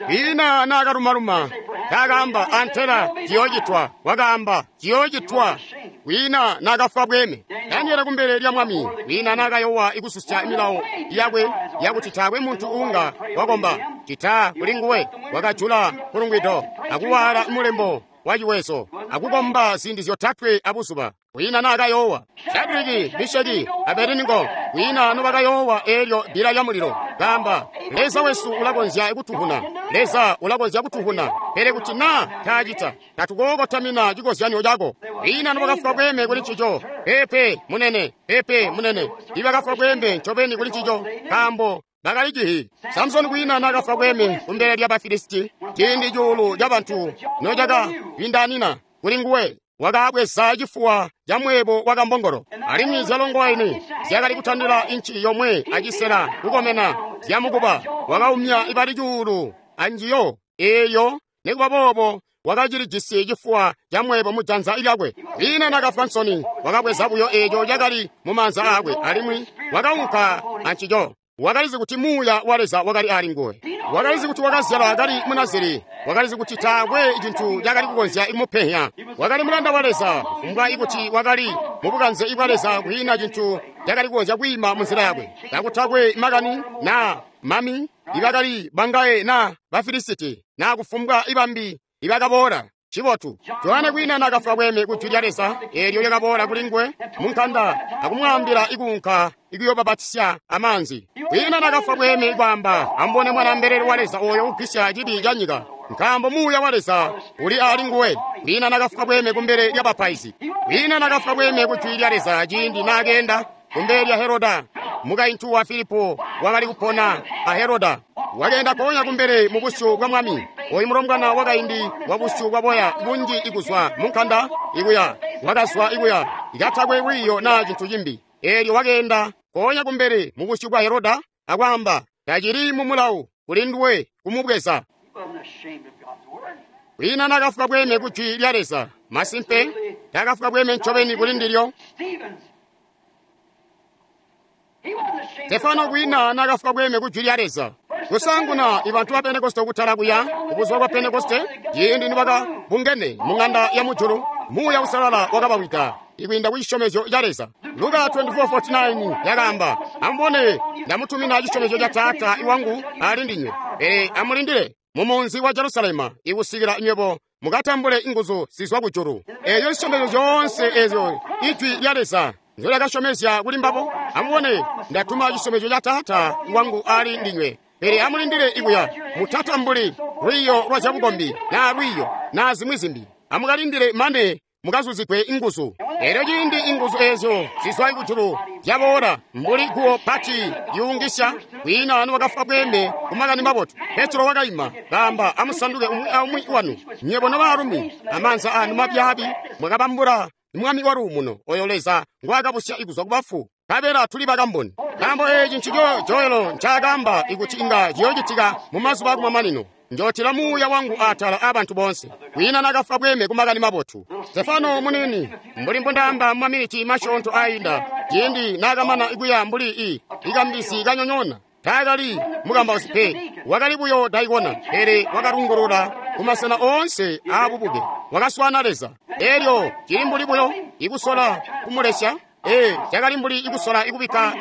Kwiina naakalumaluma, taakaamba antela ciyoocitwa. Wakaamba ciyoocitwa. Kwiina naakafwa bweeme. Daniele kumbele lya mwami, kwiina naakayowa ikususya milawo yakwe yakuti taakwe muntu uunga wakomba cita kuli nguwe. Wakajula kulungwido akuwaala mulembo wa ciwezo akukomba ziindi zyotatwe abuzuba. Kwiina naakayowa. Shadiriki, Misheki, Abednego kwiina nobakayowa eelyo bbila lya mulilo. Kaamba, Leza wesu ulakonzya kutuhuna, Leza ulakonzya kutuhuna, pele kuti naa taacita, tatukookotamina cikozyanyo cako. Kwiina nobakafwa bweeme kuli ncico. Pepe munene, pepe munene, ibakafwa bweeme ncobeni kuli ncico, nkaambo bakali cihi. Samsoni kwiina naakafwa bweeme kumbele lya Bafilisiti ciindi cuulu ca bantu nocakabindanina kuli nguwe. Wakabweza cifuwa ca mweebo wa kambongolo, alimwi zyalongowaini zyakali kutandila inci yomwe acisela kukomena zyamukuba. Wakaumya ibali cuulu anjiyo eeyo, nikuba boobo wakacilijisi cifuwa ca mweebo mujanza lyakwe. Kwiina naakafwa nsoni, wakabweza buyo eeco cakali mumaanza aakwe alimwi wakaunka ancico. Wakalizi kuti muuya wa Leza wakali ali nguwe. Wakalizi kuti wakazyalwa kali Munaziri. Wakalizi kuti taakwe cintu cakali kukonzya kumupehya. Wakali mulanda wa Leza, kufumbwa ikuti wakali mubukanze bwa Leza, kwiina cintu cakali kukonzya kwiima munzila yakwe. Kakutakwe makani naa mami ibakali bangaye naa Bafilisiti naa kufumbwa ibambi ibakaboola. Cibotu. Johane kwiina naakafwa bweeme kujwi lya Leza eelyo lyakaboola kuli nguwe munkanda akumwaambila ikuunka ikuyoobapatizya amaanzi. Kwiina naakafwa bweeme kwaamba, amubone mwana mbelele wa Leza ooyo ugwisya cibi ca nyika, nkaambo muuya wa Leza uli ali nguwe. Kwiina naakafwa bweeme kumbele lya bapaizi. Kwiina naakafwa bweeme kujwi lya Leza ciindi naakeenda kumbele lya Heroda. Mukaintu wa Filipo wakali kupona a Heroda. Wakeenda konya kumbele mu busyu bwa mwami. Oyu mulombwana wakaindi wa busyu bwa boya bunji ikuzwa munkanda ikuya. Wakazwa ikuya. Ikatakwe lwiiyo na cintu cimbi. Eelyo wakeenda konya kumbele mu busyu bwa Heroda akwaamba, tacili mu mulawu kuli nduwe kumubweza. Kwiina nakafuka bweme ku jwi lya Leza. Masimpe, takafuka bweme ncobeni kuli ndilyo. Stefano kwiina nakafuka bweme ku jwi lya Leza. Kusanguna ibantu ba Pentekoste kutala kuya kubuzuba bwa Pentekoste, ciindi nibakabungene mu ng'anda ya mujulu, Muuya Uusalala wakabawida ikwiinda ku cisyomezyo ca Leza. Luka 24:49 yakaamba, amubone ndamutumina cisyomezyo ca Taata iwangu ali ndinywe, pele amulindile mu munzi wa Jerusalema ikusikila nywebo mukatambule inguzu zizwa kujulu. Eeyo cisyomezyo zyoonse eezyo ijwi lya Leza nzyolakasyomezya kuli mbabo. Amubone ndatuma cisyomezyo ca Taata iwangu ali ndinywe, pele amulindile ikuya mutatambuli lwiiyo lwa zyabukombi naa lwiiyo naa zimwi zimbi. Amukalindile mane mukazuzigwe inguzu. Eelyo ciindi inguzu eezyo zizwa kujulu zyaboola mbuli guwo pati lyuungisya, kwiina niwakafuka bweme ku makani mabotu. Petro wakaima kaamba, amusanduke umwi aumwi wanu nywebo nobaalumi amaanza anu mabyaabi mwakabambula mwami wa luumuno oyo Leza ngwaakabusya ikuzwa kubafu. Kabela tuli bakamboni. Nkaambo eeci ncico Joelo ncaakaamba ikuti inga ciyoocitika mu mazuba akumamanino. Njootila muuya wangu atala aabantu boonse. Kwiina nakafuka bweme ku makani mabotu. Stefano munini, mbuli mbundaamba mu maminiti masyoonto ainda, ciindi naakamana ikuya mbuli ikambizi kanyonyoona, taakali mukambausi pe, wakali buyo daikona, pele wakalungulula kumasena oonse aabubuke. Wakaswana Leza. Eelyo cili mbuli buyo ikusola kumulesya. Cakali mbuli ikusola ikubikka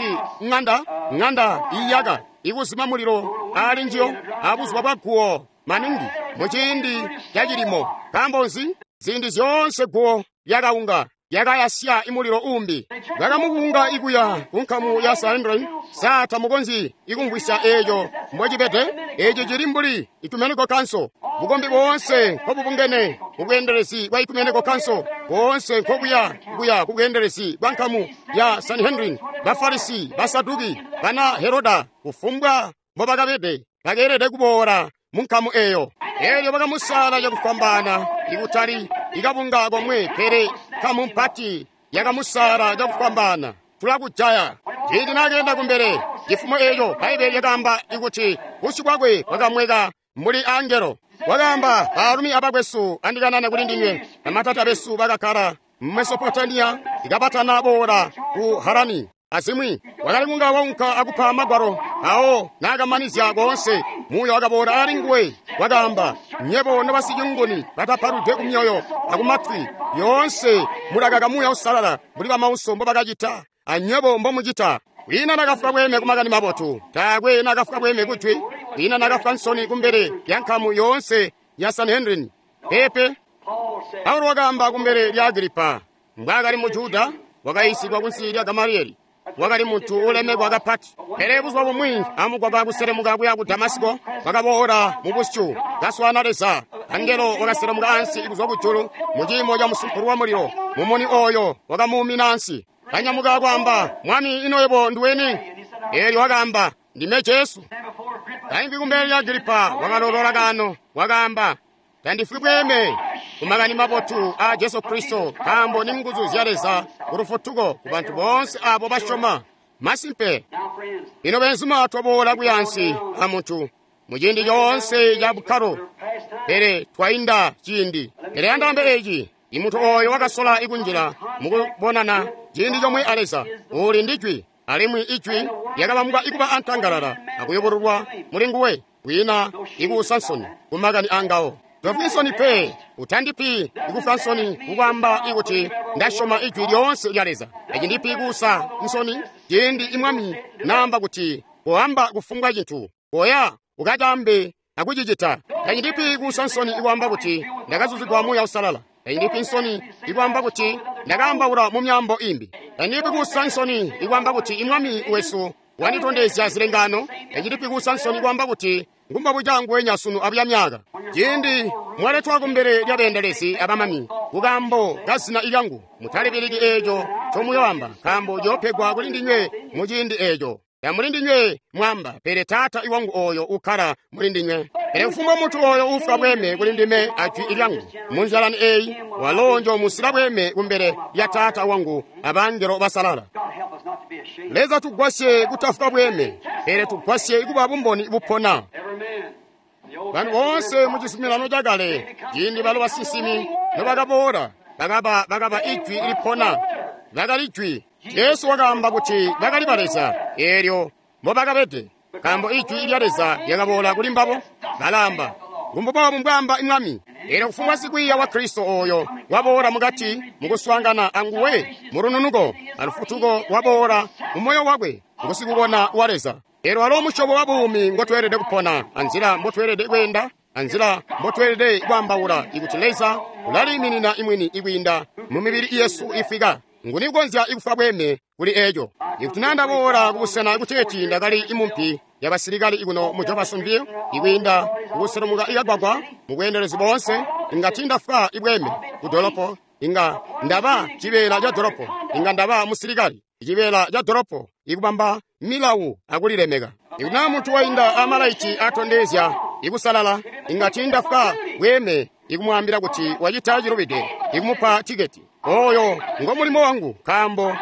ng'anda iyaka ikuzima mulilo ali njiyo abuzuba bwa guwo maningi muciindi cacilimo. Nkaambo nzi? Ziindi zyoonse guwo lyakaunga lyakayasya imulilo umbi. Bakamukunga ikuya ku nkamu ya Sanhedrin. Sa tamukonzyi ikumvwisya eeco mbocibede? Eeci cili mbuli Ecumenical Council. Bukombi boonse nkobubungene kubweendelezi bwa Ecumenical Council, boonse nkobuya kuya kubweendelezi bwa nkamu ya Sanhedrin, Bafarisi, Basaduki, bana Heroda, kufumbwa mbobakabede bakeelede kuboola mu nkamu eeyo. Eelyo bakamusala cakufwambaana, ikutali ikabunga komwe, pele nkamu mpati yakamusala cakufwambaana. Tulakujaya. Ciindi nakeenda kumbele cifumo eeco, Bbaibele lyakaamba ikuti busyu bwakwe bwakamweka mbuli angelo. Wakaamba, baalumi abakwesu andikanane kuli ndinywe, bamatata besu bakakkala mu Mesopotamiya ikabatana boola ku Harani. Azimwi wakali kunga waunka akupa magwalo awo naakamanizya koonse. Muuya wakaboola ali nguwe, wakaamba, nywebo nobasicunguni batapaludwe kumyoyo akumatwi, yoonse mulakaka Muuya Uusalala mbuli bamauso mbobakacita anywebo mbomucita. Kwiina nakafuka bweme ku makani mabotu, taakwe nakafuka bweme kujwi, kwiina nakafuka nsoni kumbele lya nkamu yoonse ya Sanhedrin. Pepe Paulo wakaamba kumbele lya Agripa, mbwaakali mu Juda, wakayiisigwa kunsi lya Gamalieli, wakali muntu ulemekwa kapati. Pele buzuba bumwi amugwagwa kuselemuka kuya ku Damasiko, wakaboola mu busyu kaswana Leza. Angelo wakaselemuka ansi kuzwa kujulu mu ciimo ca musumpulu wa mulilo. Mumuni oyo wakamuumina ansi. Kanyamuka kwaamba, Mwami, ino yebo nduweni? Eelyo wakaamba, ndime Jesu. Kaimvwi kumbele lya Agripa wakalolola kano, wakaamba, tandifwi bweme ku makani mabotu a Jesu Kristo, nkaambo ni nguzu zya Leza ku lufutuko ku bantu boonse abo basyoma. Masimpe, ino benzuma twaboola kuyansi a muntu muciindi coonse ca bukkalo, pele twainda ciindi. Pele andaambe eeci, imuntu oyo wakasola ikunjila mukubonana ciindi comwe a Leza, uli ndi jwi, alimwi ijwi lyakabambwa ikuba antangalala akuyubululwa muli nguwe, kwiina ikuusa nsoni ku makani angawo. Tofwi nsoni pe, utandipi ikufa nsoni kukwaamba ikuti ndasyoma ijwi lyoonse lya Leza. Eci ndipi ikuusa nsoni ciindi imwami naamba kuti koamba kufumbwa cintu, koya ukacaambe akucicita. Tachindipi kuusa nsoni ikwaamba kuti ndakazuzigwa Muuya Uusalala. Tachindipi nsoni ikwaamba kuti ndakaambaula mu myaambo imbi. Tachindipi kuusa nsoni ikwaamba kuti imwami wesu wanditondezya zilengano. Tachindipi kuusa nsoni ikwaamba kuti ngumbabu cangu wenya sunu abuya myaka. Ciindi mwaletwa kumbele lya beendelezi abamami kukaambo ka zina lyangu, mutalibiliki eeco ncomuyoamba, nkaambo ciyoopegwa kuli ndinywe muciindi eeco. Tamuli ndinywe mwamba, pele Taata wangu oyo ukkala muli ndinywe. Pele kufumbwa muntu oyo ufwa bweme kuli ndime ajwi lyangu munzalani eyi, walo njomusila bweme kumbele lya Taata wangu abangelo basalala. God help us not to be ashamed. Leza tugwasye kutafwa bweme, pele tugwasye kuba bumboni bupona. Every man. The Old Bantu Testament bonse mu chisuminano chakale, ciindi balo basinsimi nobakaboola, bakaba ijwi lipona, bakali jwi. Jesu wakaamba kuti bakali ba Leza, eelyo mbobakabede, nkaambo ijwi lya Leza lyakaboola kuli mbabo. Balaamba, "Ngumbubobu mbwaamba Mwami." Eelyo kufumbwa sikwiiya wa Kristo oyo waboola mukati mukuswaangana anguwe mulununuko alufutuko waboola mu moyo wakwe ngusikubona wa Leza. Eelyo walo musyobo wa buumi ngotweelede kupona, anzila mbotweelede kweenda, anzila mbotweelede kwaambaula, ikuti Leza ulaliiminina imwini ikwiinda mu mibili yesu ifwika. Nguni ukonzya ikufa bweme kuli eco? Ikuti naa ndaboola kubusena kuteeti ndakali imumpi yabasilikali ikuno mu Jeffersonville, ikwiinda kukuselemuka ikagwagwa mu bweendelezi boonse, inga tiindafwa ibweme ku dolopo, inga ndaba cibeela ca dolopo, inga ndaba musilikali, cibeela ca dolopo, ikubamba milawu akulilemeka. Ikuti naa muntu wainda amalaiti atondezya ikusalala, inga tiindafwa bweme ikumwaambila kuti wacita cilubide, ikumupa tiketi. Oyo ngo mulimo wangu, nkaambo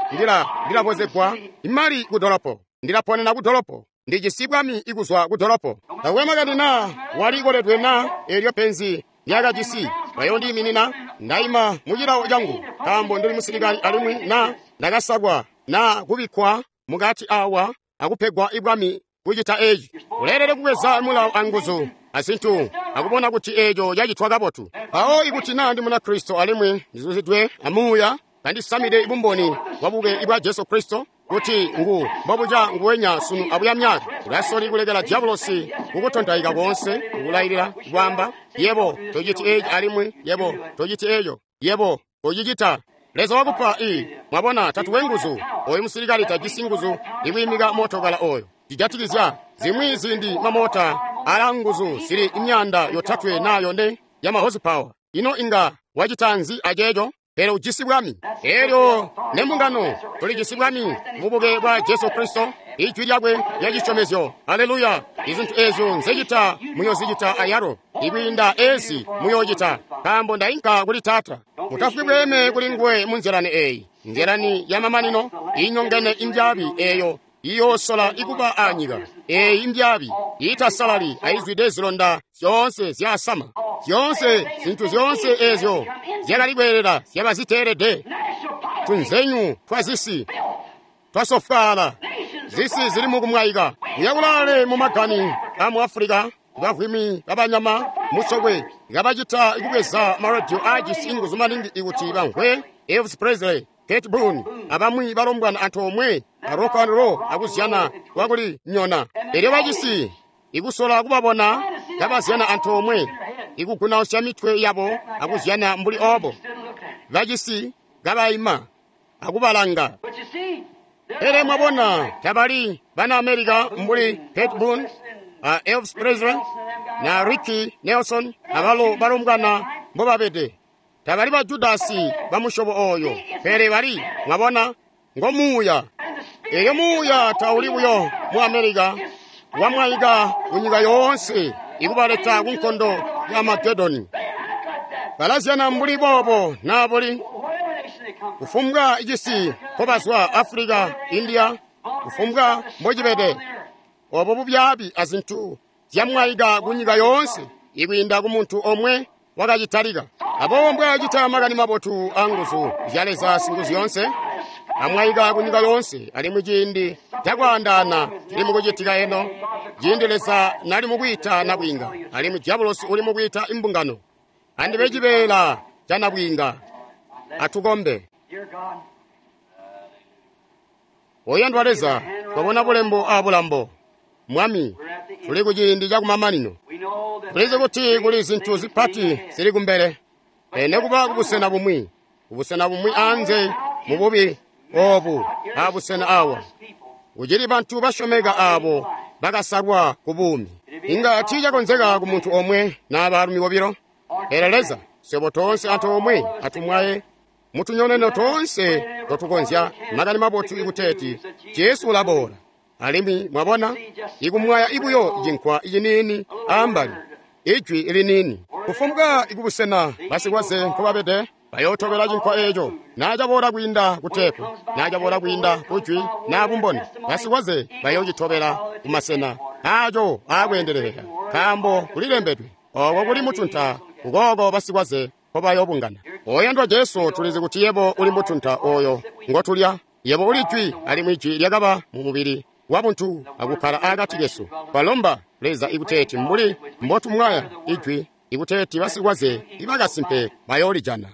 ndilabozegwa imali ku dolopo, ndilaponena ku dolopo, ndijisi bwami ikuzwa ku dolopo. Takwe makani naa walikoledwe naa eelyo penzi lyakajisi, bayondiiminina ndaima mu cilawo cangu, nkaambo ndili musilikali alimwi naa ndakasakwa naa kubikkwa mukati awa akupegwa ibwami kucita eci. Uleelede kubweza mulawo anguzu azintu akubona kuti eeco cacitwa kabotu. Mpawo ikuti naa ndi Munakristo alimwi ndizuzidwe amuuya, kandisamide bumboni bwabuke bwa Jesu Kristo kuti ngu mbobuca nguwenya sunu abuya myaka, ulasoli kulekela diabolosi kukutontaika koonse, kukulailila kwaamba, yebo tociti eci alimwi yebo tociti eco, yebo kocicita. Leza wakupa mwabona tatuwe nguzu. Oyu musilikali tajisi nguzu ikwiimika mootokala oyo. Cijatikizya zimwi ziindi mamota ala nguzu zili imyanda yotatwe naa yone ya ma horsepower. Ino inga wacita nzi aceeco? Pele ujisi bwami. Eelyo nembungano tulijisi bwami mubuke bwa Jesu Kristo, ijwi lyakwe lya cisyomezyo. Haleluya! Izintu eezyo nzecita muyozicita ayalo, ikwiinda ezi muyoocita, nkaambo ndainka kuli Taata. Mutafwi bweme kuli nguwe mu nzilani eeyi, nzilani ya mamanino inyongene imbyaabi eeyo iyoosola ikuba anyika. Eeyi imbyaabi iitasalali ayizwide zilonda zyoonse zyasama, zyoonse zintu zyoonse eezyo zyakali kweelela zyaba ziteelede. Tunzenyu twazisi twasofwaala, zisi zili mukumwayika. Uyakulale mumagani amu Afulika, bavwimi babanyama musokwe kabacita kubweza maradiyo aajisi inguzu maningi ikuti bamvwe Elvis Presley, Kate Boone abamwi balombwana antoomwe a rock and roll akuzyana kwakuli nyona. Elyo bacisi ikusola kubabona kabazyana antoomwe, ikugunausya mitwe yabo akuzyana mbuli obo. Bacisi kabaima akubalanga. But you see, they're Pele not mwabona tabali bana America mbuli Kate Boone, Elvis Presley na Ricky Nelson abalo balombwana mbobabede. Tabali ba Judasi ba musyobo oyo, pele bali mwabona ngo muuya. And the spirit Elyo muuya tauli buyo mu America, wamwaika ku nyika yoonse ikubaleta ku nkondo ya Amagedoni. they act like that. Balazyana mbuli boobo naa buli Whatever nation they come from. kufumbwa icisi nkobazwa Africa, India, kufumbwa mbocibede. Obo bubyaabi azintu zyamwaika ku nyika yoonse ikwiinda ku muntu omwe wakacitalika. Aboobo mbwaacita makani mabotu anguzu zya Leza singuzu yoonse, amwaika ku nyika yoonse, alimwi ciindi cakwaandaana cili mukucitika eno, ciindi Leza nali mukwiita nabwiinga, alimwi diabolosi uli mukwiita imbungano. Andibe cibeela ca nabwiinga. Atukombe. Dear God, Oyandwa Leza, twabona bulembo abulambo. Mwami, tuli ku ciindi cakumamanino. we know that Tulizi kuti kuli zintu zipati zili kumbele. Pele kuba kubusena bumwi, kubusena bumwi anze mu bubi obu abusena awa. Kucili bantu basyomeka abo bakasalwa ku buumi. Inga tiicakonzeka ku muntu omwe naa baalumi bobilo. Pele Leza, swebo toonse antoomwe atumwaye mutunyoneno toonse totukonzya makani mabotu ikuteeti Jesu ulaboola. Alimwi mwabona, ikumwaya ibuyo cinkwa ciniini ambali, ijwi liniini. Kufumbwa ikubusena basikwaze nkobabede, bayootobela cinkwa eeco. Naa caboola kwiinda kuteepu, naa caboola kwiinda kujwi naa bumboni, basikwaze bayoocitobela kumasena aaco aakweendeleleka, nkaambo kulilembedwe, ooko kuli mutunta, ukooko basikwaze nkobayoobungana. Oyandwa Jesu, tulizi kuti yebo uli mutunta ooyo ngotulya. Yebo uli jwi, alimwi jwi lyakaba mu mubili wabuntu akukkala akati kesu. Twalomba Leza ikuteeti mbuli mbotumwaya ijwi, ikuteeti basikwaze ibakasimpe bayoolijana.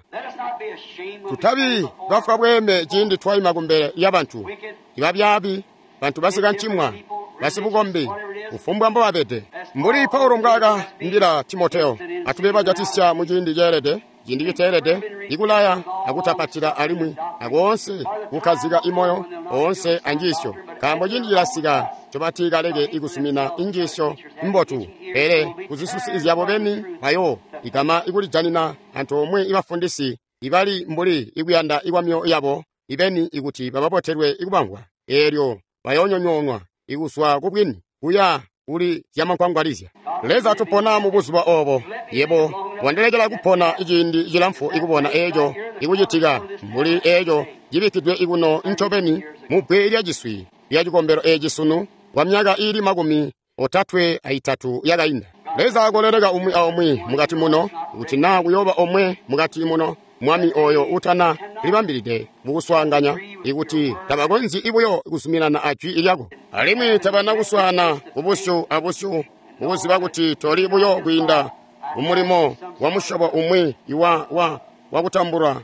Tutabi bafwa bweeme ciindi twaima kumbele lyabantu ibabyaabi, bantu basikancimwa, basibukombi, kufumbwa mbobabede. Mbuli Paulo mbwaakaambila Timoteo, atube bajatisya mu ciindi ceelede, ciindi citeelede, ikulaya akutapatila alimwi akoonse kukkazika imoyo oonse anjiisyo, nkaambo ciindi cilasika ncobatiikaleke ikusumina injiisyo mbotu, pele kuzisusi zyabo beni bayo igama ikulijanina antoomwe ibafundisi ibali mbuli ikuyanda ikwamyoyo yabo ibeni ikuti bababotelwe ikubamvwa, eelyo bayoonyonyoonwa ikuzwa kubwini kuya kuli zyamankwangwalizya. Leza, tupona mu buzuba obo. Yebo wandilekela kupona ciindi cilamfu ikubona eeco ikucitika mbuli eeco cibikkidwe ikuno ncobeni mu bbwe lyaciswi lya cikombelo eeci sunu kwa myaka iili 33 yakainda. Leza akoleleka umwi aumwi mukati muno, kuti naa kuyooba omwe mukati muno Mwami oyo utana libambilide mukuswaanganya, ikuti tabakonzyi ibuyo kuzuminana ajwi lyako, alimwi tabana kuswaana kubusyu abusyu mukuziba kuti toli buyo kwiinda mumulimo wa musyobo umwi wa kutambulwa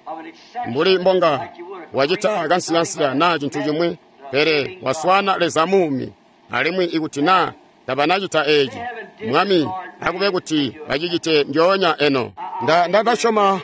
mbuli mbonga wacita kansiyansiya naa cintu cimwi, pele waswaana Leza muumi. Alimwi ikuti naa tabanacita eeci, Mwami, akube kuti bacicite ndyoonya eno. Ndasyoma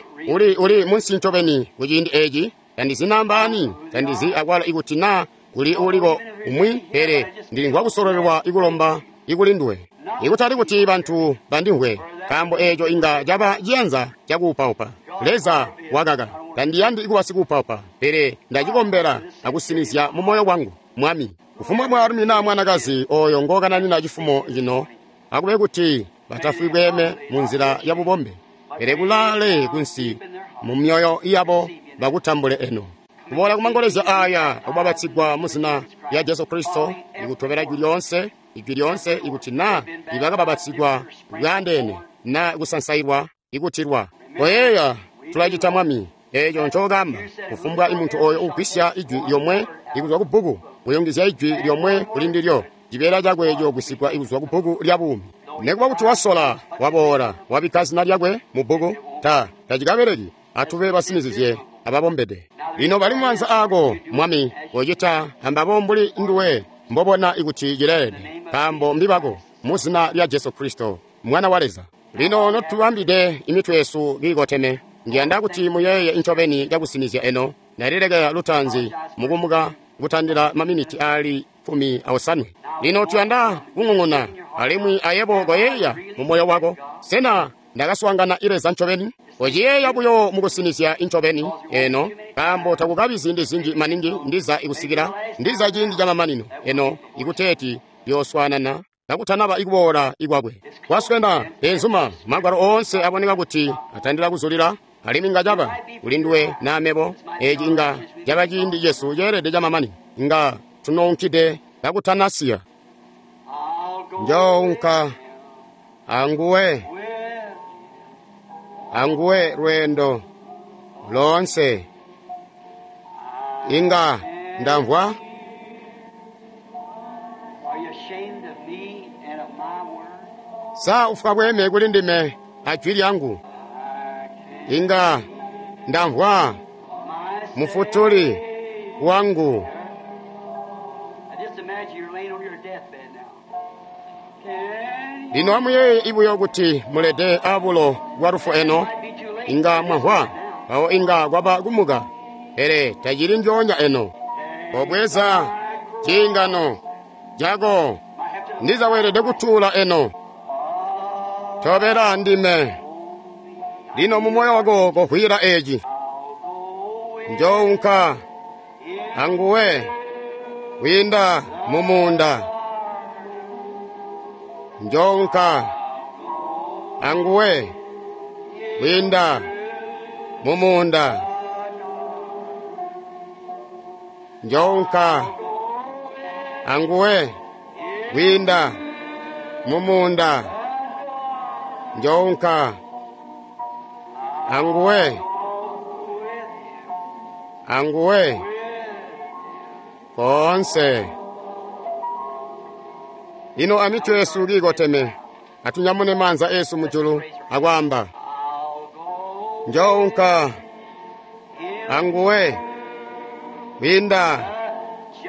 uli munsi ncobeni kuciindi eeci. Tandizi nambaani, tandizi akwalo ikuti naa kuli uliko umwi, pele ndilimvwa kusololelwa ikulomba ikuli nduwe. Ikutali kuti bantu bandimvwe, nkaambo eeco inga caba ciyanza cakuupaupa. Leza wakaka, tandiyandi kuba sikuupaupa, pele ndacikombela akusinizya mu moyo wangu, Mwami. Kufumbwa mwaalumi naa mwanakazi oyo ngokananina cifumo cino, akube kuti batafwi bweeme mu nzila ya bubombe, pele kulaale kunsi mu myoyo yabo bakutambule eno. Kuboola kumangolezya aya akubabatsigwa mu zina lya Jesu Kristo, ikutobela ijwi lyoonse, ijwi lyoonse, ikuti naa ibakababatsigwa bwaandeene naa kusansailwa ikutilwa. Koyeeya, tulacita Mwami eeco ncookamba. Kufumbwa imuntu oyo ugwisya ijwi lyomwe ikuzwa kubbuku, kuyungizya ijwi lyomwe kuli ndilyo, cibeela cakwe ciyogwisigwa ikuzwa kubbuku lya buumi. Nekuba kuti wasola, waboola, wabikka zina lyakwe mu bbuku, tacikabeleki. Atube basinizizye ababombede. Lino bali mumaanza aako, Mwami, kocita ambabo mbuli nduwe mbobona ikuti cileelede, nkaambo mbibako, mu zina lya Jesu Kristo, Mwana wa Leza. Lino notubambide imitwe yesu kiikoteme, ndiyanda kuti muyeeye ncobeni cakusinizya eno. Ndalilekela lutaanzi mukumuka kutandila maminiti aali 18. Lino tuyanda kung'ung'una, alimwi ayebo koyeeya mu moyo wako, sena ndakaswaangana Leza ncobeni? Kociyeeya buyo mukusinizya ncobeni eno, nkaambo takukabi ziindi zinji maningi ndiza ikusikila ndiza ciindi camamanino eno ikuteeti yooswaanana kakutanaba ikuboola ikwakwe. Kwaswena benzuma, magwalo oonse aboneka kuti atandila kuzulila, alimwi inga caba kuli nduwe naa mebo, eeci inga caba ciindi cesu ceelede camamanino, inga tunounkide kakutanasiya. Njounka anguwe, anguwe lweendo loonse. Inga ndamvwa. Sa ufwa bweeme kuli ndime ajwi lyangu? Inga ndamvwa mufutuli wangu. Lino amuyeeye ibuyo kuti mulede abulo bwa lufu eno, inga mwamvwa, mpawo inga kwaba kumuka, pele tacili ndyoonya eno. Kobweza ciingano cako, ndiza weelede kutuula eno. Tobela ndime. Lino mu moyo wako kovwiila eeci. Njounka anguwe, Kwiinda mu muunda. Njounka anguwe kwiinda mu muunda. Njounka anguwe kwiinda mu muunda. Njounka anguwe anguwe koonse. Lino amitwe yesu kiikoteme, atunyamune maanza esu mujulu akwaamba, njounka anguwe kwiinda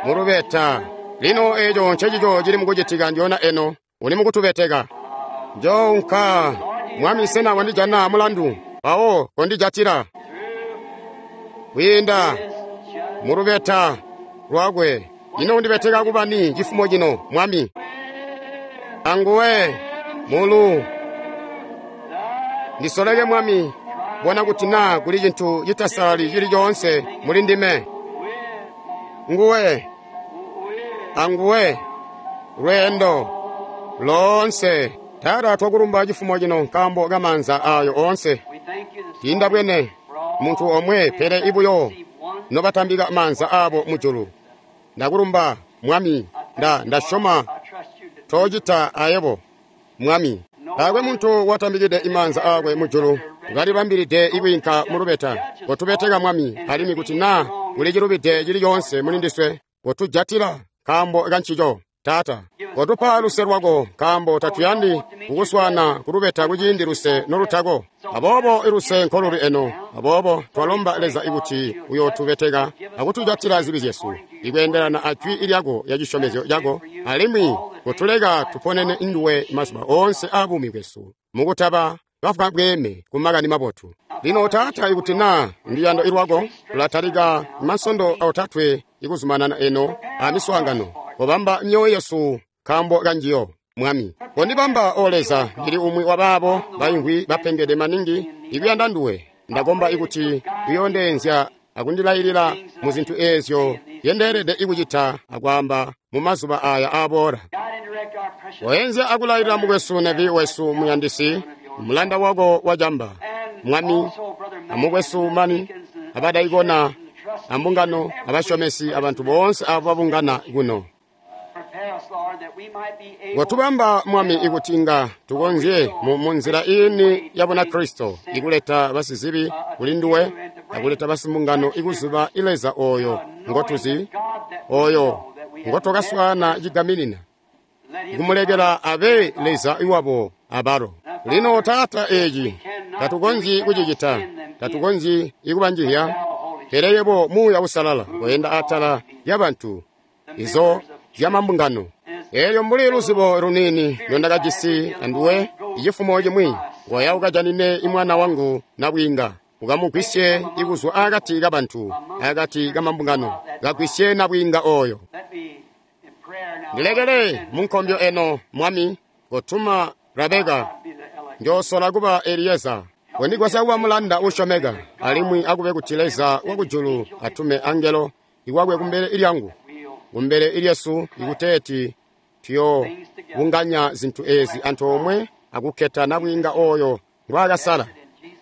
mulubeta. Lino eco ncecico cili mukucitika ndyona eno, uli mukutubeteka. Njounka, Mwami, sena wandijana mulandu? Mpawo kondijatila kwiinda mulubeta lwakwe. Ino undibeteka kuba ni cifumo cino, Mwami? Anguwe mulu ndisoleke, Mwami, bona kuti naa kuli cintu citasalali cili coonse muli ndime. Nguwe anguwe lweendo loonse. Taata, twakulumba cifumo cino nkaambo ka maanza ayo oonse. Tiinda bwene muntu omwe pele ibuyo nobatambika maanza abo mujulu. Ndakulumba, Mwami, ndasyoma toocita ayebo, Mwami. Taakwe muntu watambikide imaanza aakwe mujulu kalibambilide ikwiinka mulubeta. Kotubeteka, Mwami, alimwi kuti naa kuli cilubide cili coonse muli ndiswe, kotujatila nkaambo kancico. Taata, kotupa luse lwako, nkaambo tatuyandi kukuswaana kulubeta kuciindi luse nolutako. Aboobo iluse nkoluli eno. Aboobo twalomba Leza ikuti uyootubeteka akutujatila zibi zyesu ikweendelana a jwi lyako ya cisyomezyo cako, alimwi kutuleka tuponene nduwe mazuba oonse aabuumi bwesu mukutaba bafwa bweeme ku makani mabotu. Lino Taata, ikuti naa nduyando lwako, tulatalika masondo otatwe ikuzumanana eno a miswaangano. Kobamba myoyo yesu nkaambo kanjiyo, Mwami. Kondibamba, O Leza, ndili umwi wa baabo baimvwi bapengede maningi ikuyanda nduwe. Ndakomba ikuti uyoondeenzya akundilailila mu zintu eezyo ndendeelede ikucita akwaamba mu mazuba aya aaboola. Koenzya akulailila mukwesu Nevi wesu muyandisi, mulanda wako wacamba, Mwami, amukwesu Mani, abadaikona, ambungano, abasyomesi, abantu boonse abo babungana kuno. Kotubamba, Mwami, ikuti inga tukonzye mu nzila iini ya Bunakristo ikuleta basizibi kuli nduwe akuleta basimbungano ikuziba Leza oyo ngotuzi, oyo ngotwakaswaana cigaminina, ikumulekela abe Leza iwabo abalo. Lino Taata, eci tatukonzyi kucicita, tatukonzyi ikubanjihya, pele yebo Muuya Uusalala koyenda atala lyabantu izo zyamambungano. Elyo mbuli luzibo luniini lwendakajisi anduwe icifumo cimwi, koya ukajanine imwana wangu nabwiinga, ukamugwisye ikuzwa akati kabantu, akati kamambungano, kagwisye nabwiinga oyo. Ndilekele munkombyo eno, Mwami, kotuma Rabeka, njoosola kuba Eliyeza. Kondigwasya kuba mulanda uusyomeka, alimwi akube kuti Leza wakujulu atume angelo iwakwe kumbele ilyangu, kumbele ilyesu, ikuteeti tuyobunganya zintu ezi antoomwe akukketa nabwiinga oyo ngwaakasala.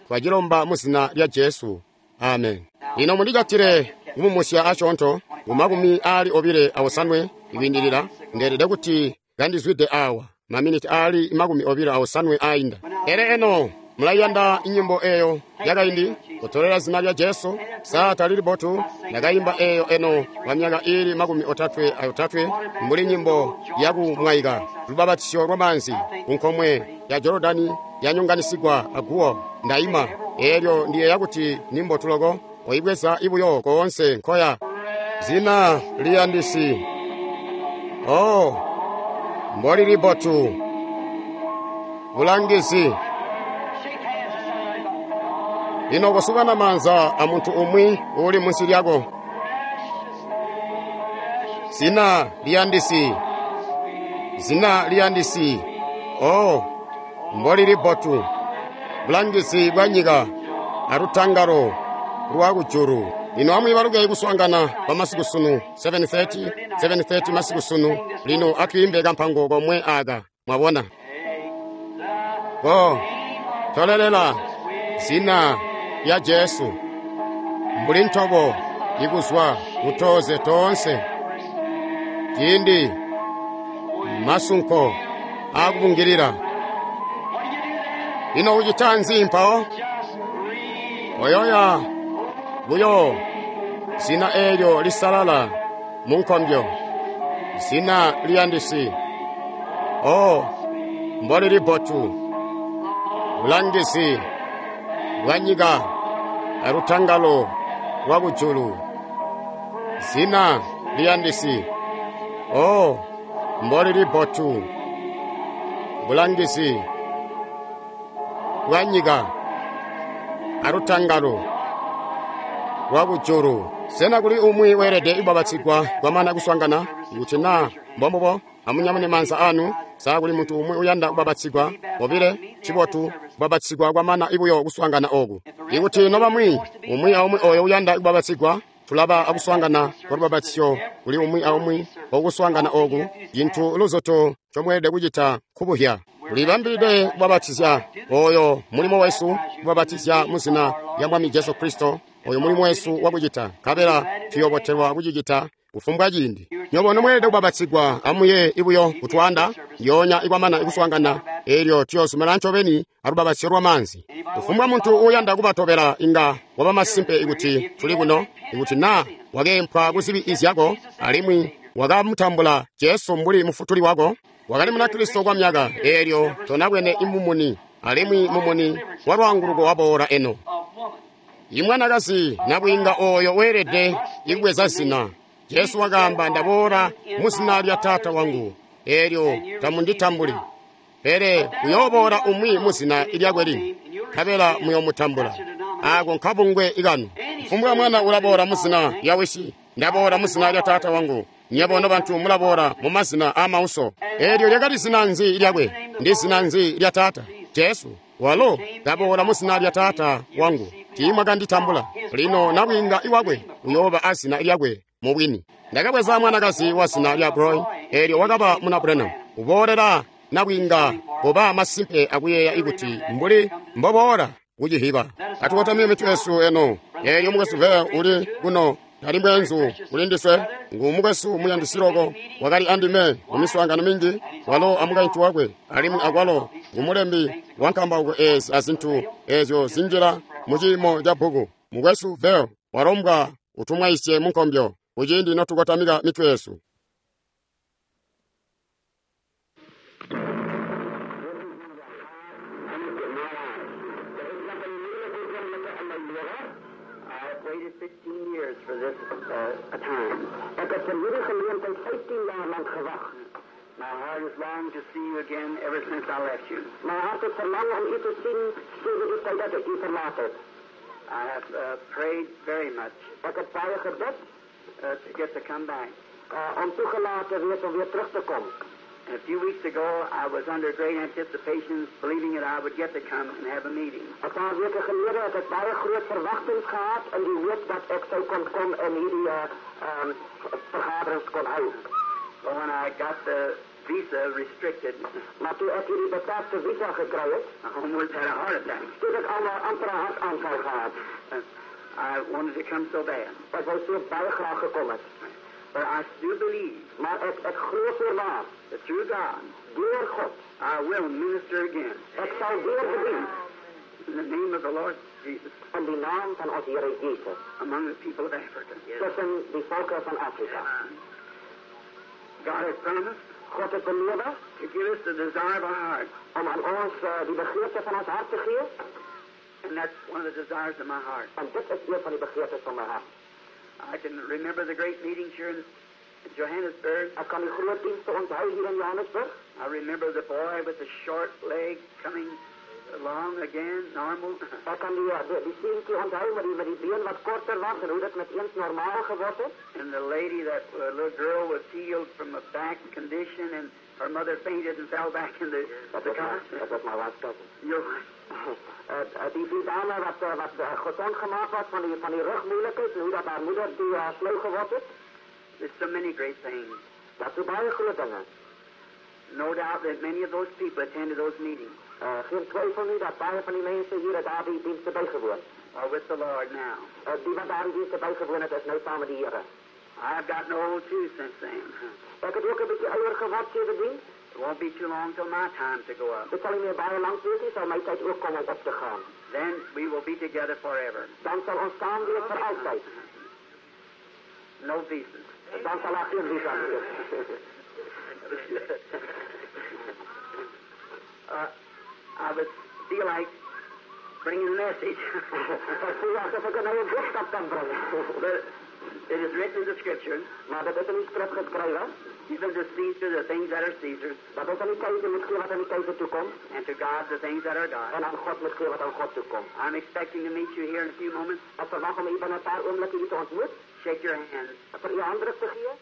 Twacilomba mu zina lya Jesu. Amen. Lino mundijatile kumumusya asyoonto ku 29 ikwiindilila. Ndeelede kuti kandizwide awa maminiti aali 29 ainda. Pele eno mulayanda inyimbo eyo yakaindi, kutolela zina lya Jesu. Saa talili botu ndakayimba eyo eno kwa myaka ili 33 mbuli nyimbo yakumwaika lubabatisyo lwa maanzi ku nkomwe ya Jorodani yanyonganisigwa aguwo. Ndayima elyo ndiyeeya kuti nimbo tuloko oyibweza ibuyo koonse nkoya. Zina liyandisi, oh, mbolili botu, bulangizi. Lino kosukana maanza a muntu umwi uuli munsi lyako. Zina liyandisi, zina liyandisi, oh, mbolili botu, bulangizi bwa nyika alutangalo lwa kujulu. Lino amwiibaluke kuswaangana kwa masiku sunu 7:30, 7:30 masiku sunu. Lino atwiimbe kampango komwe aka, mwabona. Ko tolelela zina lya Jesu mbuli ntobo ikuzwa kutoze toonse ciindi masunko akubungilila. Lino ucita nzi mpawo? Oyoya buyo zina eelyo lisalala mu nkombyo, zina liyandisi. O mbolili bbotu bulangizi bwa nyika alutangalo lwa kujulu, zina liyandisi. O mbolili bbotu bulangizi bwa nyika alutangalo lwa kujulu. Sena kuli umwi weelede kubabatsigwa kwamana kuswaangana? Kuti naa mbombubo, amunyamune maanza anu. Sa kuli muntu umwi uyanda kubabatsigwa? Bobile cibotu kubabatsigwa kwamana ibuyo kuswaangana oku. Ikuti nobamwi umwi aumwi oyo uyanda kubabatsigwa, tulaba akuswaangana kwa lubabatsyo kuli umwi aumwi okuswaangana oku. Cintu luzoto ncomweelede kucita nkubuhya. Tulibambilide kubabatizya. Oyo mulimo wesu, kubabatizya mu zina lya Mwami Jesu Kristo. Oyo mulimo wesu wakucita, nkabela tuyobotelwa kucicita kufumbwa ciindi. Nyobo nomweelede kubabatsigwa, amuye ibuyo kutwanda ndyoonya ikwamana ikuswaangana, eelyo tuyoozumina ncobeni alubabatsyo lwamaanzi. Kufumbwa muntu uuyanda kubatobela inga waba masimpe ikuti tuli kuno, ikuti naa wakeempwa kuzibi izyako alimwi wakamutambula Jesu mbuli mufutuli wako, wakali Munakristo kwa myaka, eelyo tonabwene imumuni, alimwi mumuni wa lwaanguluko waboola eno. Imwanakazi nabwiinga oyo weelede ikubweza zina. Jesu wakaamba, ndaboola mu zina lya Taata wangu, eelyo tamunditambuli. Pele uyooboola umwi mu zina lyakwe lini, nkabela muyoomutambula. Ako nkabungwe ikanu. Kufumbwa mwana ulaboola mu zina lya wisi, ndaboola mu zina lya Taata wangu. Nyebo nobantu mulaboola mu mazina aamauso. Eelyo lyakali zina nzi lyakwe? Ndi zina nzi lya Taata? Jesu. Walo ndaboola mu zina lya Taata wangu, tiimwakanditambula. Lino nabwiinga iwakwe uyooba azina lyakwe mubwini. Ndakabweza mwanakazi wa zina lya Broy, eelyo wakaba muna Branham. Uboolela nabwiinga koba masimpe akuyeeya ikuti mbuli mboboola kucihiba. Atukotamye mitwe yesu eno. Eelyo mukwesu Vea uli kuno tali mweenzu kuli ndiswe, ngu mukwesu muyandisi loko, wakali andime mu miswaangano minji, walo amukaintu wakwe, alimwi akwalo ngu mulembi wa nkambauko eezi azintu eezyo zinjila mu ciimo ca bbuku. Mukwesu Vea walombwa utumwaisye mu nkombyo kuciindi notukotamika mitwe yesu. I've waited 15 years for this time. Ek het vir hierdie geleentheid 15 jaar lank gewag. My heart has longed to see you again ever since I left you. My hart het verlang om u te sien sedert die tyd dat ek u verlaat het. I have prayed very much Ek het baie gebid to get to come back. om toegelaat te wees om weer terug te kom. And a few weeks ago, I was under great anticipations, believing that I would get to come and have a meeting. Een paar weke gelede het ek baie groot verwagtings gehad in die hoop dat ek sou kon kom en hierdie vergaderings kon hou. But when I got the visa restricted, Maar toe ek hierdie beperkte visa gekry het, I almost had a heart attack. toe het ek al 'n amper 'n hartaanval gehad. I wanted to come so bad. Ek wou so baie graag gekom het. But I do believe Maar ek glo voorwaar, that through God, deur God, I will minister again. ek sal weer bedien In the name of the Lord Jesus, in die naam van ons Here Jesus among the people of Africa. tussen die volke van Afrika. God has promised God het beloof to give us the desire of our heart. om aan ons die begeerte van ons hart te gee. And that's one of the desires of my heart. En dit is een van die begeertes van my hart. I can remember the great meetings here in Johannesburg. Ek kan die groot dienste onthou hier in Johannesburg. I remember the boy with the short leg coming along again, normal. Ek kan die seentjie onthou met die been wat korter was en hoe dit met eens normaal geword het. And the lady, that little girl, was healed from a back condition, and her mother fainted and fell back in the Dat the was car. my, dat was my wife's cousin. Your wife. Die dame wat gezond gemaakt was van die rugmoeilijkheid en hoe dat haar moeder die flauw geword het. There's so many great things. Dat is baie groot dinge. No doubt that many of those people attended those meetings. Geen twyfel nie dat baie van die mense hier het daardie dienste bygewoon. Are with the Lord now. Die wat daardie dienste bygewoon het, is nou saam met die Here. I've gotten old too since then. Ek het ook 'n bietjie ouer geword sedertdien. It won't be too long till my time to go up. Dit sal nie meer baie lank wees nie, sal my tyd ook kom om op te gaan. Then we will be together forever. Dan sal ons saam wees vir altyd. No visas. Dan sal daar geen visa wees. I would feel like bringing a message. Ek voel asof ek nou 'n boodskap kan bring. But it is written in the scripture. Maar dit is in die skrif geskrywe. Give unto Caesar the things that are Caesar's. Dat ons aan die keiser moet gee wat aan die keiser toekom. And to God the things that are God. En aan God moet gee wat aan God toekom. I'm expecting to meet you here in a few moments. Ek verwag om u binne 'n paar oomblikke hier te ontmoet. Shake your hand. Vir u handdruk te gee.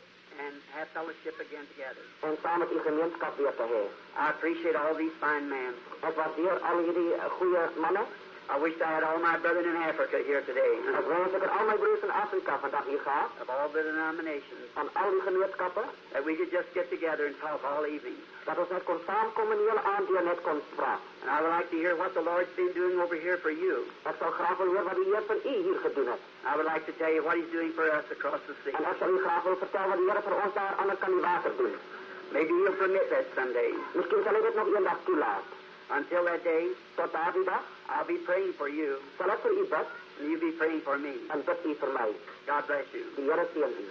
And have fellowship again together. En saam met u gemeenskap weer te hê. I appreciate all these fine men. Ek waardeer al hierdie goeie manne. I wish I had all my brethren in Africa here today. Ek wens ek het al my broers in Afrika vandag hier gehad. Of all the denominations. Van al die gemeenskappe. That we could just get together and talk all evening. Dat ons net kon saamkom en die hele aand deur net kon praat. And I would like to hear what the Lord's been doing over here for you. Ek sal graag wil hoor wat die Heer vir u hier gedoen het. I would like to tell you what He's doing for us across the sea. En ek sal u graag wil vertel wat die Here vir ons daar aan die ander kant die water doen. Maybe He'll permit that someday. Miskien sal hy dit nog eendag toelaat. Until that day, tot daardie dag, I'll be praying for you. Sal ek vir u bid? And you be praying for me. En bid u vir my. God bless you. Die Here seën u.